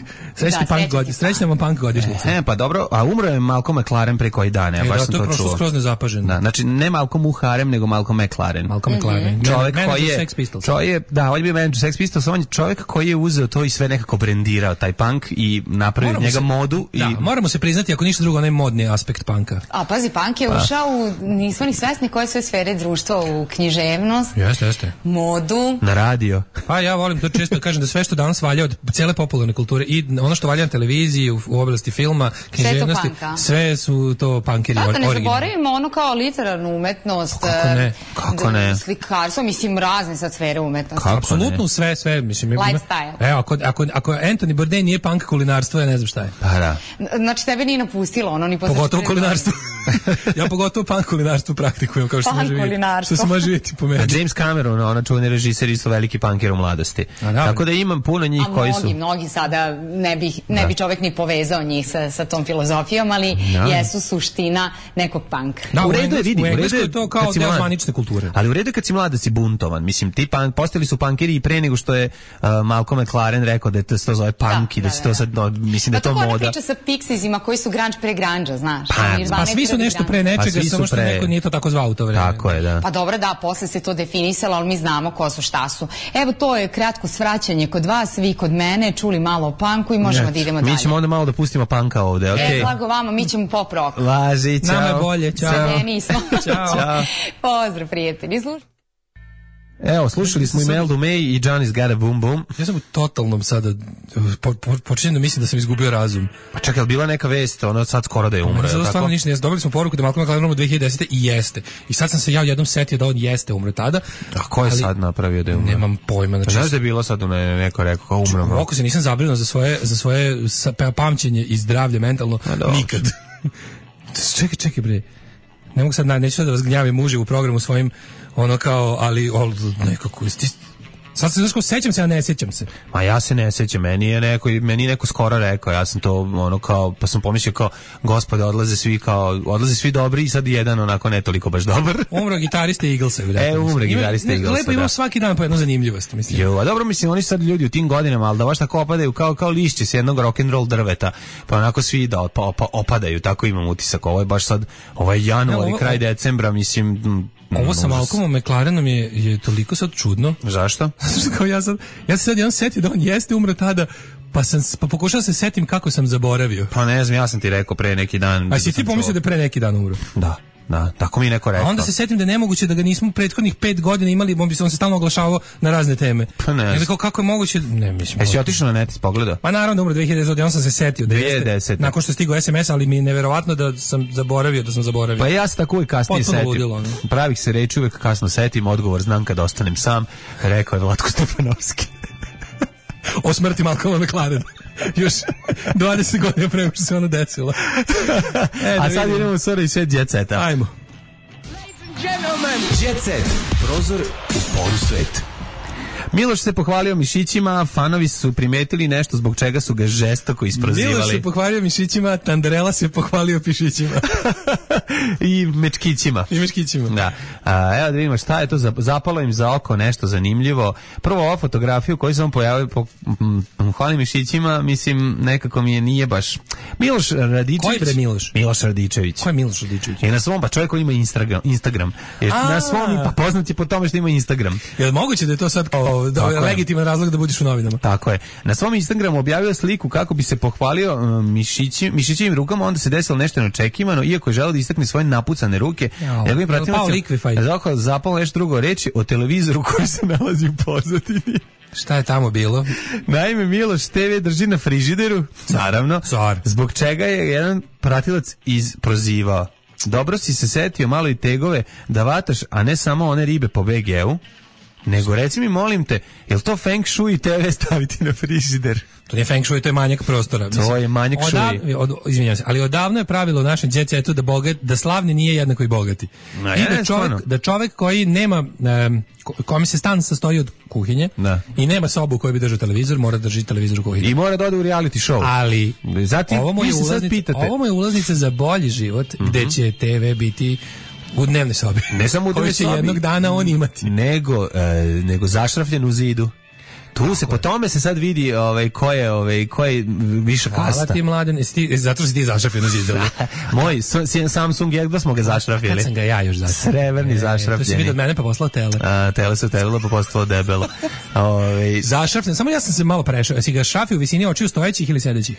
Srećna vam punk godišnjica. Pa dobro, a umro je Malcolm McLaren pre koji dan, ja baš sam to čuo. To je prošlo skroz nezapaženo. Da, znači ne Malcolm Muharem, nego Malcolm McLaren. Malcolm McLaren. Čovjek koji je Sex Pistols. On je bio manager Sex Pistols, on je čovjek koji je uzeo to i sve nekako brendirao taj punk i napravio od njega modu. Da, moramo se priznati, ako ništa drugo, onaj modni aspekt punka. A pazi, punk je ušao nismo ni svesni koje sve sfere društva, u književnost, jeste. Modu. Na radio. Pa ja volim to često kažem da sve što danas valja od cijele popularne kulture i ono što valja na televiziji, u oblasti filma, književnosti, sve su to punkeri originalni. Ne zaboravimo ono kao literarnu umetnost. Kako ne? Slikarstvo, mislim, razne sad sfere umetnosti. Apsolutno sve, mislim. Lifestyle. Evo, ako Anthony Bourdain nije punk kulinarstvo, ja ne znam šta je. Pa da. Znači, tebe nije napustilo ono ni posle. Pogotovo kulinarstvo. Ja pogotovo punk kulinarstvo praktikujem, kao što se može vidjeti po meni. A James Cameron, ona čuveni režiser, isto veliki punker u mladosti. Tako da imam puno njih koji su... Mnogi sada ne bi čovjek ni povezao njih sa tom filozofijom, ali jesu suština nekog punka. Da, u redu je to kao deo zvanične kulture. Ali u redu je kad si mlad da si buntovan. Mislim, ti postali su punkeri i pre nego što je Malcolm McLaren rekao da se to zove punk i da se to sad, mislim da je to moda. Pa to priča sa Pixiesima koji su grunge pre grunge, znaš. Pa svi su nešto pre nečega, samo što neko nije to tako zvao u to vreme. Tako je, da. Pa dobro, da, posle se to definisalo, ali mi znamo ko su, šta su. Evo, to je kratko svraćanje kod vas, vi kod mene, čuli malo o punku i možemo da idemo dalje. Mi ćemo onda malo da pustimo punka ovde, okej? Blago vama, mi ćemo pop rock. Važi, čao. Nama je bolje, čao. Sve smo. Čao. Pozdrav, prijatelji. Evo, slušali smo i Meldu May i Johnny's Got a Boom Boom. Ja sam u totalnom sada, počinjem da mislim da sam izgubio razum. Pa čekaj, je li bila neka vest, ono sad skoro da je umro? Ne, stvarno ništa, dobili smo poruku da Malcolm McLaren umro 2010. i jeste. I sad sam se ja jednom setio da on jeste umro tada. A ko je sad napravio da je umro? Nemam pojma. Znači, znaš da je bilo sad neko rekao kao umro? Oko se nisam zabrinuo za svoje pamćenje i zdravlje mentalno nikad. Čekaj bre. Ne mogu sad, neću sad da vas gnjavim muži u programu svojim, ono kao, ali nekako, sad se znaš, sećam se, a ne sećam se. Ma ja se ne sećam, meni je neko skoro rekao, ja sam to ono kao, pa sam pomislio kao, gospode, odlaze svi dobri i sad jedan onako ne toliko baš dobar. Umro gitarista Eaglesa. Umro gitarista Eaglesa, lepo imamo svaki dan po jednu zanimljivost, mislim. Jo, a dobro, mislim, oni sad ljudi u tim godinama, ali da baš tako opadaju kao lišće s jednog rock'n'roll drveta, pa onako svi da opadaju, tako imam utisak. Ovo je baš sad, ovo je januar i kraj decembra, mislim... Ovo sa Malcolmom McLarenom je toliko sad čudno. Zašto? Kao ja se sad jedan setio da on jeste umro tada, pa pokušao se setim kako sam zaboravio. Pa ne znam, ja sam ti rekao pre neki dan. A si ti pomislio da je pre neki dan umro? Da, tako mi neko rekao. A onda se setim da je nemoguće da ga nismo prethodnih 5 godina imali, on se stalno oglašavao na razne teme. Pa ne. Ja kako je moguće? Ne, mislim. Jesi otišao na net i pogledao? Pa naravno da umro 2010, on sam se setio 2010. Nakon što je stigao SMS, ali mi je neverovatno da sam zaboravio. Pa ja se tako uvijek kasnije setim. Pravih se reči uvijek kasno setim, odgovor znam kad ostanem sam, rekao je Vlatko Stepanovski. O smrti Malcolma McLarena. Još 20 godina prema što se ono desilo. A sad idemo u Sora i svet Jet Seta. Ajmo. Jet Set, prozor u polusvet. Miloš se pohvalio mišićima, fanovi su primetili nešto zbog čega su ga žestoko isprozivali. Miloš se pohvalio mišićima, Tanderela se pohvalio pišićima. I mečkićima. Da. Evo da vidimo šta je to, zapalo im za oko nešto zanimljivo. Prvo ova fotografiju koju sam pojavio pohvalio mišićima, mislim nekako mi je nije baš. Miloš Radičević. Ko je bre Miloš? Miloš Radičević. Ko je Miloš Radičević? Je na svom, pa čovjek koji ima Instagram. Na svom, pa poznat je po tome što ima Instagram. Je moguće da je to sad legitiman razlog da budiš u novinama? Tako je. Na svom Instagramu objavio sliku kako bi se pohvalio mišićivim rukama, onda se desilo nešto neočekivano, iako je želeo da istakne svoje napucane ruke. Njegovim pratilnicima zapalo nešto drugo reći o televizoru koji se nalazi u pozadini. Šta je tamo bilo? Naime, Miloš TV drži na frižideru, naravno, zbog čega je jedan pratilac prozivao. Dobro si se setio malo i tegove da vataš, a ne samo one ribe po BG-u, nego reci mi, molim te, je li to Feng Shui TV staviti na frižider? To nije Feng Shui, to je manjak prostora. To je manjak Shui. Izvinjam se, ali odavno je pravilo u našem Jet Setu da slavni nije jednako i bogati. I da čovek koji nema, kome se stan sastoji od kuhinje i nema sobu u kojoj bi držao televizor, mora da drži televizor u kuhinji. I mora da ode u reality show. Ali zatim, ovo mu je ulaznica za bolji život, gde će TV biti U dnevnoj sobi. Ne samo u dnevnoj sobi. Koji će jednog dana on imati. Nego zašrafljen u zidu. Tu se po tome se sad vidi ko je više kasta. Hvala ti, Mladen, zato si ti zašrafio na zidu. Moj Samsung Jedva smo ga zašrafili. Kad sam ga ja još zašrafio. Srebrni zašrafljeni. To si vidio od mene pa poslao tele. Tele se utelilo pa postalo debelo. Zašrafljen, samo ja sam se malo prešao. Jesi ga šrafio u visini očiju stojećih ili sedećih?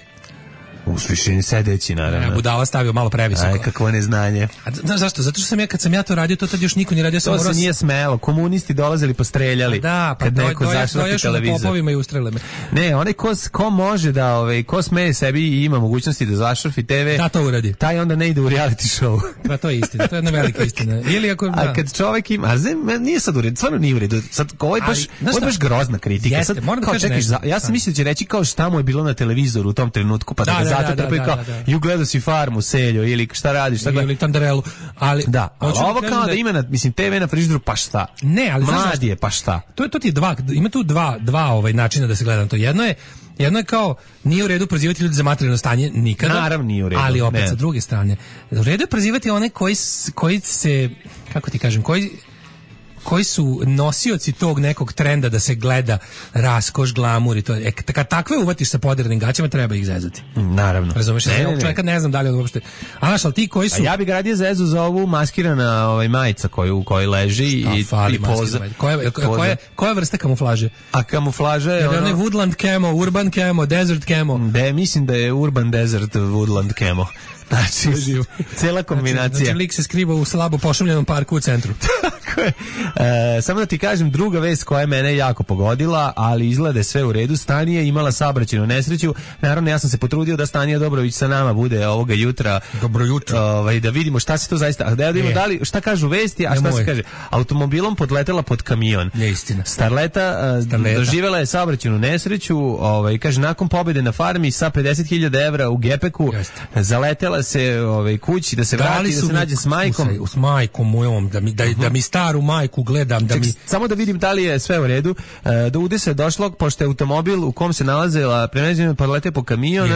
U višini sedeći, naravno. Budala stavio malo previsoko. Aj, kakvo neznanje. Znaš zašto? Zato što kad sam ja to radio, to tad još niko nije radio. To se nije smelo. Komunisti dolazili pa streljali. Da, pa kad neko zašrafi televizor. Popovima i ustrele me. Ne, onaj ko može da, ko sme sebi i ima mogućnosti da zašrafi TV, da to uradi. Taj onda ne ide u reality show. Pa to je istina, to je jedna velika istina. Ili ako a kad čovjek ima, nije sad u redu, stvarno nije u redu. Sad ovo je baš grozna kritika. Jeste, sad moram da kažem ja sam mislio da će reći kao šta mu je bilo na televizoru u tom trenutku, pa da ga zato trpe kao ju gledao si Farmu, Seljo ili šta radiš, šta ili Tandarelu, ali da, ali ovo kao da ima TV na frižideru, pa šta? Ne, ali mladi je, pa šta? To ti je ima tu dva načina da se gleda na to. Jedno je kao nije u redu prozivati ljudi za materijalno stanje nikada. Naravno nije u redu. Ali opet sa druge strane, u redu je prozivati one koji se, kako ti kažem, koji su nosioci tog nekog trenda da se gleda raskoš, glamur i to. Kad takve uvatiš sa poderanim gaćama, treba ih zezati. Naravno. Razumeš? Čovjeka ne znam da li on uopšte. Ali ti koji su... A ja bih ga radije zezu za ovu maskirana majica u kojoj leži i poza. Koja vrsta kamuflaže? A kamuflaža je ono... Woodland camo, urban camo, desert camo. Mislim da je urban desert woodland camo. Znači, cela kombinacija. Znači, lik se skriva u slabo pošumljenom parku u centru. Tako je. Samo da ti kažem, druga vest koja je mene jako pogodila, ali izgleda sve u redu. Stanija imala saobraćajnu nesreću. Naravno, ja sam se potrudio da Stanija Dobrović sa nama bude ovoga jutra. Dobro jutro. Da vidimo šta se to zaista... Da vidimo šta kažu vesti, a šta se kaže. Automobilom podletela pod kamion. Neistina. Starleta doživjela je saobraćajnu nesreću. Kaže, nakon pobjede na farmi sa 50.000 evra u gepeku, zaletela se kući da se vrati, da se nađe s majkom. S majkom mojom, da mi staru majku gledam. Samo da vidim da li je sve u redu. Do udesa je došlo, pošto je automobil u kom se nalazila premeđena podlete po kamion.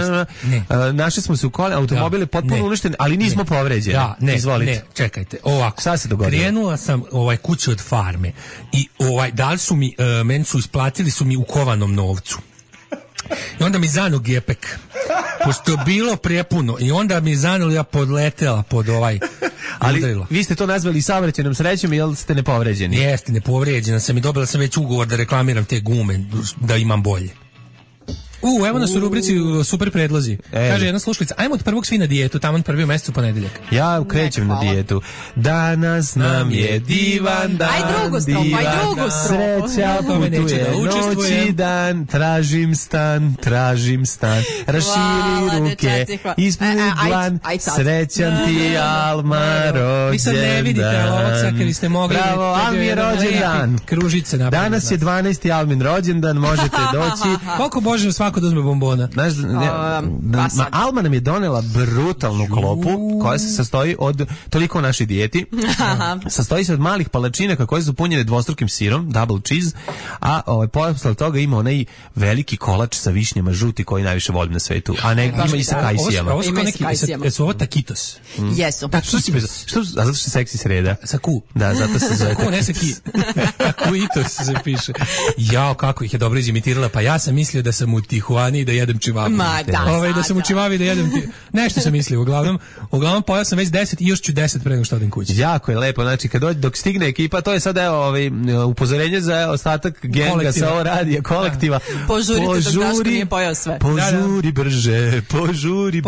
Našli smo se u kole, automobil je potpuno uništen, ali nismo povređeni. Izvolite. Čekajte, ovako. Šta se dogodilo? Krenula sam kuću od farme i dali su mi, meni su isplatili su mi u kovanom novcu. I onda mi zanu gepek. Pošto je bilo prepuno i onda mi zanuli, ja podletela pod ali udarilo. Vi ste to nazvali saobraćajnom srećom, jel ste nepovređeni? Jeste, nepovređena sam i dobila sam već ugovor da reklamiram te gume, da imam bolje. Evo nas u rubrici super predlozi. Kaže jedna slušalica, ajmo od prvog svi na dijetu, tamo prvi u mesecu ponedeljak. Ja krećem na dijetu. Danas nam je divan dan. Aj drugu strofu. Sreća putuje noć i dan. Tražim stan. Raširi ruke, ispuni dlan. Srećan ti Alma rođendan. Vi sad ne vidite, ali ovog sad kad ste mogli. Bravo, Almi rođendan. Kružice napravljeno. Danas je 12. Almin rođendan, možete doći. Koliko Bože svako da uzme bombona? Alma nam je donela brutalnu klopu koja se sastoji od, toliko o našoj dijeti, sastoji se od malih palačinaka koje su punjene dvostrukim sirom, double cheese, a posle toga ima onaj veliki kolač sa višnjama žuti koji najviše volim na svetu, a ne ima i sa kajsijama. Jesu ovo takitos? Jesu. A zato što seksi sreda? Sa ku. Da, zato se zove ku, ne sa ki. Takuitos se piše. Jao, kako ih je dobro izimitirala, pa ja sam mislio da sam u Tijuani i da jedem čivavi. Da sam u čivavi da jedem nešto sam mislio, uglavnom pojao sam već 10 i još ću 10 pre nego što odem kući. Jako je lepo, znači dok stigne ekipa, to je sad upozorenje za ostatak genga sa ovo radija, kolektiva. Požurite dok Daško nije pojao sve. Požuri brže. Požuri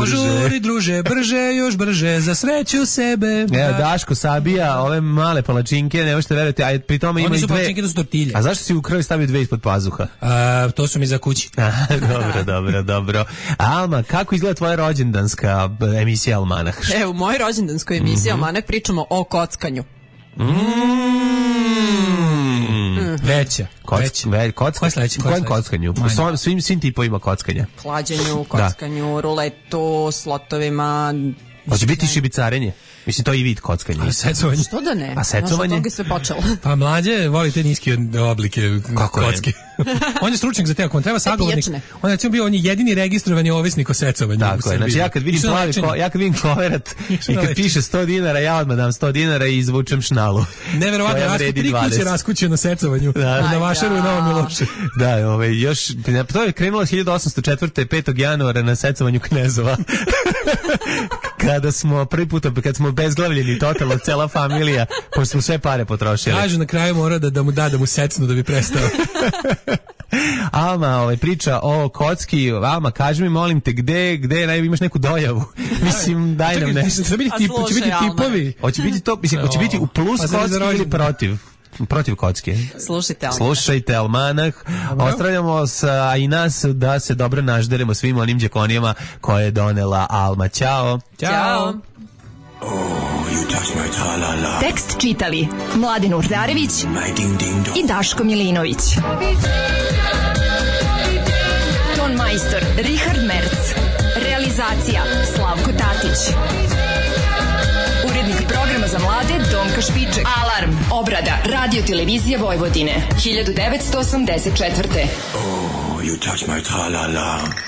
druže, brže, još brže, za sreću sebe. Evo, Daško sabija ove male palačinke, ne možete verovati, a pri tome ima i dve. Palačinke, to su tortilje. A zašto si u kraju stavio dve ispod pazuha? To su mi za kući. Dobro. Alma, kako izgleda tvoja rođendanska emisija Almanah? U mojoj rođendanskoj emisiji Almanah pričamo o kockanju. Veća. Kojem kockanju? Svim tipovima kockanja. Klađenju, kockanju, ruletu, slotovima, Hoće biti šibicarenje. Mislim, to je i vid kockanja. A secovanje. Što da ne? A secovanje? Znaš, od toga sve počelo. Pa mlađe voli te niske oblike kocke. On je stručnjak za te, ako on treba sagovornik. On je bio jedini registrovani ovisnik o secovanju. Tako je, znači ja kad vidim koverat i kad piše 100 dinara, ja odmah dam 100 dinara i izvučem šnalu. Neverovatno, tri kuće raskuće na secovanju. Na Vašaru i Novom Milošu. Da, još, to je krenulo 1804. 5. januara na secovanju knezova. Kada smo prvi put, kad smo bezglavljeni totalno, cela familija, pošto smo sve pare potrošili. Kažu na kraju mora da mu secnu da bi prestao. Alma, priča o kocki. Alma, kaži mi, molim te, gde imaš neku dojavu? Mislim, daj nam nešto. Će biti tipovi. Hoće biti to, mislim, hoće biti u plus kocki ili protiv kocke. Slušajte Almanah. Ostavljamo i nas da se dobro nažderemo svim onim džekonijama koje je donela Alma. Ćao. Tekst čitali Mladin Urdarević i Daško Milinović. Ton majstor Richard Merc. Realizacija Slavko Tatić. Urednik programa za mlade Donka Špiček. Alarm. Obrada Radio Televizije Vojvodine 1984. Oh, you touch my tra-la-la.